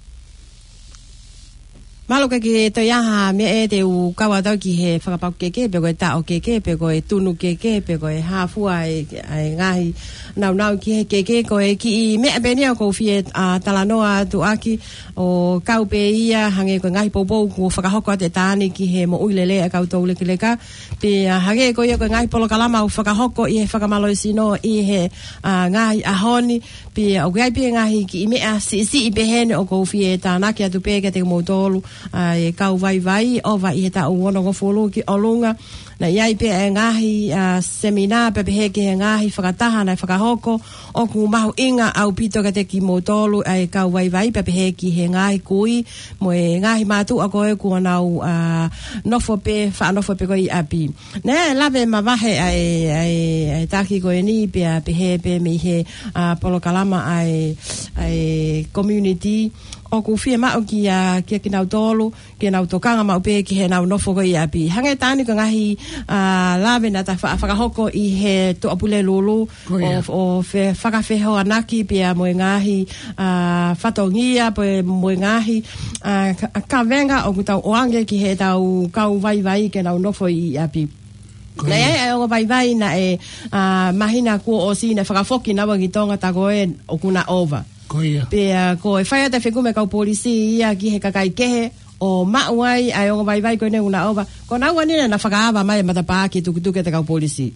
Mālō. Ka ke toe ʻi ai ha meʻa ʻe te u kau atu ki he fakapaku keke, pe ko e taʻo keke, pe ko e tunu keke, pe ko e hā fua e, e ngaahi nāunau ki he keke, ko e kiʻi meʻa pē eni ʻoku ou fie, ʻa, talanoa atu ʻaki, ʻo kau pē ia hangē ko e ngaahi poupou kuo fakahoko atu ʻe Tani ki he moʻui lelei ʻa e kau toulekeleka. Pea hangē ko ia ko e ngaahi polokalama ʻoku fakahoko ʻi he fakamālohisino ʻi he, ʻa, ngaahi ʻaho ni. Pea ʻoku ʻi ai pē ngaahi kiʻi meʻa siʻisiʻi pehē ni ʻoku ou fie tānaki atu pē kiate kimoutolu, ʻa, e kau vaivai, ʻova ʻi he taʻu onongofulu ki ʻolunga. Naʻe ʻi ai pē e ngaahi, ʻa, seminā pea pehē ki he ngaahi fakataha naʻe fakahoko, ʻoku mahuʻinga ʻaupito kiate kimoutolu ʻa e kau vaivai pea pehē ki he ngaahi kui mo e ngaahi mātuʻa ko ē kuo nau, ʻa, nofo pē, faʻa nofo pē ko ē ʻi ʻapi. Naʻe lave mavahe ʻa e, ʻa e, ʻa e taki ko eni pea pehē pē mei he, ʻa, polokalama ʻa e, ʻa e community ʻoku fiemaʻu kia, kia kinautolu ke nau tokanga maʻu pē ki heʻenau nofo ko ē ʻi ʻapi. Hangē Tani ko e ngaahi, ʻa, lave naʻa ta fa-, fakahoko ʻi he Tuʻapulelulu, ko ia, ʻo, ʻo fe-, fakafehoanaki pea mo e ngaahi, ʻa, fatongia pea mo e ngaahi, ʻa, ka-, kavenga ʻoku tau ʻoange ki heʻetau kau vaivai ke nau nofo ʻi ʻapi. Ko ia. Naʻe ʻi ai ʻa e ongo vaivai naʻe, ʻa, māhina kuo ʻosi naʻe fakafoki naua ki Tonga, tā ko ē ʻoku na ʻova. Ko ia. Pea ko e fai atu e fekumi ʻa e kau polisi ia ki he kakai kehe ʻo maʻu ai ʻa e ongo vaivai ko eni ʻoku na ʻova. Ko naua eni naʻa na fakaava mai e matapā ke tukituki ʻa e kau polisi.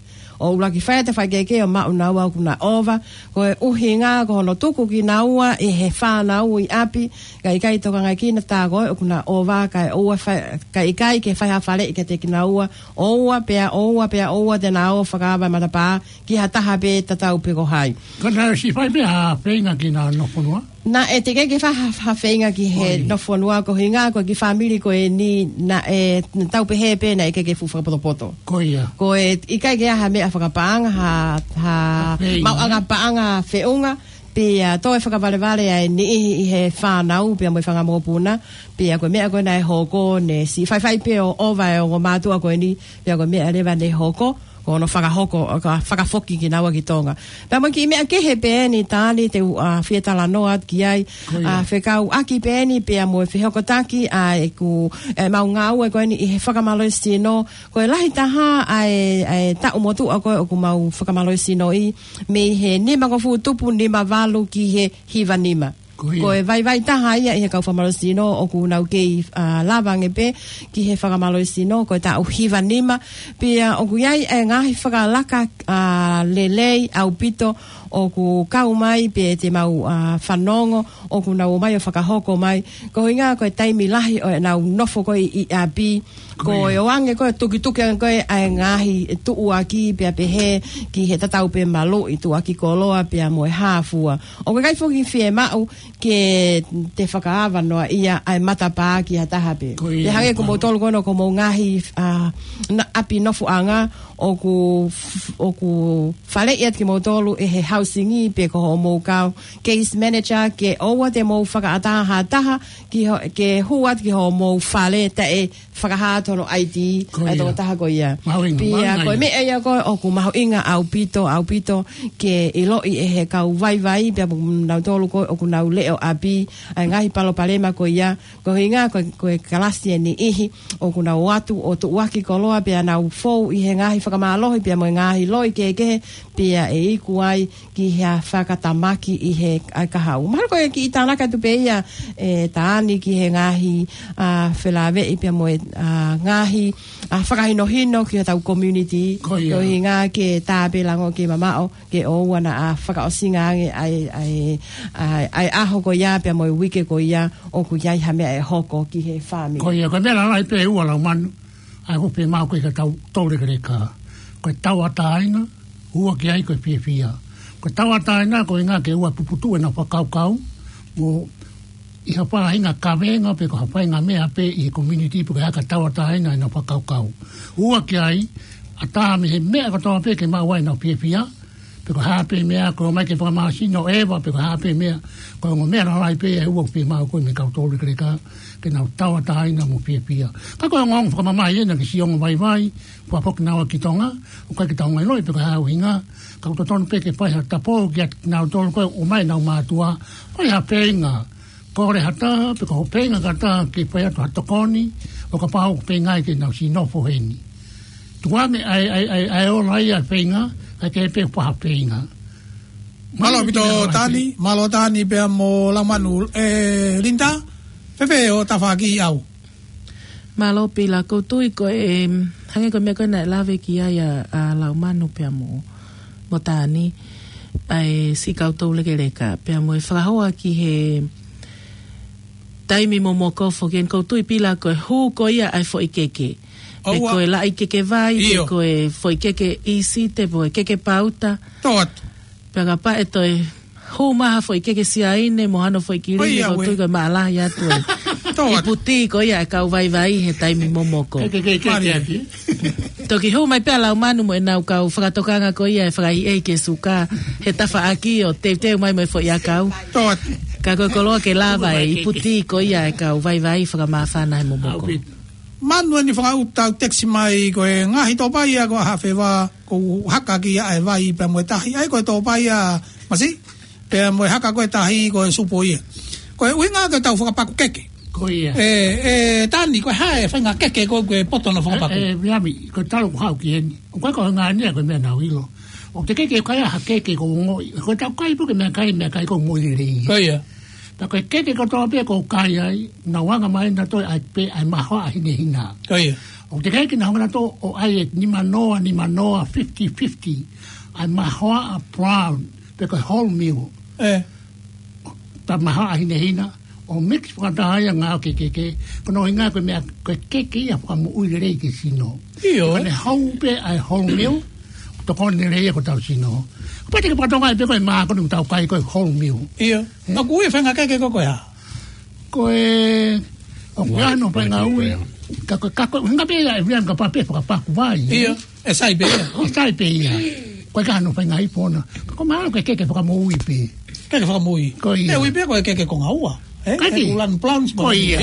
ʻO ʻuluaki fai atu e faikehekehe ʻo maʻu naua ʻoku na ʻova. Ko e ʻuhinga ko hono tuku kinaua ʻe he fānau ʻi ʻapi, kae ʻikai tokangaʻi kinaua tā ko ē ʻoku na ʻova, kae ʻoua fai, kae ʻikai ke fai ha faleʻi kiate kinaua, ʻoua pea, ʻoua pea, ʻoua te na ō ʻo fakaava e matapā ki ha taha pē, tatau pē ko hai. Ka naʻe ʻosi fai pē ha feinga ki heʻena nofo fonua? Naʻe teʻeki ke fai ha, ha feinga ki he, ʻoi, nofo fonua, ko e ʻuhinga ko e kiʻi fāmili ko eni naʻe, naʻa tau pehē pē naʻe ʻikai ke fuʻu fakapotopoto. Ko ia. Ko e ʻikai ke ʻi ai ha meʻa fakapaʻanga, ha, ha, ha feinga, maʻuʻanga paʻanga feʻunga, pea toe fakavalevale ʻa e niʻihi ʻi he fānau pea mo e fanga mokopuna, pea ko e meʻa ko ē naʻe hoko, ne siʻi faifai pē ʻo ʻova e ongo mātuʻa ko eni, pea ko e meʻa leva ne hoko, ko hono fakahoko, ka fakafoki kinaua ki Tonga. Pea mo e kiʻi meʻa kehe pē eni Tani te u, ʻa, fie talanoa atu ki ai, ʻa, fekauʻaki pē eni pea mo e fehokotaki ʻa ʻeku, ʻemau ngāue ko eni ʻi he fakamālohisino, ko e lahi taha ʻa e, ʻa e taʻu motuʻa ko ē ʻoku mau fakamālohisinoʻi, mei he nima ko ē fuʻu tupu nima valu ki he hiva nima. Ko e vaivai taha ia ʻi he kau fakamālohisino ʻoku nau kei, ʻa, lava ange pē ki he fakamālohisino, ko e taʻu hiva nima. Pea ʻoku ʻi ai e ngaahi fakalaka, ʻa, lelei ʻaupito ʻoku kau mai pea te mau, ʻa, fanongo ʻoku nau ō mai ʻo fakahoko mai. Ko e ʻuhinga ko e taimi lahi ʻo ʻenau nofo ko ē ʻi ʻapi, ko e ʻoange ko ē tukituki ange ko ē ʻa e ngaahi tuʻuaki pea pehē ki he tatau pē maluʻi tuʻuaki koloa pea mo e hā fua. ʻOku ʻikai foki fiemaʻu ke te fakaava noa ia ʻa e matapā ki ha taha pē. Pea hangē ko moutolu ko ē ʻoku mou ngaahi, ʻa, na-, ʻapi nofoʻanga ʻoku f-, ʻoku faleʻi atu kimoutolu ʻe he hausingi pe ko hoʻomou kau case manager ke ʻoua te mou fakaʻatā ha taha ki ho-, ke hū atu ki hoʻomou fale taʻe fakahā atu hono ID ʻa e tokotaha ko ia. Pea ko e meʻa ia ko ē ʻoku mahuʻinga ʻaupito, ʻaupito ke ʻiloʻi ʻe he kau vaivai pea mo nautolu ko ē ʻoku nau leʻo ʻapi ʻa e ngaahi palopalema ko ia. Ko e ʻuhinga ko e, ko e kalasi ʻe niʻihi ʻoku nau ō atu ʻo tuʻuaki koloa pea nau fou ʻi he ngaahi fakamālohi pea mo e ngaahi loi kehekehe pea ʻe iku ai ki ha fakatamaki ʻi he ʻa e kahaʻu. Mahalo ko e kiʻi tānaki atu pē ia ʻe Tani ki he ngaahi, ʻa, felāveʻi pea mo e, ʻa, ngaahi, ʻa, fakahinohino ki hotau community. Ko e ʻuhinga ke tā pē lango ke mamaʻo ke ʻoua naʻa fakaʻosinga ange ʻa e, ʻa e, ʻa e, ʻa e ʻaho ko ia pea mo e uike ko ia ʻoku ʻi ai ha meʻa ʻe hoko ki he fāmili. Ko ia, ko e meʻa lalahi pē ʻe ua Laumanu, ʻa ia ʻoku fiemaʻu ke tau toulekeleka. Ko e tauʻatāina, ua ki ai ko e fiefia. Ko e tauʻatāina, ko e ʻuhinga ke ʻoua puputuʻu ʻenau fakakaukau, mo ʻi ha faʻahinga kavenga pe ko ha faʻahinga meʻa pē ʻi he community pe ko e hā ka tauʻatāina ʻenau fakakaukau. Ua ki ai, ʻatā mei he meʻa kotoa pē ke maʻu ai ʻenau fiefia, pe ko e hā pē meʻa, ko e ō mai ke fakamālohisino ʻeva, pe ko e hā pē meʻa, ko e ongo meʻa lalahi pē ʻe ua ʻoku fiemaʻu ko ē mei he kau toulekeleka, ke nau tauʻatāina mo fiefia. Ka ko e ongoongo fakamamahi ena ki siʻi ongo vaivai, fakafoki naua ki Tonga, ʻoku ʻikai ke tau ongoʻi loi pe ko e hā e ʻuhinga, ka ʻoku totonu pē ke fai ha tapou kiate kinautolu ko ē ʻoku ʻomai ʻenau mātuʻa, fai ha feinga, kole ha taha, pe ko hoʻo feinga ki ha taha ke fai atu ha tokoni, ʻo kapau ʻoku feinga ke nau siʻi nofo heni. Tuku ange ʻa e, ʻa e, ʻa e, ʻa e ola ia ʻa e feinga, kae kehe pē ʻoku fai ha feinga. Mālō ʻaupito Tani, mālō Tani pea mo Laumanu, ʻe Linda, fēfē hoʻo tafaʻaki ʻau? Mālō Pila, ʻoku ou tui ko e, hangē ko e meʻa ko ē naʻe lave ki ai ʻa, ʻa Laumanu pea mo, mo Tani, ʻa e siʻi kau toulekeleka, pea mo e fakahoa ki he taimi momoko foki eni, ʻoku ou tui Pila ko e hū ko ia ʻa e foʻi keke. Pe ko e laʻi keke vai, pe ko e foʻi keke ʻīsite, pe ko e keke pauta. Pea kapau ʻe toe hū mai ha foʻi keke Siaine mo hano foʻi kilini, ʻoku ou tui ko e maʻalahi atu e ipu tī ko ia ʻa e kau vaivai he taimi momoko. Toki hū mai pē ʻa Laumanu mo ʻenau kau fakatokanga ko ia ʻe fakaʻehiʻehi ki he suka he tafaʻaki ʻo teuteu mai mo e foʻi ʻakau. Ka ko e koloa ke lava e ipu tī ko ia ʻa e kau vaivai fakamāfana he momoko. Manu eni fakaʻuta ʻo text mai ko e ngaahi tōpai ia ko ʻAhafeva, ʻoku haka ki ai ʻa e vai pea mo e tahi. ʻA ia ko e tōpai ia Masi, pea mo e haka ko e tahi ko e supo ia. Ko e ʻuhinga ke tau fakapaku keke. Ko ia. ʻE, ʻe Tani, ko e hā e faʻahinga keke ko ē ʻoku ke poto hono fakapaku? ʻE, ʻe, Viami, ko e talu ʻoku haʻu ki heni. ʻOku ʻikai ko e ngāue ia ko e meʻa naʻa ku ʻilo. ʻOku te keke kai ha keke ʻoku ongoʻi. Ko e tau kai pē ko e meʻakai, meʻakai ʻoku moʻui lelei. Ko ia. Pea ko e keke kotoa pē ʻoku kai ai, naʻa ku anga mai naʻa toe ʻai pē ʻa e mahoaʻa hinehina. Ko ia. ʻOku te keke naʻa ku anga naʻa toe ʻai e nimanoa, nimanoa, fifty fifty. ʻA e mahoaʻa brown, pe ko e wholemeal. ʻE. Pea mahoaʻa hinehina, ʻo mix fakataha ia ngā ke keke, ko hono ʻuhinga ko e meʻa, ko e keke ia fakamoʻui lelei ki he sino. ʻIo. Ka ne hau pē ʻa e wholemeal, tokoni lelei ia ki hotau sino. Pea te ke fakatokangaʻi pē ko e mākoni ʻoku tau kai ko e wholemeal. ʻIo. Ka ko e faʻahinga keke ko ē ko e hā? Ko e, ʻoku ʻi ai hono faʻahinga ui. Ka ko e, ka ko e, hinga pē ia ʻe Viami kapau pē fakapaku vai. ʻIo. ʻE sai pē ia. ʻE sai pē ia. Ko e ʻikai hano faʻahinga ʻi pona. Ka ko e mahalo ko e keke fakamoʻui pē. Keke fakamoʻui. Ko ia. ʻE ui pē ko e keke konga ua. ʻE, ʻoku lanu brown. Ko ia.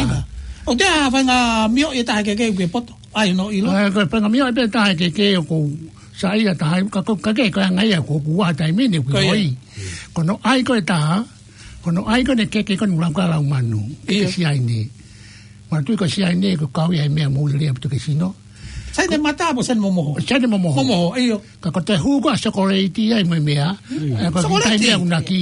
ʻOku te ʻi ai ha faʻahinga mioʻi ʻe taha e keke ʻoku ke poto? ʻAi hono ʻilo. ʻE, ko e faʻahinga mioʻi pē ʻe taha e keke ʻoku ou Sa ia taha, ka ko, ka ke, ko e anga ia ko, ko ua taimi ni, ko Ko ia. oi. Ko hono ʻai ko ē taha, ko hono ʻai ko ē ne keke ko ē ne lau ka lau manu. Keke Ia. Siaine. Manatuʻi ko Siaine ko e kau ia he meʻa mou lele ʻaupito ki he sino. Siaine mata mo Siaine momoho. Siaine momoho. Momoho, ʻio. Ka ko e toe hū ko ā ʻa e sokoleiti ai mo e meʻa. Mm. ʻA ia ko e Sokoleiti. Kitai meʻa ʻoku na ki.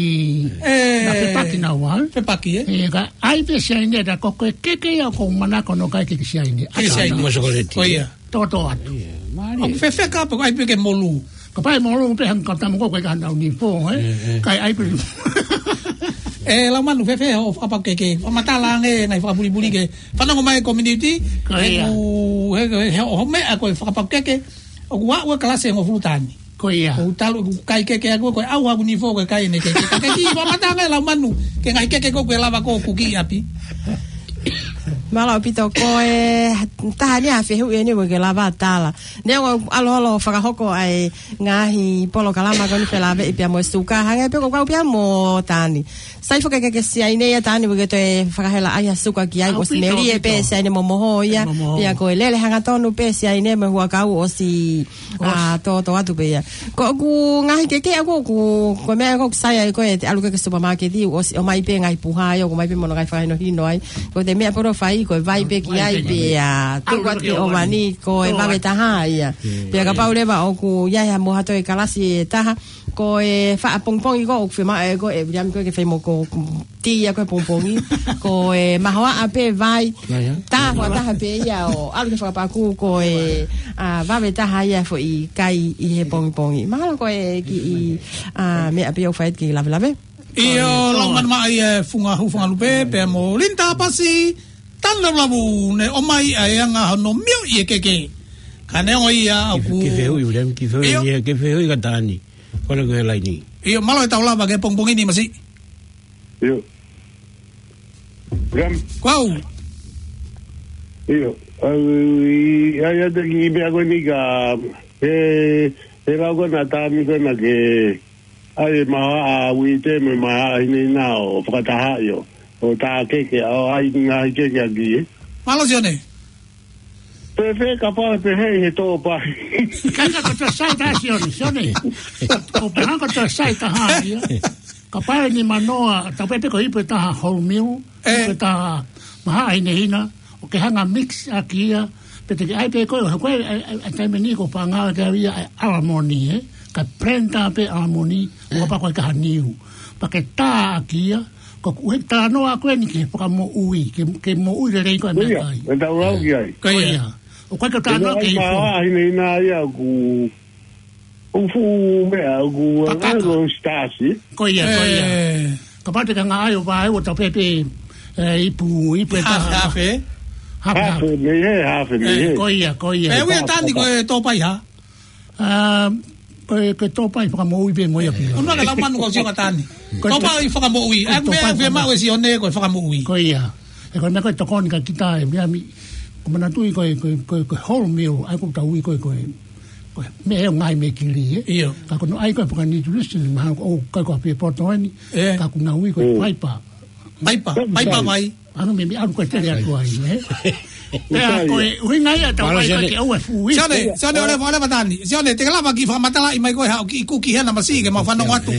E. Na fepaki naua. Fepaki, ē? ʻE, ka ʻai pē Siaine ta ko e keke ia ʻoku ou manako hono kai keke Siaine. Keke Siaine. Mo sokoleiti. Ko ia. Toto atu. Ia, mālie. ʻOku fēfē kapau ʻoku ʻai pē ke molu? Kapau ʻe molu pē hangē ko e tama ko ē ko e ka nau ni fō, ē? Ē, ē. Kai ʻai pē. ʻE, lau manu fēfē hoʻo fakapaku keke. Fakamatala ange, ngaahi fakapulipuli ke. Fanongo mai community. Ko ia. He ʻoku, he, he, he, hoʻo meʻa ko e fakapaku keke. ʻOku aʻu e kalasi ʻe hongofulu taha ni. Ko ia. ʻOku talu, ʻoku kai keke ʻaku, ko e ʻau ʻaku ni fō, ko e kai ʻene keke. Ka ke kiʻi fakamatala ange lau manu. Ke ngaahi keke ko ē ʻoku ke lava ko ē ʻoku kiʻi ʻapi. Mālō ʻaupito ko e taha ni ʻa e fehuʻi eni ʻoku ke lava tala. Neongo ʻalu holo fakahoko ʻa e ngaahi polokalama ko eni felāveʻi pea mo e suka hangē pē ko e kau pea mo Tani. Sai foki ke ke Siaine ia Tani ʻoku ke toe fakahela ai ha suka ki ai ʻosi melie pē Siaine momoho ia. Pea ko e lele hangatonu pē Siaine mo e huʻakau ʻosi ʻa, toto atu pē ia. Ko ʻeku ngaahi keke ʻaku ʻoku, ko e meʻa ʻoku sai ai ko e te ʻalu ki he supermarket ʻosi ʻomai pē ngaahi puha ia, ʻomai pē mo hono ngaahi fakahinohino ai. Ko e meʻa pē ʻoku fai, ko e vai pē ki ai, pea tuku atu ki he ʻōvani, ko e vave taha ia. Pea kapau leva ʻoku ʻi ai ha mo ha toe kalasi ʻe taha, ko e faʻa pongipongi ko ē ʻoku fiemaʻu ʻe koe, ʻe Viliami ko ē ke fai mo koe tī ia ko ē pongipongi. Ko e mahoaʻa pē vai. Tā fakataha pē ia ʻo ʻalu ki he fakapaku ko e, ʻa, vave taha ia foʻi kai ʻi he pongipongi. Mahalo ko e kiʻi, ʻa, meʻa pē ʻoku fai ki he lavelave. ʻIo, lau manu mai ʻa e Funga Hū Funga Lupe, pea mo Linda Pasi, Tani Lavulavu, ne ʻomai ʻa e anga hono mio ʻi he keke. Ka neongo ia ʻoku. Kiʻi fehuʻi, Viliami, kiʻi fehuʻi, ʻio. Kiʻi fehuʻi ka Tani. Kole ko e laini. ʻIo, mālō e tau lava ki he pongipongi ni Masi. ʻIo. Viliami. Kuo u. ʻIo. ʻAi, ʻai atu kiʻi meʻa ko eni ka, he, he lau ko ena Tani ko ena ke, ʻai e mahoaʻa uite mo e mahoaʻa hinehina ʻo fakataha ʻio. ʻO tā keke, ʻo ʻai ngaahi keke ʻaki, ē. Mālō Sione. Fēfē kapau ʻe pehē ʻi he tō pahi. Ka ka ko e toe sai taha Sione, Sione. Ko e pehē ko e toe sai taha ia. Kapau ʻe nimanoa, tau pehē ko e ipu ʻe taha wholemeal, ʻe, ipu ʻe taha mahoaʻa hinehina, ʻo ke hanga mix ʻaki ia, pea te ke ʻai pē ko e, ko e, ʻa e, ʻa e, ʻa e taimi ni ko e panga ke au ia, ʻa e ʻalamoni, ē? Ka blender pē ʻalamoni, ʻo pea ko e kaha niu. Pea ke tā ʻaki ia, ko e ʻuhi talanoa ko eni ke fakamoʻui, ke, ke moʻui lelei ko e meʻakai. Ko ia, e tau lau ki ai. Ko ia. ʻOku ʻikai ke talanoa ke ʻai ifo. Mahoaʻa hinehina ia ʻoku ʻOku fuʻu meʻa, ʻoku Patata. Anga ko e sitaasi. Ko ia, ko ia. Ē. Kapau te ke hanga ʻo vaeua ʻo tau pehē pē, ē, ipu, ipu ʻe taha. Hafe, hafe. Hafe, hafe. Hafe, mei hē, hafe, mei hē. Ē, ko ia, ko ia. Ē, ui ʻa Tani ko e tō pahi hā? Ā, ko e, ko e tō pahi fakamoʻui pē mo ia pē. ʻUnua ke lau manu kau sio ka Tani. Ko e tō pahi fakamoʻui. Ko e tō pahi fakamoʻui. ʻA e meʻa fiemaʻu ʻe Sione ko e fakamoʻui. Ko ia. Ē, ko e meʻa ko e tokoni ka kita ē, meʻa mi, ʻoku ou manatuʻi ko e, ko e, ko e, ko e wholemeal, ʻa ia ʻoku tau ui ko e, ko e, ko e meʻa ʻoku ngaahi meʻa kili, ē? ʻIo. Ka ko hono ʻai ko e fakanutrition, mahalo ʻoku ʻikai ko ha pē poto eni, ē, ka ʻoku nau ui ko e fiber. Fiber, fiber vai. ʻAno meʻa, meʻa ʻoku ʻikai tele atu ai, ē? Pea ko e ʻuhinga ia ʻetau ʻai ko e ke ʻoua ʻe fuʻu ui. Sione, Sione, ʻoleva, ʻoleva Tani. Sione, te ke lava kiʻi fakamatalaʻi mai ko e haʻo kiʻi kuki hena Masi ke mau fanongo atu.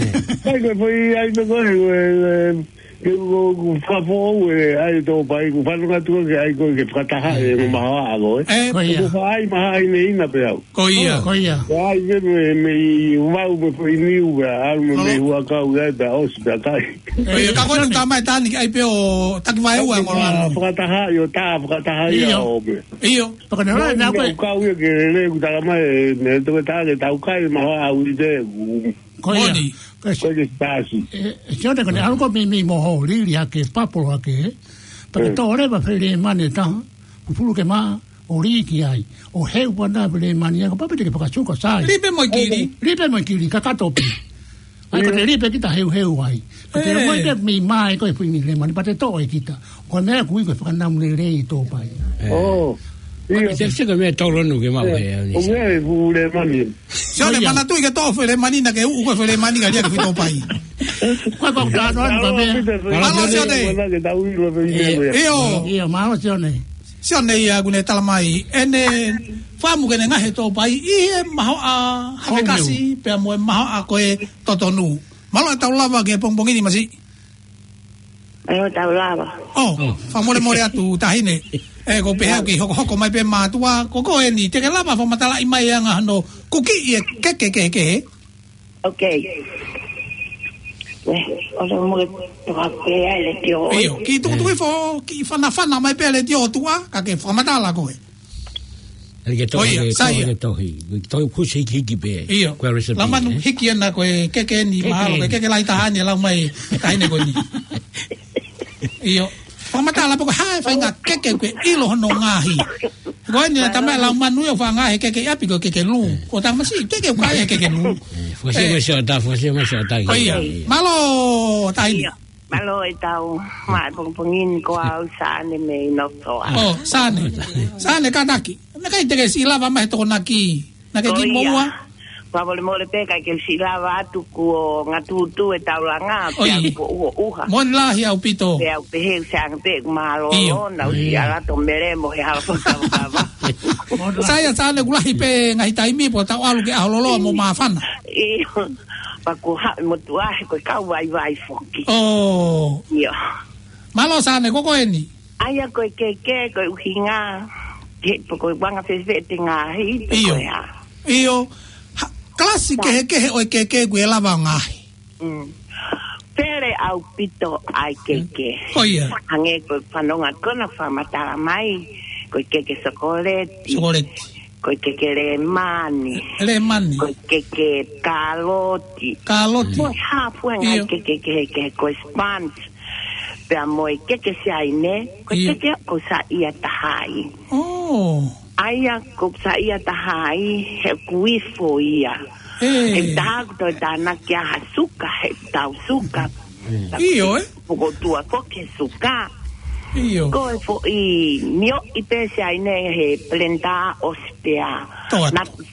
Kai ko e foʻi ʻai ko e, e, e, Ke u, u fakafoʻou e ʻai tō pahi, ʻoku ou fanongo atu ke ʻai ko e ke fakataha e mo mahoaʻa ko ē. Ē. Ko ia. ʻOku ou fai mahoaʻa hinehina pē au. Ko ia. Ko ia. Ko e ʻai pē mei, mei vau mo e foʻi niu pē, ʻalu mo e mei huʻakau ia pē ʻosi pē kai. Ko ia, ka ko e tā mai Tani ke ʻai pē ʻo taki vaeua e ngolo ʻalu. Fakataha ʻio, tā fakataha ia ʻio. ʻO pē. ʻIo. Pea ko e nā, nā, nā, ko e ʻoku kau ia ke lele ʻoku tala mai, ē, mei he toketā ke tau kai mahoaʻa uite ʻoku Ko ia. Moni. Ko e, ko e ke sitaasi. Ē, ē, Sione ko eni ʻalu ko e mei, mei moho, lili hake, papolo hake, ē. Pea ke tō leva fai lemani ʻe taha, pupulu ke maʻa, ʻo lī ki ai. ʻO heu pē ʻa e lemani, ʻa ia ko e papa te ke fakasuka sai. Lī pē mo e kili. Lī pē mo e kili, kakato pē. ʻA ia ko e lī pē kita heuheu ai. Ko e te mo e te mei mai ko e fuʻu lemani, pea te toʻo ʻe kita. Ko e meʻa ʻoku ui ko e fakanamu lelei tō pahi. ʻIo. Ko e te sika meʻa tolonu ke maʻu he au ni. ʻO meʻa e fuʻu lemani. Sione, manatuʻi ke toʻo foʻi lemani naʻa ke uʻu ko e foʻi lemani ka lia ke fito pai. Ko e ko ka noa ka meʻa. Mālō Sione. ʻIo. ʻIo, mālō Sione. Sione ia ʻoku ne tala mai ʻene fakaʻamu ke ne ngaohi e tōpai ʻi he mahoʻa havekasi pea mo e mahoʻa ko e totonu. Mālō e tau lava ki he pongipongi ni, Masi. Mālō e tau lava. ʻŌ, fakamolemole atu, Taʻahine. ʻE, ko e pehē ʻoku ke hokohoko mai pē mātuʻa, ko koe eni, te ke lava fakamatalaʻi mai e anga hono kukiʻi e keke kehekehe. Ok. ʻE, ʻoua mo ke toka pē ʻa e letiō. ʻIo, kiʻi tukutuku hifo, kiʻi fanafana mai pē letiō ʻo tuʻa, ka ke fakamatala koe. ʻE ke tohi, ʻo ia, ke sai tohi, ia. Ke tohi, tohi kusi hikihiki pē. ʻIo. Ko e recipe, Laumanu, ē? Hiki ena ko e keke ni, mahalo ko e keke lahi taha ni ʻe lau mai, Taʻahine ko eni. ʻIo. Fakamatala pē ko e hā e faʻahinga keke ʻoku ke ʻilo hono ngaohi. Ko eni naʻe tala mai ʻe Laumanu ia ʻoku faʻa ngaohi e keke ʻi ʻapi ko e keke lū. Ko Tamasi, keke ʻoku ʻi ai e keke lū. ʻE, fakasia mai siʻa tā, fakasia mai siʻa tā. ʻO ia. Mālō, Taʻahine. Mālō e tau, mā e pongipongi ni ko au Sane mei Nofoa. ʻŌ, Sane. Sane kātaki. Naʻe ʻikai te ke siʻi lava mai he Tokonaki. Naʻe ke kiʻi moʻua. Fakamolemole pē ʻikai ke siʻi lava atu kuo ngatūtū e taulanga, pea kuo ʻuha ʻuha. Moʻoni lahi ʻaupito. Pea u pehē ʻoku sai ange pē ʻeku mālōlō, naʻa ku siʻi ʻalu atu ʻo melemo he hala fakakavakava. Sai ia Sane, ʻoku lahi pē ngaahi taimi pea tau ʻalu ki he ʻaho loloa mo māfana. ʻIo. Pea kuo haʻu e motuʻa he ko e kau vaivai foki. ʻŌ. ʻIo. Mālō Sane, ko koe eni. ʻA ia ko e keke, ko e ʻuhinga, he, pe ko e anga fēfē te ngaohi, pe ko e hā. ʻIo. Ha, kalasi kehekehe ʻo e keke ʻoku ke lava ngaohi. Mm. Pele ʻaupito ʻa e keke. ʻO ia. Hangē ko e fanongo ko ena fakamatala mai, ko e keke sokoleti. Sokoleti. Ko e keke lēmani. Lēmani. Ko e keke kāloti. Kāloti. Ko e hā fua e ngaahi keke kehekehe, ko e sponge. Pea mo e keke Siaine, ko e keke ʻoku ou saiʻia taha ai. ʻŌ. ʻA ia ʻoku ou saiʻia taha ai, he ʻoku ifo ia. ʻE. He taha ʻoku toe tānaki ʻa ha suka, he tau suka. ʻIo, ē? Pukotua foki he suka. ʻIo. Ko e foʻi mioʻi pē Siaine he pelenda ʻosi pea. Toa. Naʻa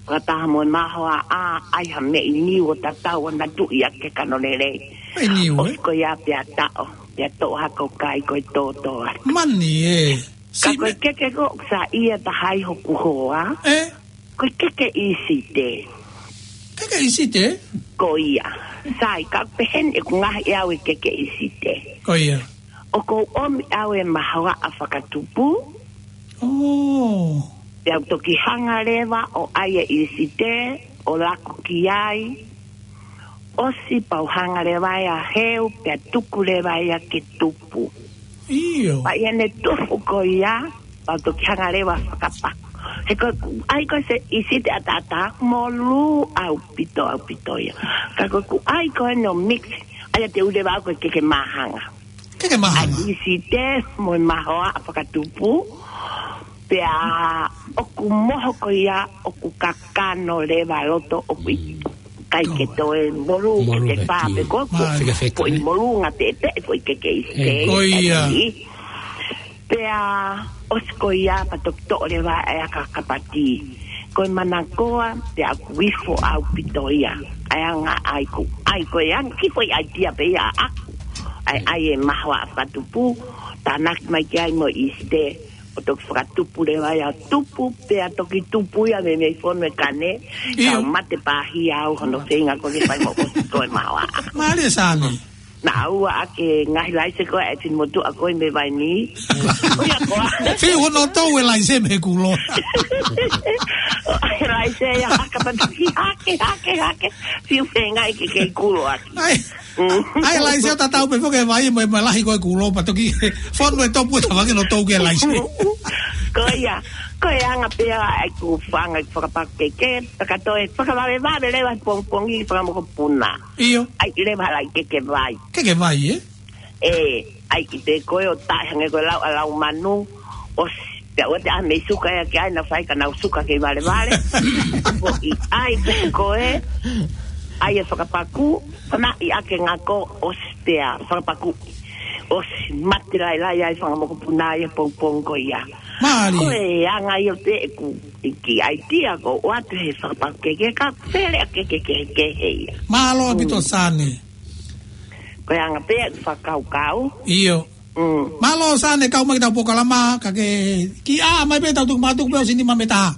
fakataha mo e mahoaʻa, ʻai ha meʻi niu ʻo tatau ʻo na tuʻi ʻaki e kano lelei. Meʻi niu, ē? ʻOsi ko ia pea taʻo, pea toʻo hake ʻo kai ko e tōtō atu. Mani, ē. Ka ko e keke ko ē ʻoku saiʻia taha ai hoku hoa. ʻE? Ko e keke ʻIsite. Keke ʻIsite? Ko ia. Sai, ka pehē ni ʻeku ngaohi ʻe au e keke ʻIsite. Ko ia. ʻOku ou ʻomi ʻe au e mahoaʻa fakatupu. ʻŌ. Pea u toki hanga leva ʻo ʻai e ʻIsite, ʻo laku ki ai. ʻOsi pea u hanga leva ia ʻo heu, pea tuku leva ia ke tupu. ʻIo. Pea ʻi heʻene tupu ko ia, pea u toki hanga leva ʻo fakapaku. He ko ʻeku ʻai ko ē se ʻIsite ʻataʻatā, molū ʻaupito, ʻaupito ia. Ka ko ʻeku ʻai ko ē ʻo mix, ʻa ia te u ʻai leva au ko e keke māhanga. Keke māhanga. ʻA e ʻIsite mo e mahoaʻa fakatupu, pea ʻoku moho ko ia, ʻoku kakano leva loto, ʻoku ʻikai ke toe molū, ke te pā pe ko ē, ko e foʻi molū ngā pēpē, foʻi keke ʻIsite. Ko ia. Pea ʻosi ko ia pea toki toʻo leva ʻa e aka kapati. Ko e manakoa, pea ʻoku ifo ʻaupito ia. ʻA e anga ʻai ko ē, ʻai ko e anga, kiʻi foʻi ʻaitia pē ia ʻaʻaku. ʻAi, ʻai e mahoaʻa fakatupu, tānaki mai ki ai mo e ʻIsite, ʻo toki fakatupu leva ia ʻo tupu, pea toki tupu ia mei, mei he fono e kane, ʻio. Ka mate pāhia au hono feinga ko ē ke fai mo ʻosi ko e mahoaʻa. Mālie Sane. Naʻa ʻoua ʻa ke ngaohi laise ko ē ʻa e fine motuʻa ko ē mei Vainī. ʻO ia ko ā. Fiu hono tou e laise mei he kulo. ʻAi laise ia haka patu hake, hake, hake. Fiu feinga ke kei kulo ʻaki. ʻAi. Mm. ʻAi laise ʻo tatau pē foki e vai mo e, mo e lahi ko ē kulo pea toki fono e topu ʻo tavake no tou ke laise. Ko ia, ko e anga pē ia ʻeku fanga fakapaku keke, ka ko e fakavavevave leva pongipongi fakamokopuna. ʻIo. ʻAi leva hala e keke vai. Keke vai, ē? ʻE, ʻai ki te ko ē ʻo taʻe hangē ko e lau ʻa Laumanu, ʻosi, pea ʻoua te ʻai ha meʻi suka ia ki ai, naʻa faifai ka nau suka kei valevale. Ko e ʻai pē ko ē, ʻai e fakapaku, fanaʻi ʻaki e ngako, ʻosi pea, fakapaku. ʻOsi mate lailai ai fanga mokopuna ia pongipongi ko ia. Mālie. Ko e anga ia pē ʻeku kiʻi ʻaitia ko ē ʻoatu he fakapaku keke ka pele ʻa e keke kehekehe ia. Mālō ʻaupito Sane. Ko e anga pē ʻeku fakakaukau. ʻIo. Mm. Mālō Sane, kau mai ki heʻetau polokalama, ka ke kiʻi ʻā mai pē ʻetau tuku mātuku pē ʻosi nima mita.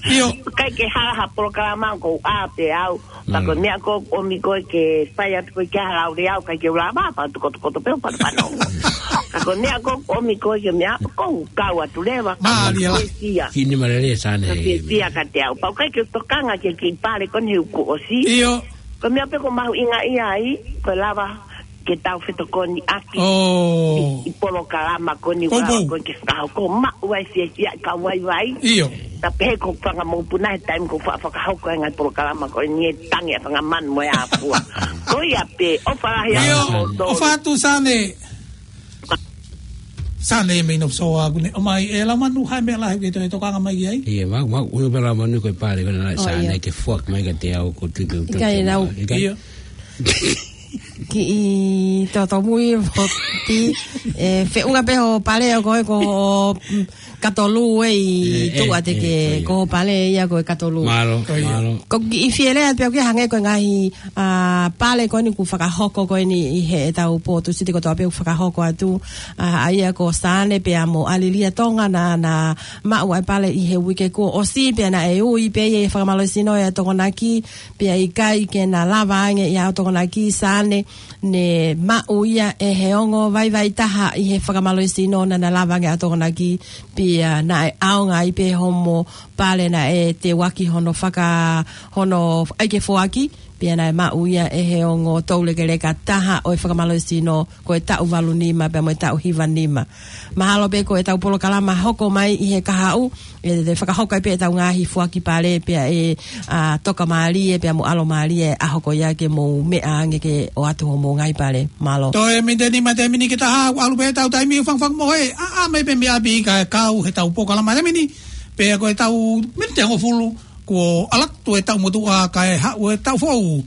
ʻIo. ʻIkai ke hala ha polokalama, ʻoku ou ʻā pē au. Pea ko e meʻa ko ē ʻoku ʻomi koe ke fai atu koe ki ha lau leʻo, ʻikai ke u lava, pea u tuku kotokoto pē ʻo pāpānongo. Ka ko e meʻa ko ē ʻoku ʻomi koe ke meʻa, ʻoku ou kau atu leva. Mālie lā. Fiefia. Kiʻi nima lelei Sane. Ka fiefia kiate au. Pea ʻoku ʻikai ke u tokanga ki he kiʻi pale ko eni he ʻoku ʻosi. ʻIo. Ko e meʻa pē ʻoku ou mahuʻingaʻia ai, ko e lava ke tau fetokoniʻaki. ʻOi. ʻI, ʻi polokalama ko eni, ʻoku ou ʻoatu ʻa koe ke fakahoko, maʻu ai fiefia ʻa e kau vaivai. ʻIo. Pea pehē ko e fanga mokopuna he taimi ʻoku ou faʻa fakahoko ai e ngaahi polokalama ko eni, ʻe tangi ʻa e fanga manu mo e ʻāfua. Ko ia pē, ʻofa lahi ʻa kimoutolu. ʻIo, ʻofa atu Sane. Sane mei North Shore ʻoku ne ʻomai ʻe Lamanu ha meʻa lahi ke toe tokanga mai ki ai. ʻIo, mau, mau, ʻoku pē Lamanu ko e pale ko ena ʻa Sane ke foaki mai kiate au ko e tuʻu ʻikai nau. ʻIkai. ʻIo. Kiʻi totomui foki, ʻe, feʻunga pē hoʻo pale ʻa koe ko, mm, katolu ē ʻi tuʻa te ke, ko hoʻo pale ia ko e katolu. Mālō, mālō. Ko e kiʻi fie lea pē ʻoku hangē ko e ngaahi, ʻa, pale ko eni ʻoku fakahoko ko eni ʻi heʻetau pō Tūsite kotoa pē ʻoku fakahoko atu, ʻa, ʻa ia ko Sane pea mo ʻAlilia Tonga naʻa na maʻu ʻa e pale ʻi he uike kuo ʻosi pea naʻe ui pē ia ʻi he fakamālohisino ʻa e Tokonaki, pea ʻikai ke na lava ange ia ʻa e Tokonaki Sane, ne maʻu ia ʻe he ongo vaivai taha ʻi he fakamālohisino naʻa na lava ange ʻa e Tokonaki, pea naʻe ʻaonga ai pē homo pale naʻe teuaki hono faka-, hono ʻai ke foaki, pea naʻe maʻu ia ʻe he ongo toulekeleka taha ʻo e fakamālohisino ko e taʻu valu nima pea mo e taʻu hiva nima. Mahalo pē ko ʻetau polokalama hoko mai ʻi he kahaʻu, ʻe, ʻe fakahoko ai pē ʻetau ngaahi foaki pale pea ʻe, ʻa, toka mālie pea mo ʻalo mālie ʻa e ʻaho ko ia ke mou meʻa ange ke ʻoatu hoʻomou ngaahi pale. Mālō. Toe miniti nima, toe miniti ki he taha, ʻalu pē ʻetau taimi, fangafanga mo e, ʻā, ʻā mai pē mei ʻapi kae kau heʻetau polokalama taimi ni, pea ko ʻetau miniti hongofulu, kuo ʻalu atu e taʻu motuʻa kae haʻu e taʻu foʻou.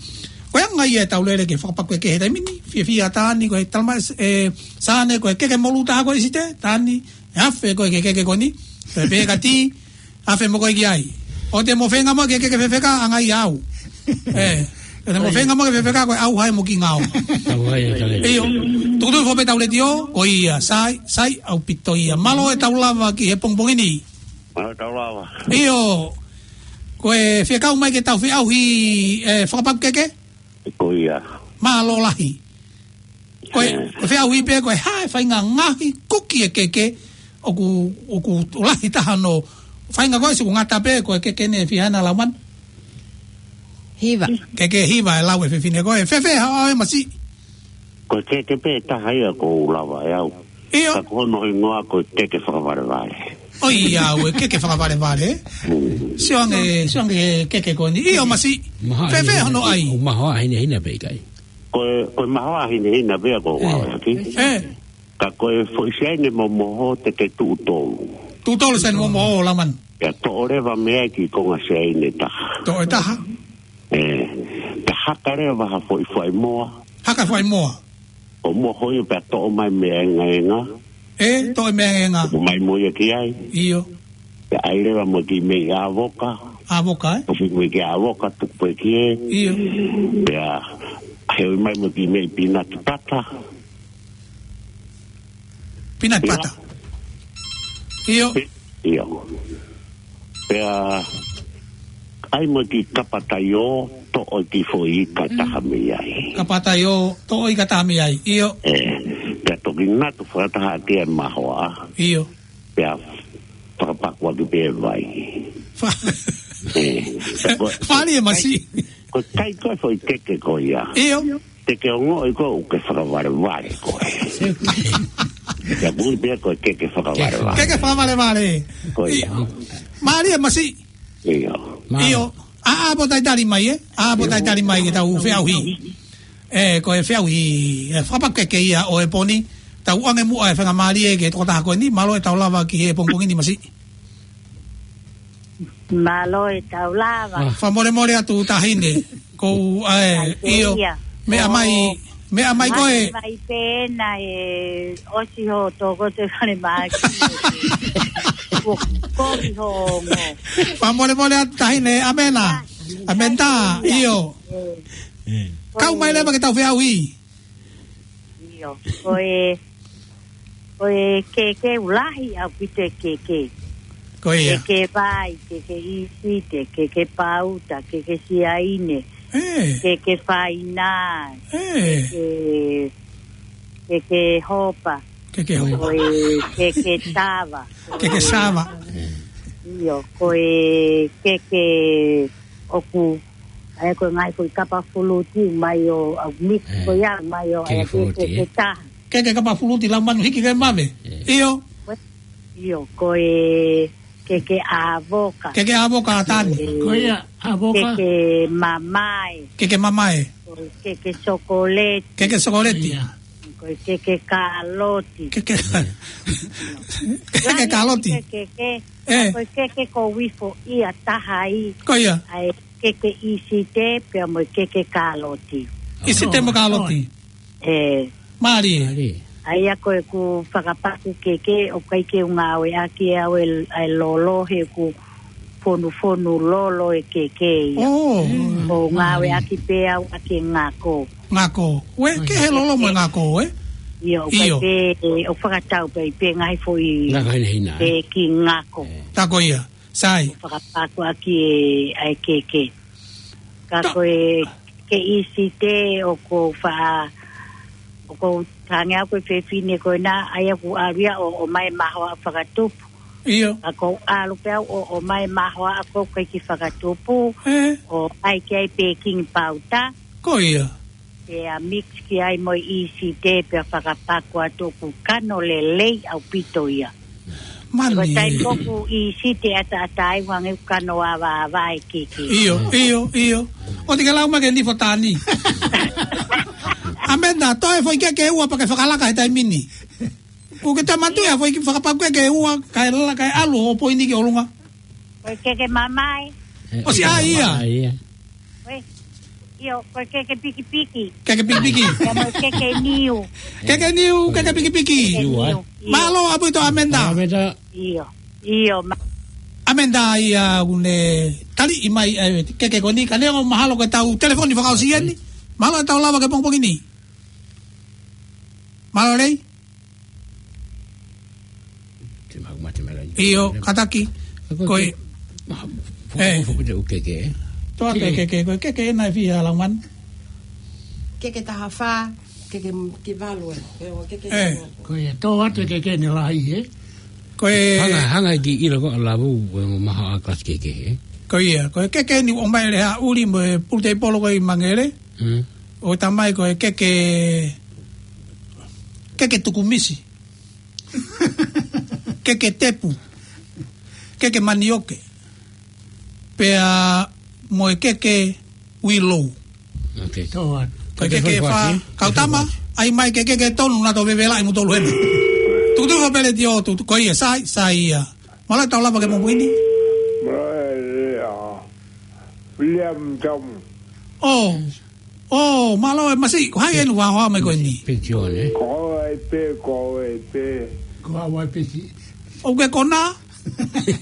Ko e anga ia ʻetau lele ki he fakapaku keke he taimi ni, fiefia Tani ko e talama, ʻe, Sane ko e keke molu taha ko e ʻIsite, Tani, ʻe afe ko e keke ko eni, pea pehē kia Ti, afe mo koe ki ai. ʻOua te mo feinga mo ke keke fefeka ʻa ngai au. ʻE, ʻoua te mo feinga mo ke fefeka ko e ʻauha ʻe mo ki ngao. ʻAuha ʻe kale. ʻIo, tukutuku foʻou pē ʻetau letiō, ko ia, sai, sai ʻaupito ia. Mālō ʻetau lava ki he pongipongi ni. Mālō ʻetau lava. ʻIo, ko e fie kau mai ke tau feʻauhi, ʻe, fakapaku keke? Ko ia. Mālō lahi. Ko e, ko e feʻauhi pē, ko e hā e faʻahinga ngaahi kuki ʻe keke, ʻoku, ʻoku lahi taha hono faʻahinga ko e siʻi ngata pē, ko e keke ne fihana lauman. Hiva. Keke hiva ʻe lau ʻe he fefine ko e, fēfē haʻo ʻave masiʻi. Ko e keke pē taha ia ʻoku ou lava ʻe au. ʻIo. Ka ko hono hingoa ko e keke fakavalevale. ʻOiauē, keke fakavalevale. Mm. Sio ange, sio ange keke ko eni. ʻIo masiʻi. Mahaʻa fēfē hono ʻai? ʻOku mahoaʻa hinehina pē ʻikai? Ko e, ko e mahoaʻa hinehina pē ʻoku ou ʻave ʻaki. ʻE. Ka ko e foʻi siaine momoho te ke tuʻu tolu. Tuʻu tolu siaine momoho lauman. Pea toʻo leva mei ai e kiʻi konga siaine taha. Toʻo ʻe taha. ʻE, pea haka leva ha foʻi fuaʻi moa. Haka fuaʻi moa. ʻO moho ia pea toʻo mai meʻa engaenga. ʻE, toʻo meʻa engaenga. Tuku mai mo ia ki ai. ʻIo. Pea ʻai leva mo e kiʻi meʻi ʻāvoka. ʻĀvoka, ē? Tuku mai ki he ʻāvoka, tuku pē ki ai. ʻIo. Pea heuʻi mai mo e kiʻi meʻi pinati pata. Pinati pata. ʻIo. ʻIo. Pea ʻai mo e kiʻi kapa taiō, toʻo e kiʻi foʻi ika ʻe taha mei ai. Kapa taiō, toʻo ika ʻe taha mei ai. ʻIo. ʻE, pea toki natu fakataha ʻaki e mahoaʻa. ʻIo. Pea fakapaku ʻaki pē e vai. Fa- ʻE, pea ko e, fali e masiʻi. Ko e kai ko e foʻi keke ko ia. ʻIo. Te ke ongoʻi ko e keke fakavalevale ko ē. Pea mui pē ko e keke fakavalevale. Keke fakavalevale. Ko ia. Mālie masiʻi. ʻIo. ʻIo. ʻĀ, ʻā pē ʻo talitali mai, ē? ʻĀ pē ʻo talitali mai ke tau feʻauhi. ʻE, ko e feʻauhi, ʻe, fakapaku keke ia ʻo e pō ni, tau ʻoange muʻa e faingamālie ki he tokotaha ko eni, mālō ʻetau lava ki he pongipongi ni masiʻi. Mālō ʻetau lava. Fakamolemole atu Taʻahine, kou, ʻae, ʻio, meʻa mai, meʻa mai koe. Mai pē naʻe ʻosi hoʻo tokoto e fale māki. Ko, kovi hoʻo ongo. Fakamolemole atu Taʻahine, ʻamena. ʻAmena, ʻio. Kau mai leva ke tau feʻauhi. ʻIo, ko e Ko e keke ʻoku lahi ʻaupito e keke. Ko ia. Keke vai, keke ʻīsite, keke pauta, keke siaine, ē, keke fainā, ē, keke, keke hopa. Keke hopa. Ko e keke sava. Keke sava. ʻIo, ko e keke ʻoku, ʻa ia ko e ngaahi foʻi kapa fuluti mai ʻo, ʻa mix, ē, ko ia mai ʻo, keke ʻa ia fuluti, keke, ē, taha. Keke kapa fuluti, lau manu hiki ke mave. Ē. ʻIo. ʻIo, ko e keke ʻāvoka. Keke ʻāvoka ʻa Tani. Ko ia, ʻāvoka. Keke mamae. Keke mamae. Ko e keke sokoleti. Keke sokoleti. Ia. Ko e keke kāloti. Keke, keke kāloti. Lahi e keke. Ē. Ko e keke ko wifo ia taha ai. Ko ia. ʻA e keke ʻīsite pea mo e keke kāloti. ʻĪsite mo kāloti. Ē. Mālie. Mālie. ʻA ia ko ʻeku fakapaku keke ʻoku ʻikai ke u ngāueʻaki ʻe au e, ʻa e lolo he ʻoku fonufonu lolo e keke ia. ʻŌ. ʻOku ou ngāueʻaki pē au ʻaki e ngako. Ngako. Ue, ke he lolo mo e ngako, ē? ʻIo, ʻoku ʻikai pē, ʻoku fakatau pē ʻi he ngaahi foʻi, ngako hinehina, ē? Pē ki ngako. Ē. Tā ko ia. Sai. ʻOku fakapaku ʻaki e, ʻa e keke. Ka ko e keke ʻīsite ʻoku ou faʻa, ʻoku ou tangi au ko e fefine ko ena, ʻa ia ʻoku ʻalu ia ʻo, ʻomai mahoaʻa fakatupu. ʻIo. Ka ʻoku ou ʻalu pē au ʻo, ʻomai mahoaʻa ʻoku ʻikai ke fakatupu. Ē. ʻO ʻai ki ai pēkingi pauta. Ko ia. Pea mix ki ai mo e ʻīsite pea fakapaku atu ʻoku kano lelei ʻaupito ia. Mani. Ko e taimi ko ē ʻoku ʻīsite ʻataʻatā ai ʻoku hangē ʻoku kano avaava e keke. ʻIo, ʻio, ʻio. ʻOua te ke lau mai ke nifo Tani. ʻAmenda, toe foʻi keke ʻe ua pea ke fakalaka he taimi ni. ʻOku ke toe manatuʻi ʻa e foʻi fakapaku keke ʻe ua, kae la-, kae ʻalu ʻo poini ki ʻolunga. Ko e keke mamae. ʻOsi ʻa ia. ʻA ia. Ko e, ʻio, ko e keke pikipiki. Keke pikipiki. Pea mo e keke niu. Keke niu, keke pikipiki. Keke niu, ʻio. Mālō ʻaupito ʻAmenda. ʻAmenda. ʻIo, ʻio, ma- ʻAmenda ia ʻoku ne taliʻi mai, ē, keke ko eni, ka neongo mahalo ko e tau telefoni fakaʻosi eni. Mahalo ʻe tau lava ke pongipongi ni. Mālō Lei. Te mau mate mai laini. ʻIo, kātaki. Ko e, ko e, ē, foʻi te u keke, ē? Toa ke keke, ko e keke ena ʻe fiha Laumanu? Keke taha fā, keke m-, ki valu, ē. Ē, ʻo keke, ē, ki valu. Ko ia, tō atu e keke ʻene lahi, ē? Ko e hanga, hanga ki ʻilo ko ʻa Lavu, ko e mo maha ʻa kasi keke, ē? Ko ia, ko e keke ni ʻomai ʻe Lehaʻuli mo e pulutei polo ko ē ʻi Mangele. Mm. ʻO tamai ko e keke, keke tukumisi. Keke tepu. Keke manioke. Pea mo e keke uilou. Okay. Ko e keke fā, kau tama, ʻai mai ke keke tonu naʻa tau vevela ʻi mutolu hena. Tukutuku pele tio, tuku, ko ia, sai, sai ia. Mālō ʻetau lava ke mo muini. Mālō e lea. William Tom. ʻŌ, ʻō, mālō e masi, ko hai eni ʻoku hoa mai ko eni? Pitione. Ko e pē, ko e pē. Ko haʻu ai piti. ʻOku ke kona?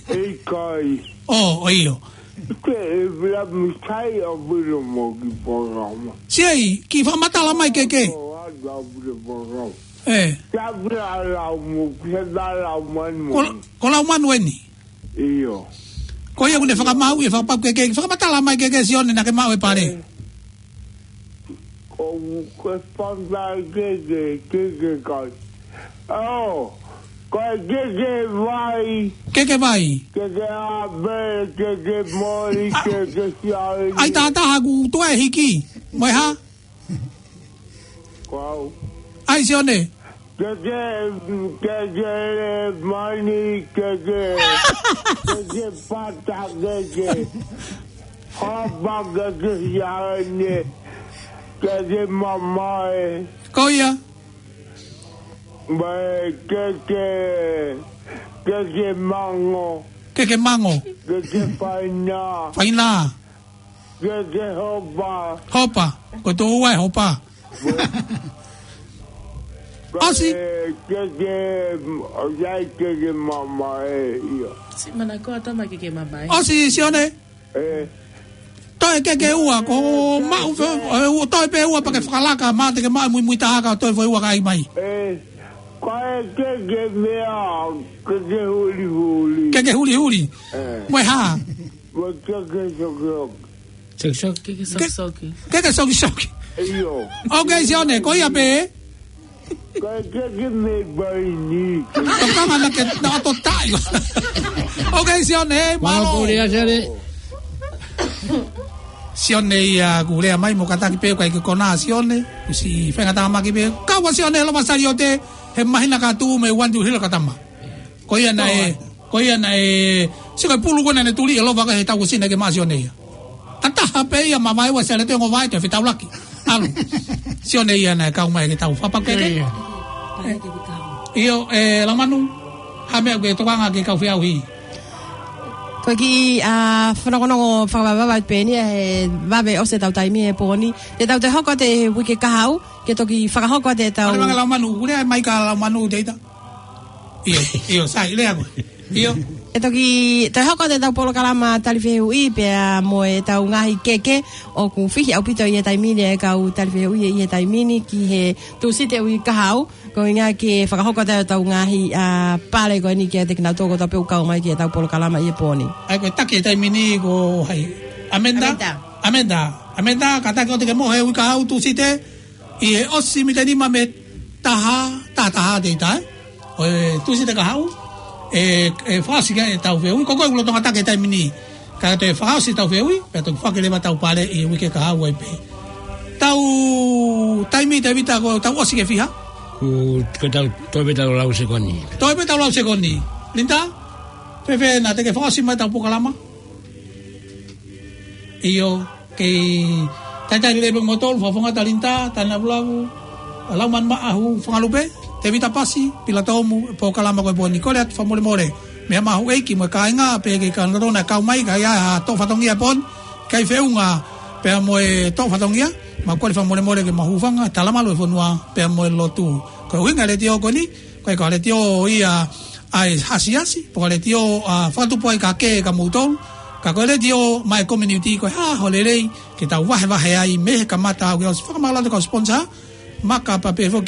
ʻIkai. ʻŌ, ʻio. Ke e William sai ʻa William mo ki pōrama. Siʻi, ke fakamatala mai keke. Ko atu ʻa William pōrama. Ē. Ka vila lau mo, ke vila lau manu mo. Ko, ko Laumanu eni? ʻIo. Ko ia ʻoku ne fakamaau ʻi he fakapaku keke, fakamatala mai keke Sione naʻa ke maʻu e pale. Ē. Ko, ko e fanga keke, keke kai. ʻŌ, ko e keke vai. Keke vai. Keke ʻapi, keke moli, a, keke siaini. ʻAi tātaha ʻoku toe hiki. Mo e hā? Ko au. ʻAi Sione. Keke, keke mani, keke, keke pata, keke hapa, keke siaine, keke mamae. Ko ia. Mai keke, keke mango. Keke mango. Keke faina. Faina. Keke hopa. Hopa. Ko e tō ua e hopa. ʻOsi. Keke, ʻoku ʻi ai keke mamae, ʻio. Siʻi manakoa tama keke mamae. ʻOsi, Sione. Ē. Toe keke ua, ko maʻu fe-, ē, ua, toe pē ua pea ke fakalaka, ma te ke maʻu muimui taha ka toe foʻi ua ka ʻai mai. Ē. Ko e Ke ke meʻa, ke ke hulihuli. Ke ke hulihuli. Ē. Mo e hā? Mo e ke ke sokisoki. Sokisoki. Ke ke ke sokisoki. ʻIo. ʻOku ke Sione, ko ia pē. Ka ke ke meʻa ʻi ni. Tokanga na ke na to tai. ʻOku ke Sione, ē, mālō. Mālō, Sione. Sione ia kuo lea mai mo kātaki pē ʻikai ke konā Sione. Kuo ʻosi fengatamaki pē. Kau ʻa Sione, loma saliote. He māhina ka tuʻu mei One Two Hill ka tama. Ko ia naʻe, ko ia naʻe, sika pulu ko ena ne tuli e lova ka he tau sina ke masi o nei. Tataha pē ia ma vai ua sele te ngo vai te fetaulaki. ʻAlu. Sione ia naʻe kau mai ke tau fapa ke ke. Ia, ia. ʻIo, ē, Laumanu, ha meʻa ke tokanga ki he kau feʻauhi. Ko e kiʻi, ā, fanakonongo fakavavevave pē eni he vave ʻosi ʻetau taimi he pō ni. Te tau toe hoko atu he uike kahaʻu, ke toki fakahoko atu ʻetau. Pale manga Laumanu, kuo lea mai ka Laumanu te ita. ʻIo, ʻio, sai, lea koe. ʻIo. ʻE toki, toe hoko atu ʻetau polokalama tali fehuʻi pea mo ʻetau ngaahi keke ʻoku fihi ʻaupito ʻi he taimi ni e kau tali fehuʻi ʻi he taimi ni ki he Tūsite uike kahaʻu, ko e ʻuhinga ke fakahoko atu ʻetau ngaahi, ā, pale ko eni kiate kinautolu kotoa pē ʻoku kau mai ki heʻetau polokalama ʻi he pō ni. ʻAi ko e taki he taimi ni ko hai? Amenda? Amenda. Amenda. Amenda, kātaki ʻo te ke mohe uike kahaʻu Tūsite, ʻi he ʻosi mita nima mei he taha, taha, taha te ita, ē? ʻO e Tūsite kahaʻu, ē, ē fakaʻosi ki ai ʻetau fehuʻi, ko koe ʻoku lolotonga taki he taimi ni. Ka toe fakaʻosi ʻetau fehuʻi, pea toki foaki leva ʻetau pale ʻi he uike kahaʻu ai pē. Tau taimi Tēvita ko tau ʻosi ki he fiha? Ko, ko tau, toe pē tau lau sekoni. Toe pē tau lau sekoni. Linda? Fēfē naʻa te ke fakaʻosi mai ʻetau polokalama? ʻIo, kei talitali lelei pē kimoutolu, Fakafofonga Talinta, Tana Vulavu, Laumanu Maʻahu, Fangalupe, Tēvita Pasi, Pila Tomu, polokalama ko e pō ni. Kole atu fakamolemole mei he maʻu ʻeiki mo e kāinga, pea kei kau nautolu naʻe kau mai, ka ʻi ai ha toʻo fatongia pō ni, ʻikai feʻunga pea mo e toʻo fatongia, mau kole fakamolemole ke mau hūfanga he talamalu ʻo e fonua pea mo e lotu. Ko e ʻuhinga e letiō ko eni, ko e ko e letiō ia ʻa e hasiasi, pe ko e letiō, ā, fakatupu ai ka ke ka moutolu, ka ko e letiō maʻa e community ko e hā ho lelei, ke tau vahevahe ai mei he kamata ʻo aʻu ki he ʻosi. Fakamālō atu ki he kau sponsor, Maka pea pehē foki